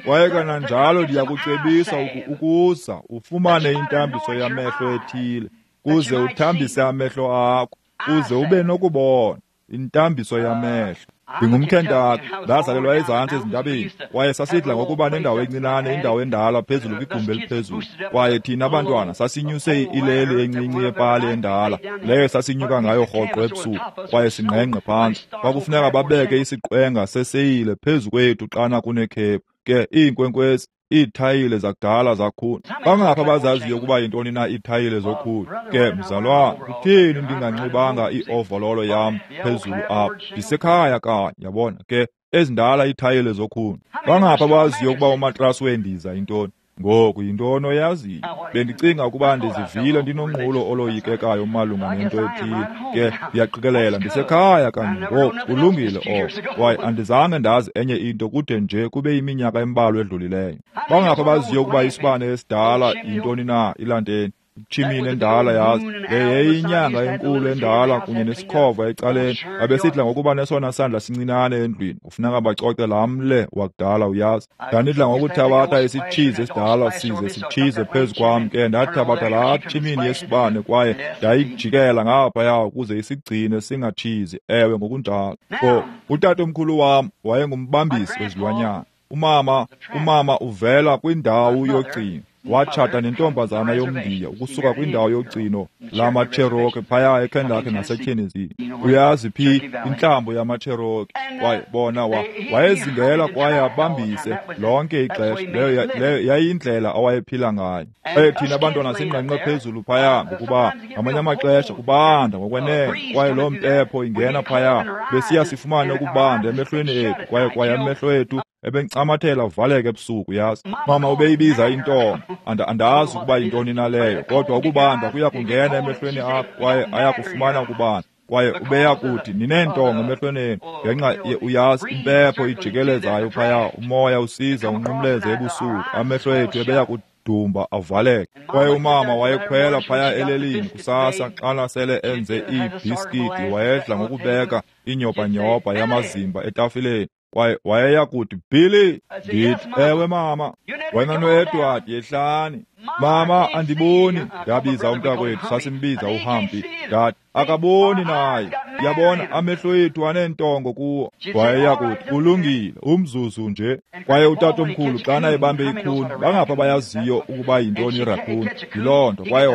Kwaye kananjalo ndiyakucebisa ukuza ufumane intambiso yamehlo ethile, kuze uthambise amehlo akho, kuze ube nokubona. Intambiso yamehlo. NdingumKentaki, ndazalelwa ezantsi ezintabeni, kwaye sasidla ngokuba nendawo encinane, indawo endala phezulu kwigumbi eliphezulu. Kwaye thina abantwana sasinyuse ileli encinci yepali endala, leyo sasinyuka ngayo rhoqo ebusuku, kwaye singqengqe phantsi. Kwakufuneka babeke isiqwenga seseyile phezu kwethu xana kunekhephu. Ke iinkwenkwezi, iithayile zakudala zakhuni. Bangaphi abazaziyo ukuba yintoni na iithayile zokhuni? Ke mzalwana, kutheni ndinganxibanga iovololo yam phezulu apha? Ndisekhaya kanye, yabona. Ke ezindala iithayile zokhuni. Bangaphi abaziyo ukuba umatrasi wendiza yintoni? Ngoku yintoni oyaziyo? Bendicinga ukuba ndizivile ndinonqulo oloyikekayo malunga nento ethile. Ke ndiyaqikelela ndisekhaya kanye ngoku, kulungile oko. Kwaye andizange ndazi enye into kude nje kube iminyaka embalwa edlulileyo. Bangaphi abaziyo ukuba isibane esidala yintoni na ilanteni? Itshimini endala yazi, le yayiyinyanga enkulu endala kunye nesikhova ecaleni. Babesidla ngokuba nesona sandla sincinane endlwini, kufuneka bacoce laa mle wakudala uyazi. Ndandidla ngokuthabatha isitshizi esidala size sitshize phezu kwam, ke ndathabatha laa tshimini yesibane kwaye ndayijikela ngaphaya ukuze isigcine singatshizi. Ewe, ngokunjalo. Utatomkhulu wam wayengumbambisi wezilwanyana. Umama uvela kwindawo yogcino. Watshata nentombazana yomNdiya ukusuka kwindawo yogcino lamaCherokee phaya eKentucky naseTennessee. Uyazi phi intlambo yamaCherokee? Kwaye bona wayezingela kwaye abambise lonke ixesha. Leyo yayindlela awayephila ngayo. Kwaye thina abantwana singqengqe phezulu phaya ngokuba ngamanye amaxesha kubanda ngokwenene, kwaye loo mpepho ingena phaya, besiya sifumane ukubanda emehlweni ethu, kwaye amehlo ethu ebencamathela avaleke ebusuku, yazi. Mama ubeyibiza intonga. Andazi ukuba yintoni na leyo, kodwa ukubanda kuya kungena emehlweni akho kwaye ayakufumana ukubanda. Kwaye ubeya kuthi nineentonga emehlweni enu ngenxa uyazi impepho ijikelezayo phaya, umoya usiza unqumleze ebusuku, amehlo ethu ebeya kudumba avaleke. Kwaye umama wayekhwela phaya elelini kusasa xana sele enze iibhiskiti, wayedla ngokubeka inyobanyobha yamazimba etafileni. Kwaye wayeya kuthi, Billy, ndithi, ewe mama, wena noEdward yehlani. Mama, andiboni, ndabiza umntakwethu, sasimbiza uHumpy. Ndathi, akaboni naye, yabona amehlo ethu aneentongo kuwo. Wayeya kuthi, kulungile, umzuzu nje. Kwaye utatomkhulu xana ebambe ikhuni, bangaphi abayaziyo ukuba yintoni irakhuni? Yiloo nto. Kwaye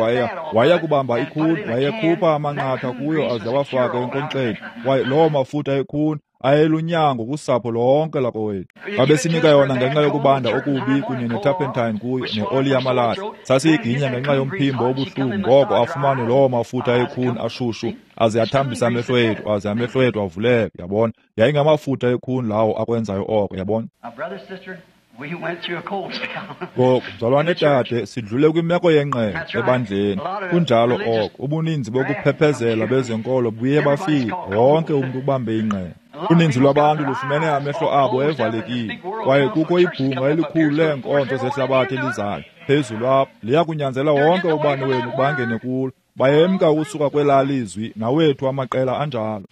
waya kubamba ikhuni, wayekhupha amanqatha kuyo aze awafake enkonkxeni. Kwaye loo mafutha ekhuni ayelunyango kusapho lonke lakowethu. Babesinika yona ngenxa yokubanda okubi kunye neturpentine kuyo neoli yamalahle. Sasiyiginya ngenxa yomphimbo obuhlungu, ngoko afumane loo mafutha ekhuni ashushu aze athambise amehlo ethu, aze amehlo ethu avuleke, yabona. Yayingamafutha ekhuni lawo akwenzayo oko, yabona. Ngoku, mzalwane dade, sidlule kwimeko yengqele ebandleni. Kunjalo oko, ubuninzi bokuphephezela bezenkolo buye bafika, wonke umntu ubambe ingqele. Uninzi lwabantu lufumene amehlo abo evalekile, kwaye kukho ibhunga elikhulu leenkonzo zehlabathi elizayo phezulu apha, liya kunyanzela wonke ubani wenu ukuba angene kulo. Bayemka ukusuka kwelaa lizwi, nawethu amaqela anjalo.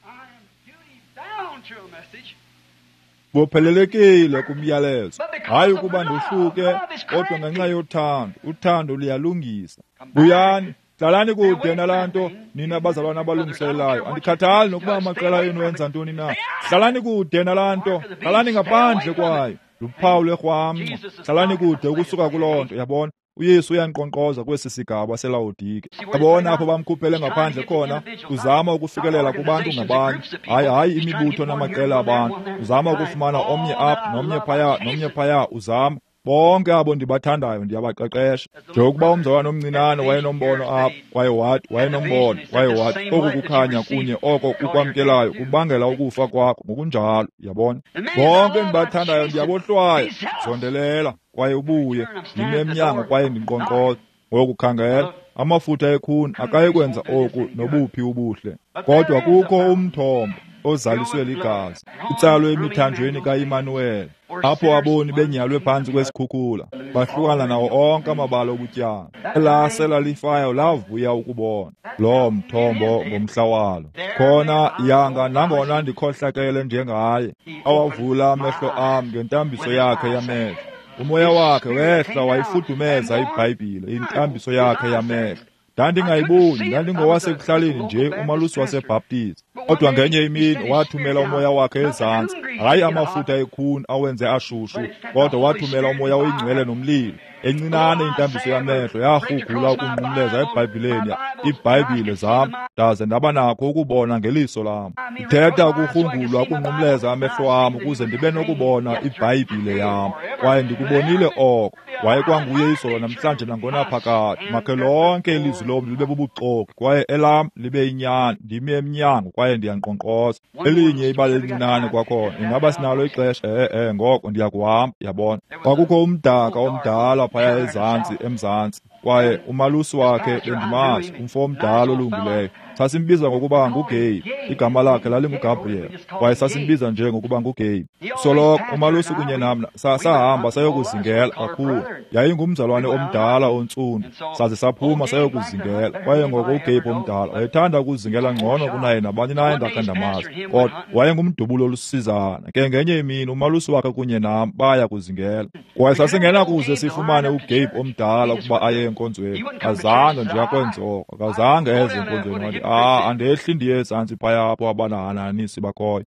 Bophelelekile kumyalezo, hayi ukuba ndohluke, kodwa ngenxa yothando. Uthando luyalungisa. Buyani, hlalani kude nalaa nto, nina bazalwana abalungiselelayo. Andikhathali nokuba amaqela enu enza ntoni na. Hlalani kude nalaa nto, hlalani ngaphandle kwayo. Luphawu lwerhwamnca. Hlalani kude ukusuka kuloo nto, yabona. uYesu uyankqonkqoza kwesi sigaba seLawodike. Yabona apho bamkhuphele ngaphandle khona, uzama ukufikelela kubantu ngabanye, hayi imibutho namaqela abantu. Uzama ukufumana omnye apha nomnye phaya nomnye phaya, uzama. Bonke abo ndibathandayo ndiyabaqeqesha. Njengokuba umzalwana omncinane wayenombono apha, kwaye wathi wayenombono, kwaye wathi oku kukhanya kunye oko kukwamkelayo kubangela ukufa kwakho ngokunjalo, yabona. Bonke endibathandayo ndiyabohlwaya, zondelela kwaye ubuye, ndime emnyango kwaye ndinkqonkqoza. Ngoku khangela, Amafutha ekhuni akayi kwenza oku nobuphi ubuhle. Kodwa kukho umthombo ozaliswe ligazi, utsalwe emithanjweni kaImanuweli, apho aboni benyalwe phantsi kwesikhukhula, bahlukana nawo onke amabala obutyala. Elasela lifayo lavuya ukubona loo mthombo ngomhla walo. Khona yanga nangona ndikhohlakele njengaye, awavula amehlo am ngentambiso yakhe yamehlo. Umoya wakhe wehla wayifudumeza iBhayibhile, intambiso yakhe yamehlo. Ndandingayiboni, ndandingowasekuhlaleni nje, umalusi waseBhaptizi. Kodwa ngenye imini wathumela umoya wakhe ezantsi, hayi amafutha ekhuni awenze ashushu, kodwa wathumela umoya oyingcwele nomlilo. Encinane intambiso yamehlo yarhugula ukunqumleza eBhayibhileni iBhayibhile zam, ndaze ndaba nakho ukubona ngeliso lam. Ndithetha ukurhungulwa ukunqumleza amehlo am ukuze ndibe nokubona iBhayibhile yam, kwaye ndikubonile oko. Wayekwanguye izolo, namhlanje, nangonaphakade. Makhe lonke ilizwi lomntu libe bubuxoki kwaye elam libe inyani. Ndimi emnyango kwaye ndiyankqonkqoza. Elinye ibali elincinane kwakhona. Ingaba sinalo ixesha? Ngoko ndiyakuhamba, yabona. Kwakukho umdaka omdala phaya ezantsi emzantsi, kwaye umalusi wakhe bendimazi, umfo omdala olungileyo. Sasimbiza ngokuba nguGabe, igama lakhe lalinguGabriel, kwaye sasimbiza nje ngokuba nguGabe. Soloko umalusi kunye nam sahamba sayokuzingela kakhulu. Yayingumzalwane omdala ontsundu, saze saphuma sayokuzingela. Kwaye ngoko uGabe omdala wayethanda ukuzingela ngcono kunaye nabani na endakhe ndamazi, kodwa wayengumdubulo olusizana. Ke ngenye imini umalusi wakhe kunye nam baya kuzingela, kwaye sasingenakuze sifumane uGabe omdala ukuba aye enkonzweni. Azange nje akwenze oko, akazange eze enkonzweni. Wathi, andehli ndiye ezantsi phaya apho abanahananisi bakhoyo.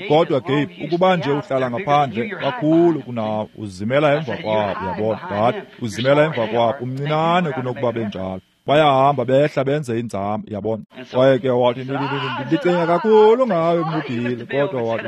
Kodwa Gabe, ukuba nje uhlala ngaphandle kakhulu kunawe, uzimela emva kwabo, uyabona. Ndathi, uzimela emva kwabo, umncinane kunokuba benjalo. Bayahamba behla benze inzame, yabona. Kwaye ke wathi, ndicinga kakhulu ngawe mnubhile, kodwa wathi,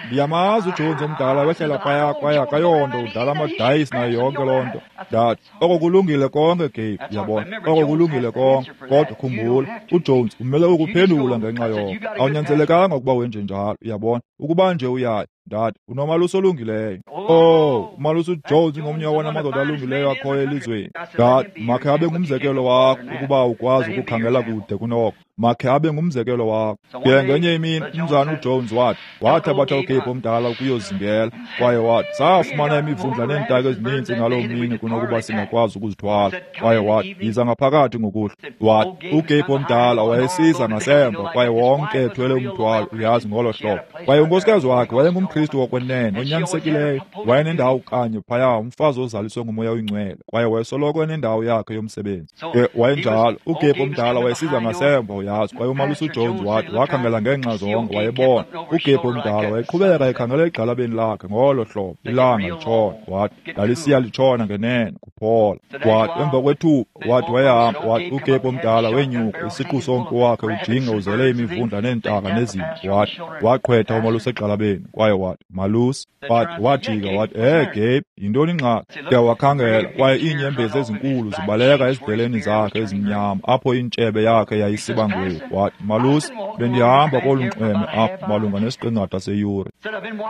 ndiyamazi uJones omdala wehlela phaya kwaye akayonto, udlala amadayisi nayo yonke loo nto. Ndathi, oko kulungile konke Gabe, yabona, oko kulungile konke, kodwa khumbula, uJones umele ukuphendula ngenxa yoko. Awunyanzelekanga ukuba wenje njalo, yabona, ukuba nje uyayo. Ndathi, unomalusi olungileyo. Oh, umalusi uJones ngomnye wona amadoda alungileyo akhoyo elizweni. Ndathi, makhe abe ngumzekelo wakho ukuba ukwazi ukukhangela kude kunoko. Makhe abe ngumzekelo wakho. Ke ngenye imini umzana uJones wathi, wathabatha uGabe omdala ukuyozingela, kwaye wathi, safumana imivundla neentaka ezininzi ngaloo mini kunokuba singakwazi ukuzithwala. Kwaye wathi, yiza ngaphakathi ngokuhlwa. Wathi, uGabe omdala wayesiza ngasemva, kwaye wonke ethwele umthwalo, uyazi, ngolo hlobo. Kwaye unkosikazi wakhe wayengumKristu wokwenene onyanisekileyo, wayenendawo kanye phaya, umfazi ozaliswe ngumoya oyingcwele, kwaye wayesoloko enendawo yakhe yomsebenzi. Ke wayenjalo, uGabe omdala wayesiza ngasemva, uyazi. Kwaye umalusi uJones wathi, wakhangela ngeenxa zonke, wayebona uGabe omdala wayeqhubeka ekhangela egxalabeni lakhe ngolo hlobo, ilanga litshona. Wathi, lalisiya litshona ngenene, kuphola. Wathi, emva kwethuba, wathi wayehamba, wathi uGabe omdala wenyuka, isiqu sompu wakhe ujinga uzele imivundla neentaka nezinto. Wathi, waqhwetha umalusi egxalabeni, kwaye wathi, malusi. Wathi, wajika, wathi, Gabe, yintoni ingxaki? Ke wakhangela, kwaye iinyembezi ezinkulu zibaleka ezidleleni zakhe ezimnyama, apho intshebe yakhe yayisiba ngwevu. Wathi, malusi, bendihamba kolu nxweme apha malunga nesiqingatha seyure.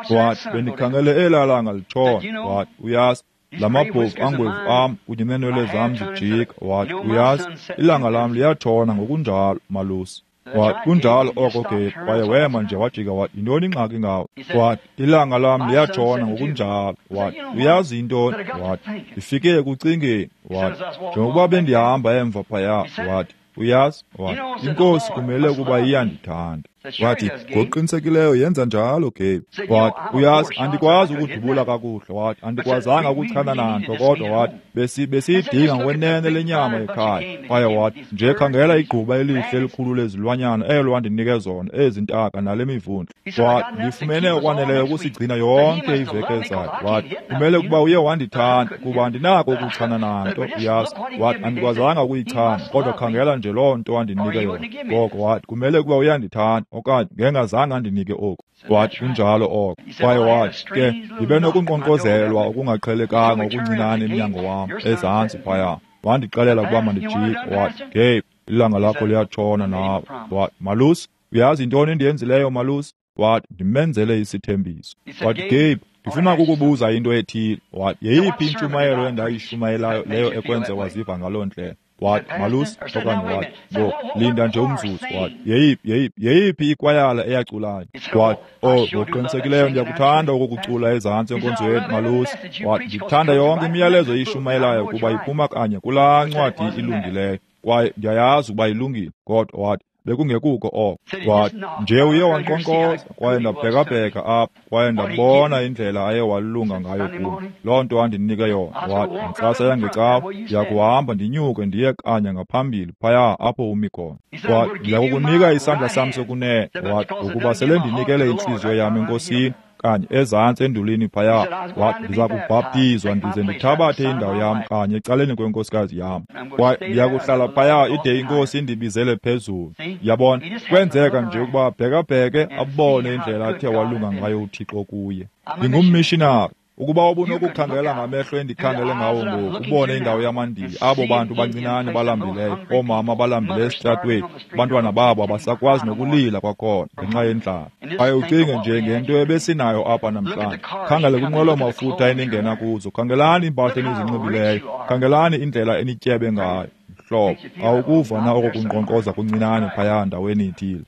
Wathi, bendikhangele elaa langa litshona. Wathi, uyazi, la mabhovu angwevu am kunye neenwele zam zijika. Wathi, uyazi, ilanga lam liyatshona ngokunjalo, malusi. Wathi, kunjalo oko Gabe. Kwaye wema nje wajika, wathi, yintoni ingxaki ngawe? Wathi, ilanga lam liyatshona ngokunjalo. Wathi, uyazi yintoni? Wathi, ndifike ekucingeni. Wathi, njengokuba bendihamba emva phaya, wathi, uyazi, wathi, inkosi kumele ukuba iyandithanda. Wathi, ngokuqinisekileyo yenza njalo Gabe. Wathi, uyazi, andikwazi ukudubula kakuhle. Wathi, andikwazanga ukuchana nanto, kodwa wathi, besiyidinga ngokwenene le nyama ekhaya. Kwaye wathi, nje khangela igquba elihle elikhulu lezilwanyana elo wandinike zona, ezi ntaka nale mivundla. Wathi, ndifumene okwaneleyo ukusigcina yonke iveki ezayo. Wathi, kumele ukuba uye wandithanda, kuba andinako ukuchana nanto, uyazi. Wathi, andikwazanga ukuyichana, kodwa khangela nje loo nto wandinike yona. Ngoko wathi, kumele ukuba uyandithanda, okanye ngengazange andinike oku. Wathi, kunjalo oko. Kwaye wathi, ke ndibe nokunkqonkqozelwa okungaqhelekanga okuncinane emnyango wam ezantsi phaya. Wandixelela ukuba mandijike. Wathi, Gabe, ilanga lakho liyatshona nawe. Wathi, malusi, uyazi yintoni endiyenzileyo, malusi? Wathi, ndimenzele isithembiso. Wathi, Gabe, ndifuna ukukubuza into ethile. Wathi, yeyiphi intshumayelo endayishumayelayo leyo ekwenze waziva ngaloo ndlela? Wathi, malusi, okanye wathi, ngoku linda nje umzuzu. Wathi, yeyiphi ikwayala eyaculayo? Wathi, oh, ngokuqinisekileyo ndiyakuthanda ukukucula ezantsi enkonzweni, malusi. Wathi, ndikuthanda yonke imiyalezo eyishumayelayo kuba iphuma kanye kulaa ncwadi ilungileyo, kwaye ndiyayazi ukuba ilungile. Kodwa wathi, bekungekuko oko. Wathi, nje uye wankqonkqoza, kwaye ndabhekabheka apha, kwaye ndabona indlela aye walunga ngayo kum. Loo nto andinike yona. Wathi, ntsasa yangecawa ndiyakuhamba ndinyuke ndiye kanye ngaphambili phaya apho umi khona. Wathi, ndiyakukunika isandla sam sokunene. Wathi, ngokuba sele ndinikele intliziyo yam eNkosini kanye ezantsi endulini phaya. Wathi, ndiza kubhaptizwa ndize ndithabathe indawo yam kanye ecaleni kwenkosikazi yam, kwaye ndiyakuhlala phaya ide iNkosi indibizele phezulu. Yabona, kwenzeka nje ukuba bhekabheke abone indlela athe walunga ngayo uThixo kuye. Ndingummishinari. Ukuba ubunokukhangela ngamehlo endikhangele ngawo ngoku, ubone indawo yamaNdiya, abo bantu bancinane balambileyo, oomama balambileyo esitratweni, abantwana babo abasakwazi nokulila kwakhona ngenxa yendlala. Kwaye ucinge nje ngento ebesinayo apha namhlanje. Khangele kwinqwelo-mafutha eningena kuzo, khangelani iimpahla enizinxibileyo, khangelani indlela enityebe ngayo. Mhlobo, awukuva na oko kunkqonkqoza kuncinane phaya ndaweni ithile?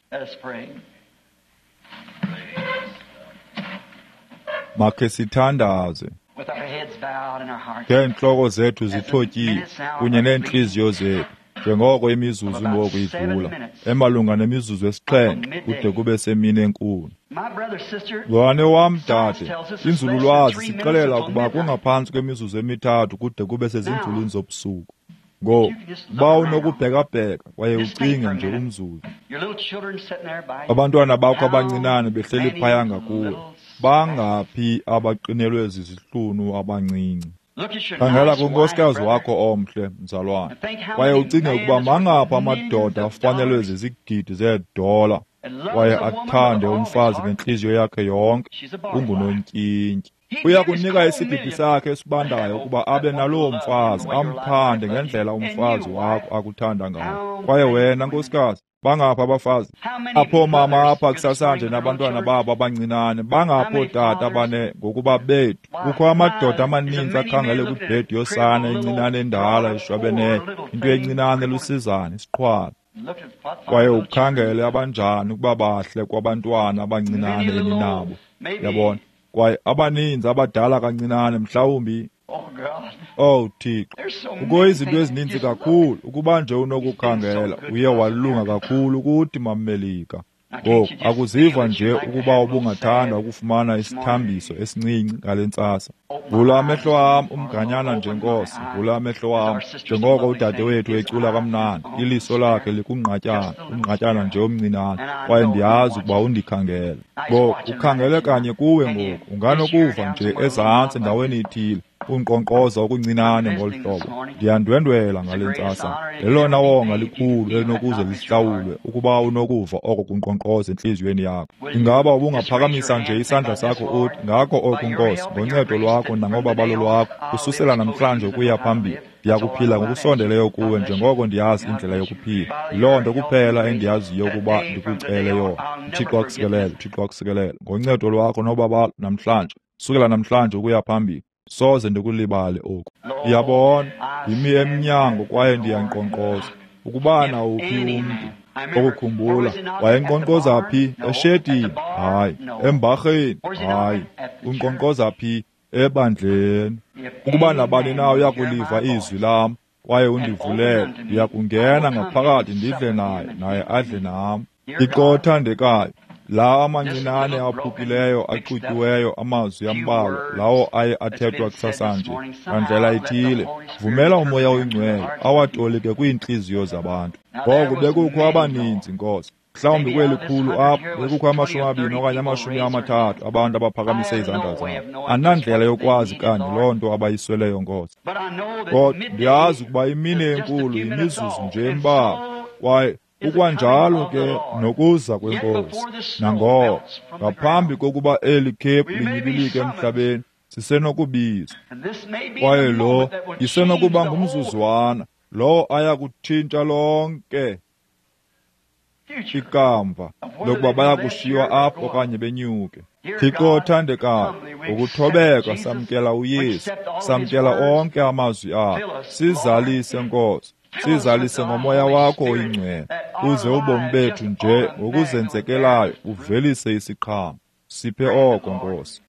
Makhe sithandaze. Ngeentloko zethu zithotyiwe kunye neentliziyo zethu, njengoko imizuzu ngoku idlula, emalunga nemizuzu 7 kude kube semini enkulu. Mzalwane wam, dade, inzululwazi sixelela ukuba kungaphantsi kwemizuzu 3 kude kube sezinzulwini zobusuku. Ngoku, uba unokubhekabheka kwaye ucinge nje umzuzu. Abantwana bakho abancinane behleli phaya ngakuwe, bangaphi abaqinelwe zizihlunu abancinci? Khangela kunkosikazi wakho omhle, mzalwane, kwaye ucinge ukuba mangaphi amadoda afanelwe zizigidi zeedola kwaye athande umfazi ngentliziyo yakhe yonke, ungunontyintyi. Uya kunika isigidi sakhe esibandayo ukuba abe naloo mfazi, amthande ngendlela umfazi wakho akuthanda ngayo. Kwaye wena, nkosikazi, bangaphi abafazi apho mama apha kusasanje nabantwana babo abancinane, bangaphi ootata bane ngokuba bethu? Kukho amadoda amaninzi akhangele kwibhedi yosana encinane endala eshwabeneyo, into encinane lusizana, isiqhwala. Kwaye ukhangele abanjani ukuba bahle kwabantwana abancinane eninabo, yabona. Kwaye abaninzi abadala kancinane mhlawumbi. Oh Thixo, kukho izinto ezininzi kakhulu ukuba nje unokukhangela. Uye walunga kakhulu kuthi, mamMelika. Ngoku akuziva nje ukuba ubungathanda ukufumana isithambiso esincinci ngale ntsasa? Vula amehlo am umganyana nje, Nkosi, vula amehlo am, njengoko udadewethu ecula kamnandi, iliso lakhe likungqatyana, umngqatyana nje omncinane, kwaye ndiyazi ukuba undikhangele. Ngoku ukhangele kanye kuwe ngoku, unganokuva nje ezantsi ndaweni ithile unkqonkqoza okuncinane ngolu hlobo. Ndiyandwendwela ngale ntsasa. Lelona wonga likhulu elinokuze lihlawulwe ukuba unokuva oko kunkqonkqoza entliziyweni yakho. Ingaba ubungaphakamisa nje isandla sakho uthi, ngako oku, Nkosi, ngoncedo lwakho nangobabalo lwakho, kususela namhlanje ukuya phambili, ndiyakuphila ngokusondeleyo kuwe njengoko ndiyazi indlela yokuphila. Yiloo nto kuphela endiyaziyo ukuba ndikucele yona. UThixo akusikelele, uThixo akusikelele. Ngoncedo lwakho nobabalo namhlanje, sukela namhlanje ukuya phambili, soze ndikulibale oku. Ndiyabona, ndimi emnyango kwaye ndiyankqonkqoza. Ukuba nawuphi umntu okukhumbula, wayenkqonkqoza phi? Eshedini? Hayi. Embarheni? Hayi. Unkqonkqoza phi? Ebandleni. Ukuba nabani na uyakuliva izwi lam kwaye undivulele, ndiyakungena ngaphakathi ndidle naye, naye adle nam. Thixo othandekayo, lawo amancinane aphukileyo axutyiweyo amazwi ambalwa lawo aye athethwa kusasanje ngandlela ithile, vumela uMoya oyiNgcwele awatolike kwiintliziyo zabantu. Ngoku bekukho abaninzi, Nkosi. Mhlawumbi kweli khulu apha bekukho 20 okanye 30 abantu abaphakamise izandla zabo. Andinandlela yokwazi kanye loo nto abayisweleyo, Nkosi. Kodwa ndiyazi ukuba imini enkulu yimizuzu nje embalwa, kwaye kukwanjalo ke nokuza kweNkosi. Nangoko, ngaphambi kokuba eli khephu linyibilike emhlabeni, sisenokubizwa. Kwaye lo isenokuba ngumzuzwana lowo aya kutshintsha lonke ikamva lokuba baya kushiywa apho okanye benyuke. Thixo othandekayo, ngokuthobeka samkela uYesu, samkela onke amazwi akhe. Sizalise, Nkosi. Sizalise ngoMoya wakho oyiNgcwele, uze ubomi bethu nje ngokuzenzekelayo uvelise isiqhamo. Siphe oko, Nkosi.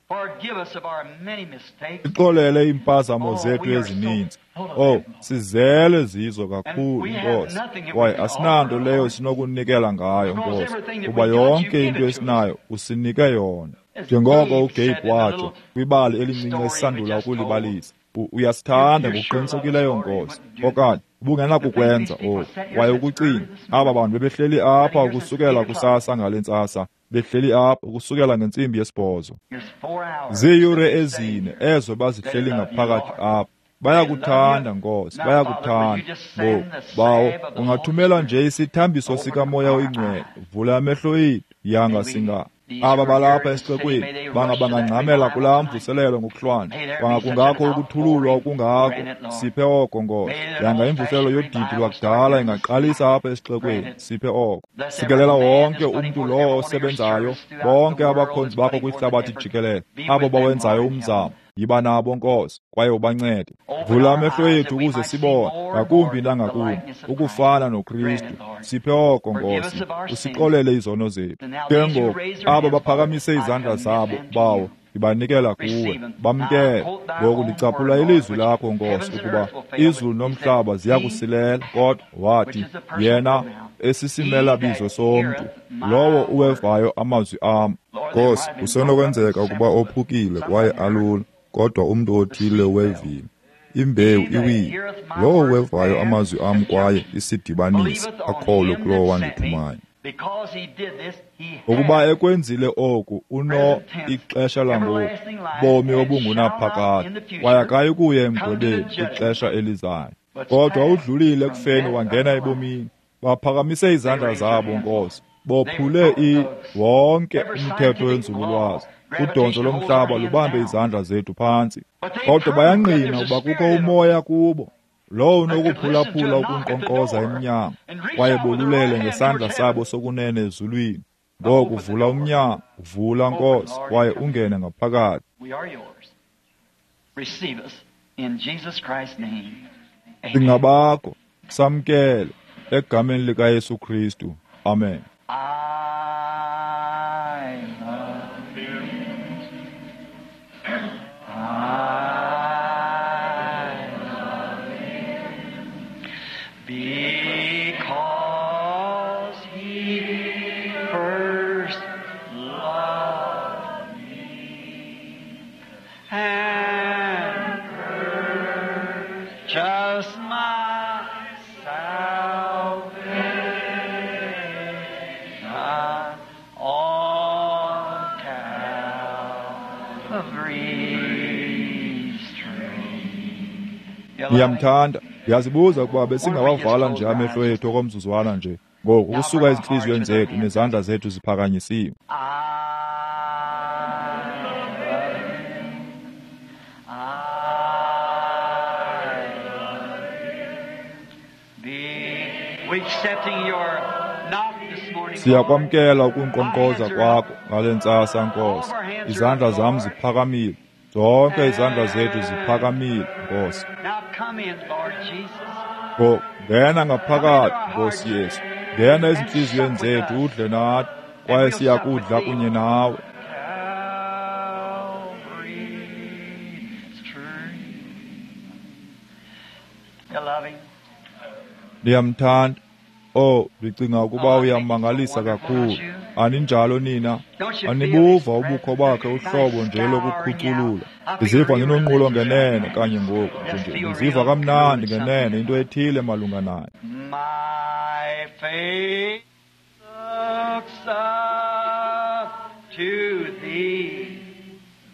Sixolele iimpazamo zethu ezininzi. Oh, sizele zizo kakhulu, Nkosi. Kwaye asinanto leyo sinokunikela ngayo, Nkosi, kuba yonke into esinayo usinike yona. Njengoko uGabe watsho kwibali elincinci esisandula ukulibalisa, uyasithanda ngokuqinisekileyo, Nkosi, okanye ubungenakukwenza oku. Kwaye ukucinga, aba bantu bebehleli apha ukusukela kusasa ngale ntsasa, behleli apha ukusukela ngentsimbi yesibhozo. Ziiyure 4 ezo bazihleli ngaphakathi apha. Bayakuthanda, Nkosi, bayakuthanda. Ngoku, Bawo, ungathumela nje isithambiso sikaMoya oyiNgcwele, vula amehlo ethu, yanga singa. Aba balapha esixekweni bangabangangxamela kulaa mvuselelo ngokuhlwanje, bangakungakho ukuthululwa okungako. Siphe oko, Nkosi. Yanga imvuselelo yodidi lwakudala ingaqalisa apha esixekweni. Siphe oko. Sikelela wonke umntu lowo osebenzayo, bonke abakhonzi bakho kwihlabathi jikelele, abo bawenzayo umzamo. Yiba nabo, Nkosi, kwaye ubancede. Vula amehlo ethu ukuze sibone ngakumbi nangakumbi ukufana noKristu. Siphe oko, Nkosi, usixolele izono zethu. Ke ngoku abo baphakamise izandla zabo, Bawo, ndibanikela kuwe, bamkele. Ngoku ndicaphula ilizwi lakho, Nkosi, ukuba izulu nomhlaba ziyakusilela, kodwa wathi yena esisimelabizo somntu, lowo uwevayo amazwi am. Nkosi, kusenokwenzeka ukuba ophukile kwaye alula, kodwa umntu othile wevile. Imbewu iwile. Lowo wevayo amazwi am kwaye isidibanise, akholwe kulowo wandithumayo. Ukuba ekwenzile oku, uno ixesha langoku, bomi obungunaphakade, kwaye akayi kuya emgwebeni ixesha elizayo. Kodwa udlulile ekufeni wangena ebomini. Baphakamise izandla zabo, Nkosi, bophule wonke umthetho wenzululwazi. Udonzo lomhlaba lubambe izandla zethu phantsi. Kodwa bayangqina ukuba kukho umoya kubo, lowo unokuphulaphula ukunkqonkqoza emnyango, kwaye bolulele ngesandla sabo sokunene ezulwini. Ngoku vula umnyango, vula, Nkosi, kwaye ungene ngaphakathi. Singabakho, samkele egameni likaYesu Kristu. Amen. Because he first loved me and purchased my salvation on Calvary's tree. Ndiyamthanda. Ndiyazibuza ukuba besingawavala nje amehlo ethu okomzuzwana nje ngoku ukusuka ezintliziyweni zethu nezandla zethu ziphakanyisiwe. Siyakwamkela ukunkqonkqoza kwakho ngale ntsasa, Nkosi. Izandla zam ziphakamile. Zonke izandla zethu ziphakamile, Nkosi. Ngoku ngena ngaphakathi, Nkosi Yesu. Ngena ezintliziyweni zethu udle nathi, kwaye siyakudla kunye nawe. Ndiyamthanda. Oh, ndicinga ukuba uyammangalisa kakhulu. Aninjalo nina? Anibuva ubukho bakhe uhlobo nje lokukhuculula. Ndiziva ndinonqulo ngenene kanye ngoku. Ndiziva kamnandi ngenene, into ethile malunga naye. My faith looks up to thee,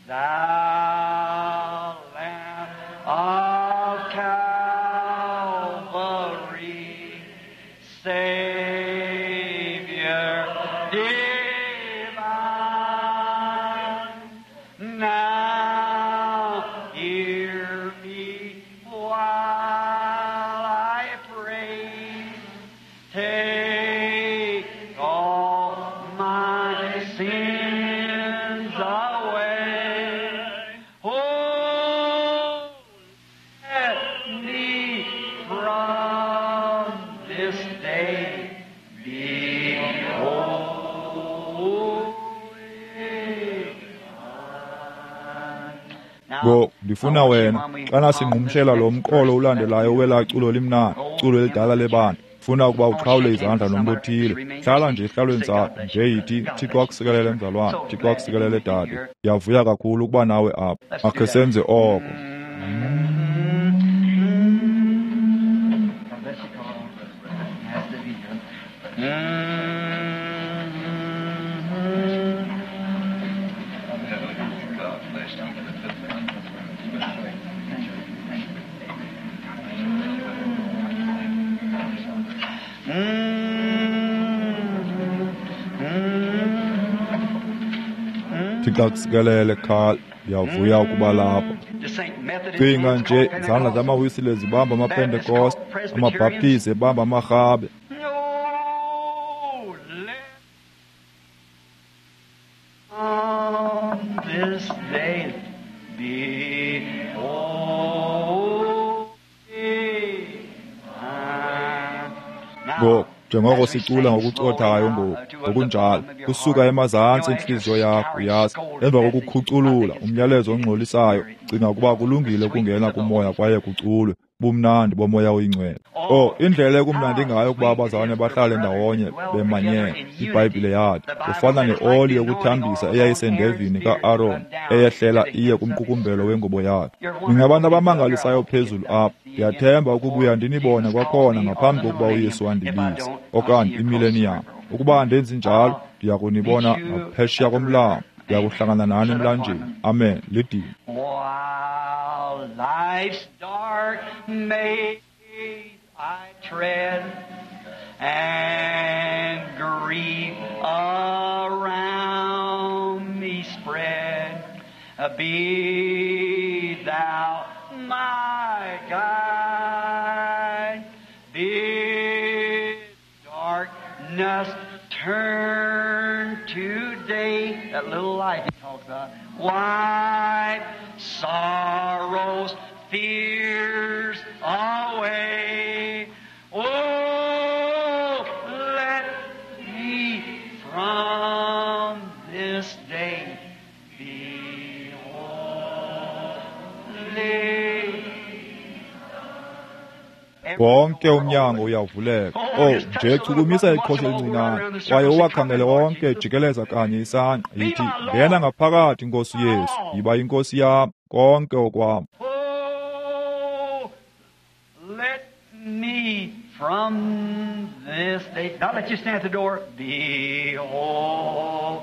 thou Lamb of Calvary, Savior divine. Now hear me while I pray. Take all my sins away. Oh, let me from this day be holy. Ngoku ndifuna wena xana singqumshela lo mqolo ulandelayo welaa culo limnandi, culo elidala lebandla, funa ukuba uqhawule izandla nomntu othile. Hlala nje esihlalweni sakho nje, yithi, Thixo akusikelele mzalwane, Thixo akusikelele dade. Ndiyavuya kakhulu ukuba nawe apha. Makhe senze oko. God bless you, Carl. Nice to be here. Thixo akusikelele, Carl. Ndiyavuya ukuba lapha. Just think Methodist Cinga hands nje, called izandla Pentecostals. zamawisile zibamba amapentekoste, amabhaptizi ebamba amarhabe. No, let on this day be holy. Now, Ngoku njengoko as we sicula sing ngokucothayo slowly now, ngoku, to the ngokunjalo bottom of your kusuka heart, emazantsi you know, entliziyo after yakho, scouring uyazi, scolding emva message, kokukhuculula I think it's umyalezo ongxolisayo, cinga ukuba kulungile ukungena kumoya kwaye kuculwe bumnandi bomoya oyingcwele. Oh, indlela ekumnandi ngayo ukuba abazalwane bahlale ndawonye bemanyene. IBhayibhile yathi kufana neoli yokuthambisa eyayisendevini ka-Aron eyehlela iye kumqukumbelo wengubo yakhe. Ningabantu abamangalisayo phezulu apha. Ndiyathemba ukubuya ndinibone kwakhona ngaphambi kokuba uYesu andibize okanye imileniyam. Ukuba andenzi njalo, ndiya kunibona ngaphesheya komlambo. Ndiya kuhlangana nani emlanjeni. Amen. Lidini. While life's dark maze I tread, and grief around me spread, be thou my guide. Bid darkness turn to day. That little light he talks about. Wipe sorrows, fears away. Oh, let me from this day be holy. Wonke umnyango uyavuleka. Oh, nje chukumisa iqhosha elincinane kwaye uwakhangele onke jikeleza kanye isangqa. Yithi, ngena ngaphakathi, Nkosi Yesu, yiba yinkosi yam, konke okwam. Oh, let me from this day, not let you stand at the door, be holy.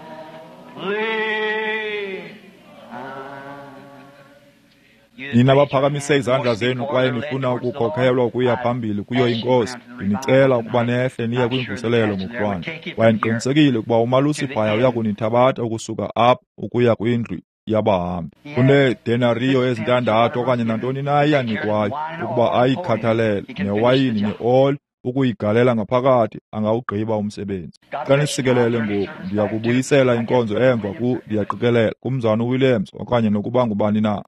Nina baphakamise izandla zenu kwaye nifuna ukukhokhelwa ukuya phambili kuyo inkosi, ndinicela ukuba nehle niye kwimvuselelo ngokuhlwanje. Kwaye ndiqinisekile ukuba umalusi phaya uya kunithabatha ukusuka apha ukuya kwindlu yabahambi. Uneedenariyo ezintandathu okanye nantoni na iyanikwayo ukuba ayikhathalele, newayini neoli ukuyigalela ngaphakathi, angawugqiba umsebenzi. Xa nisikelele ngoku, ndiya kubuyisela inkonzo emva ku, ndiyaqikelela, kumzana uWilliams okanye nokuba ngubani na.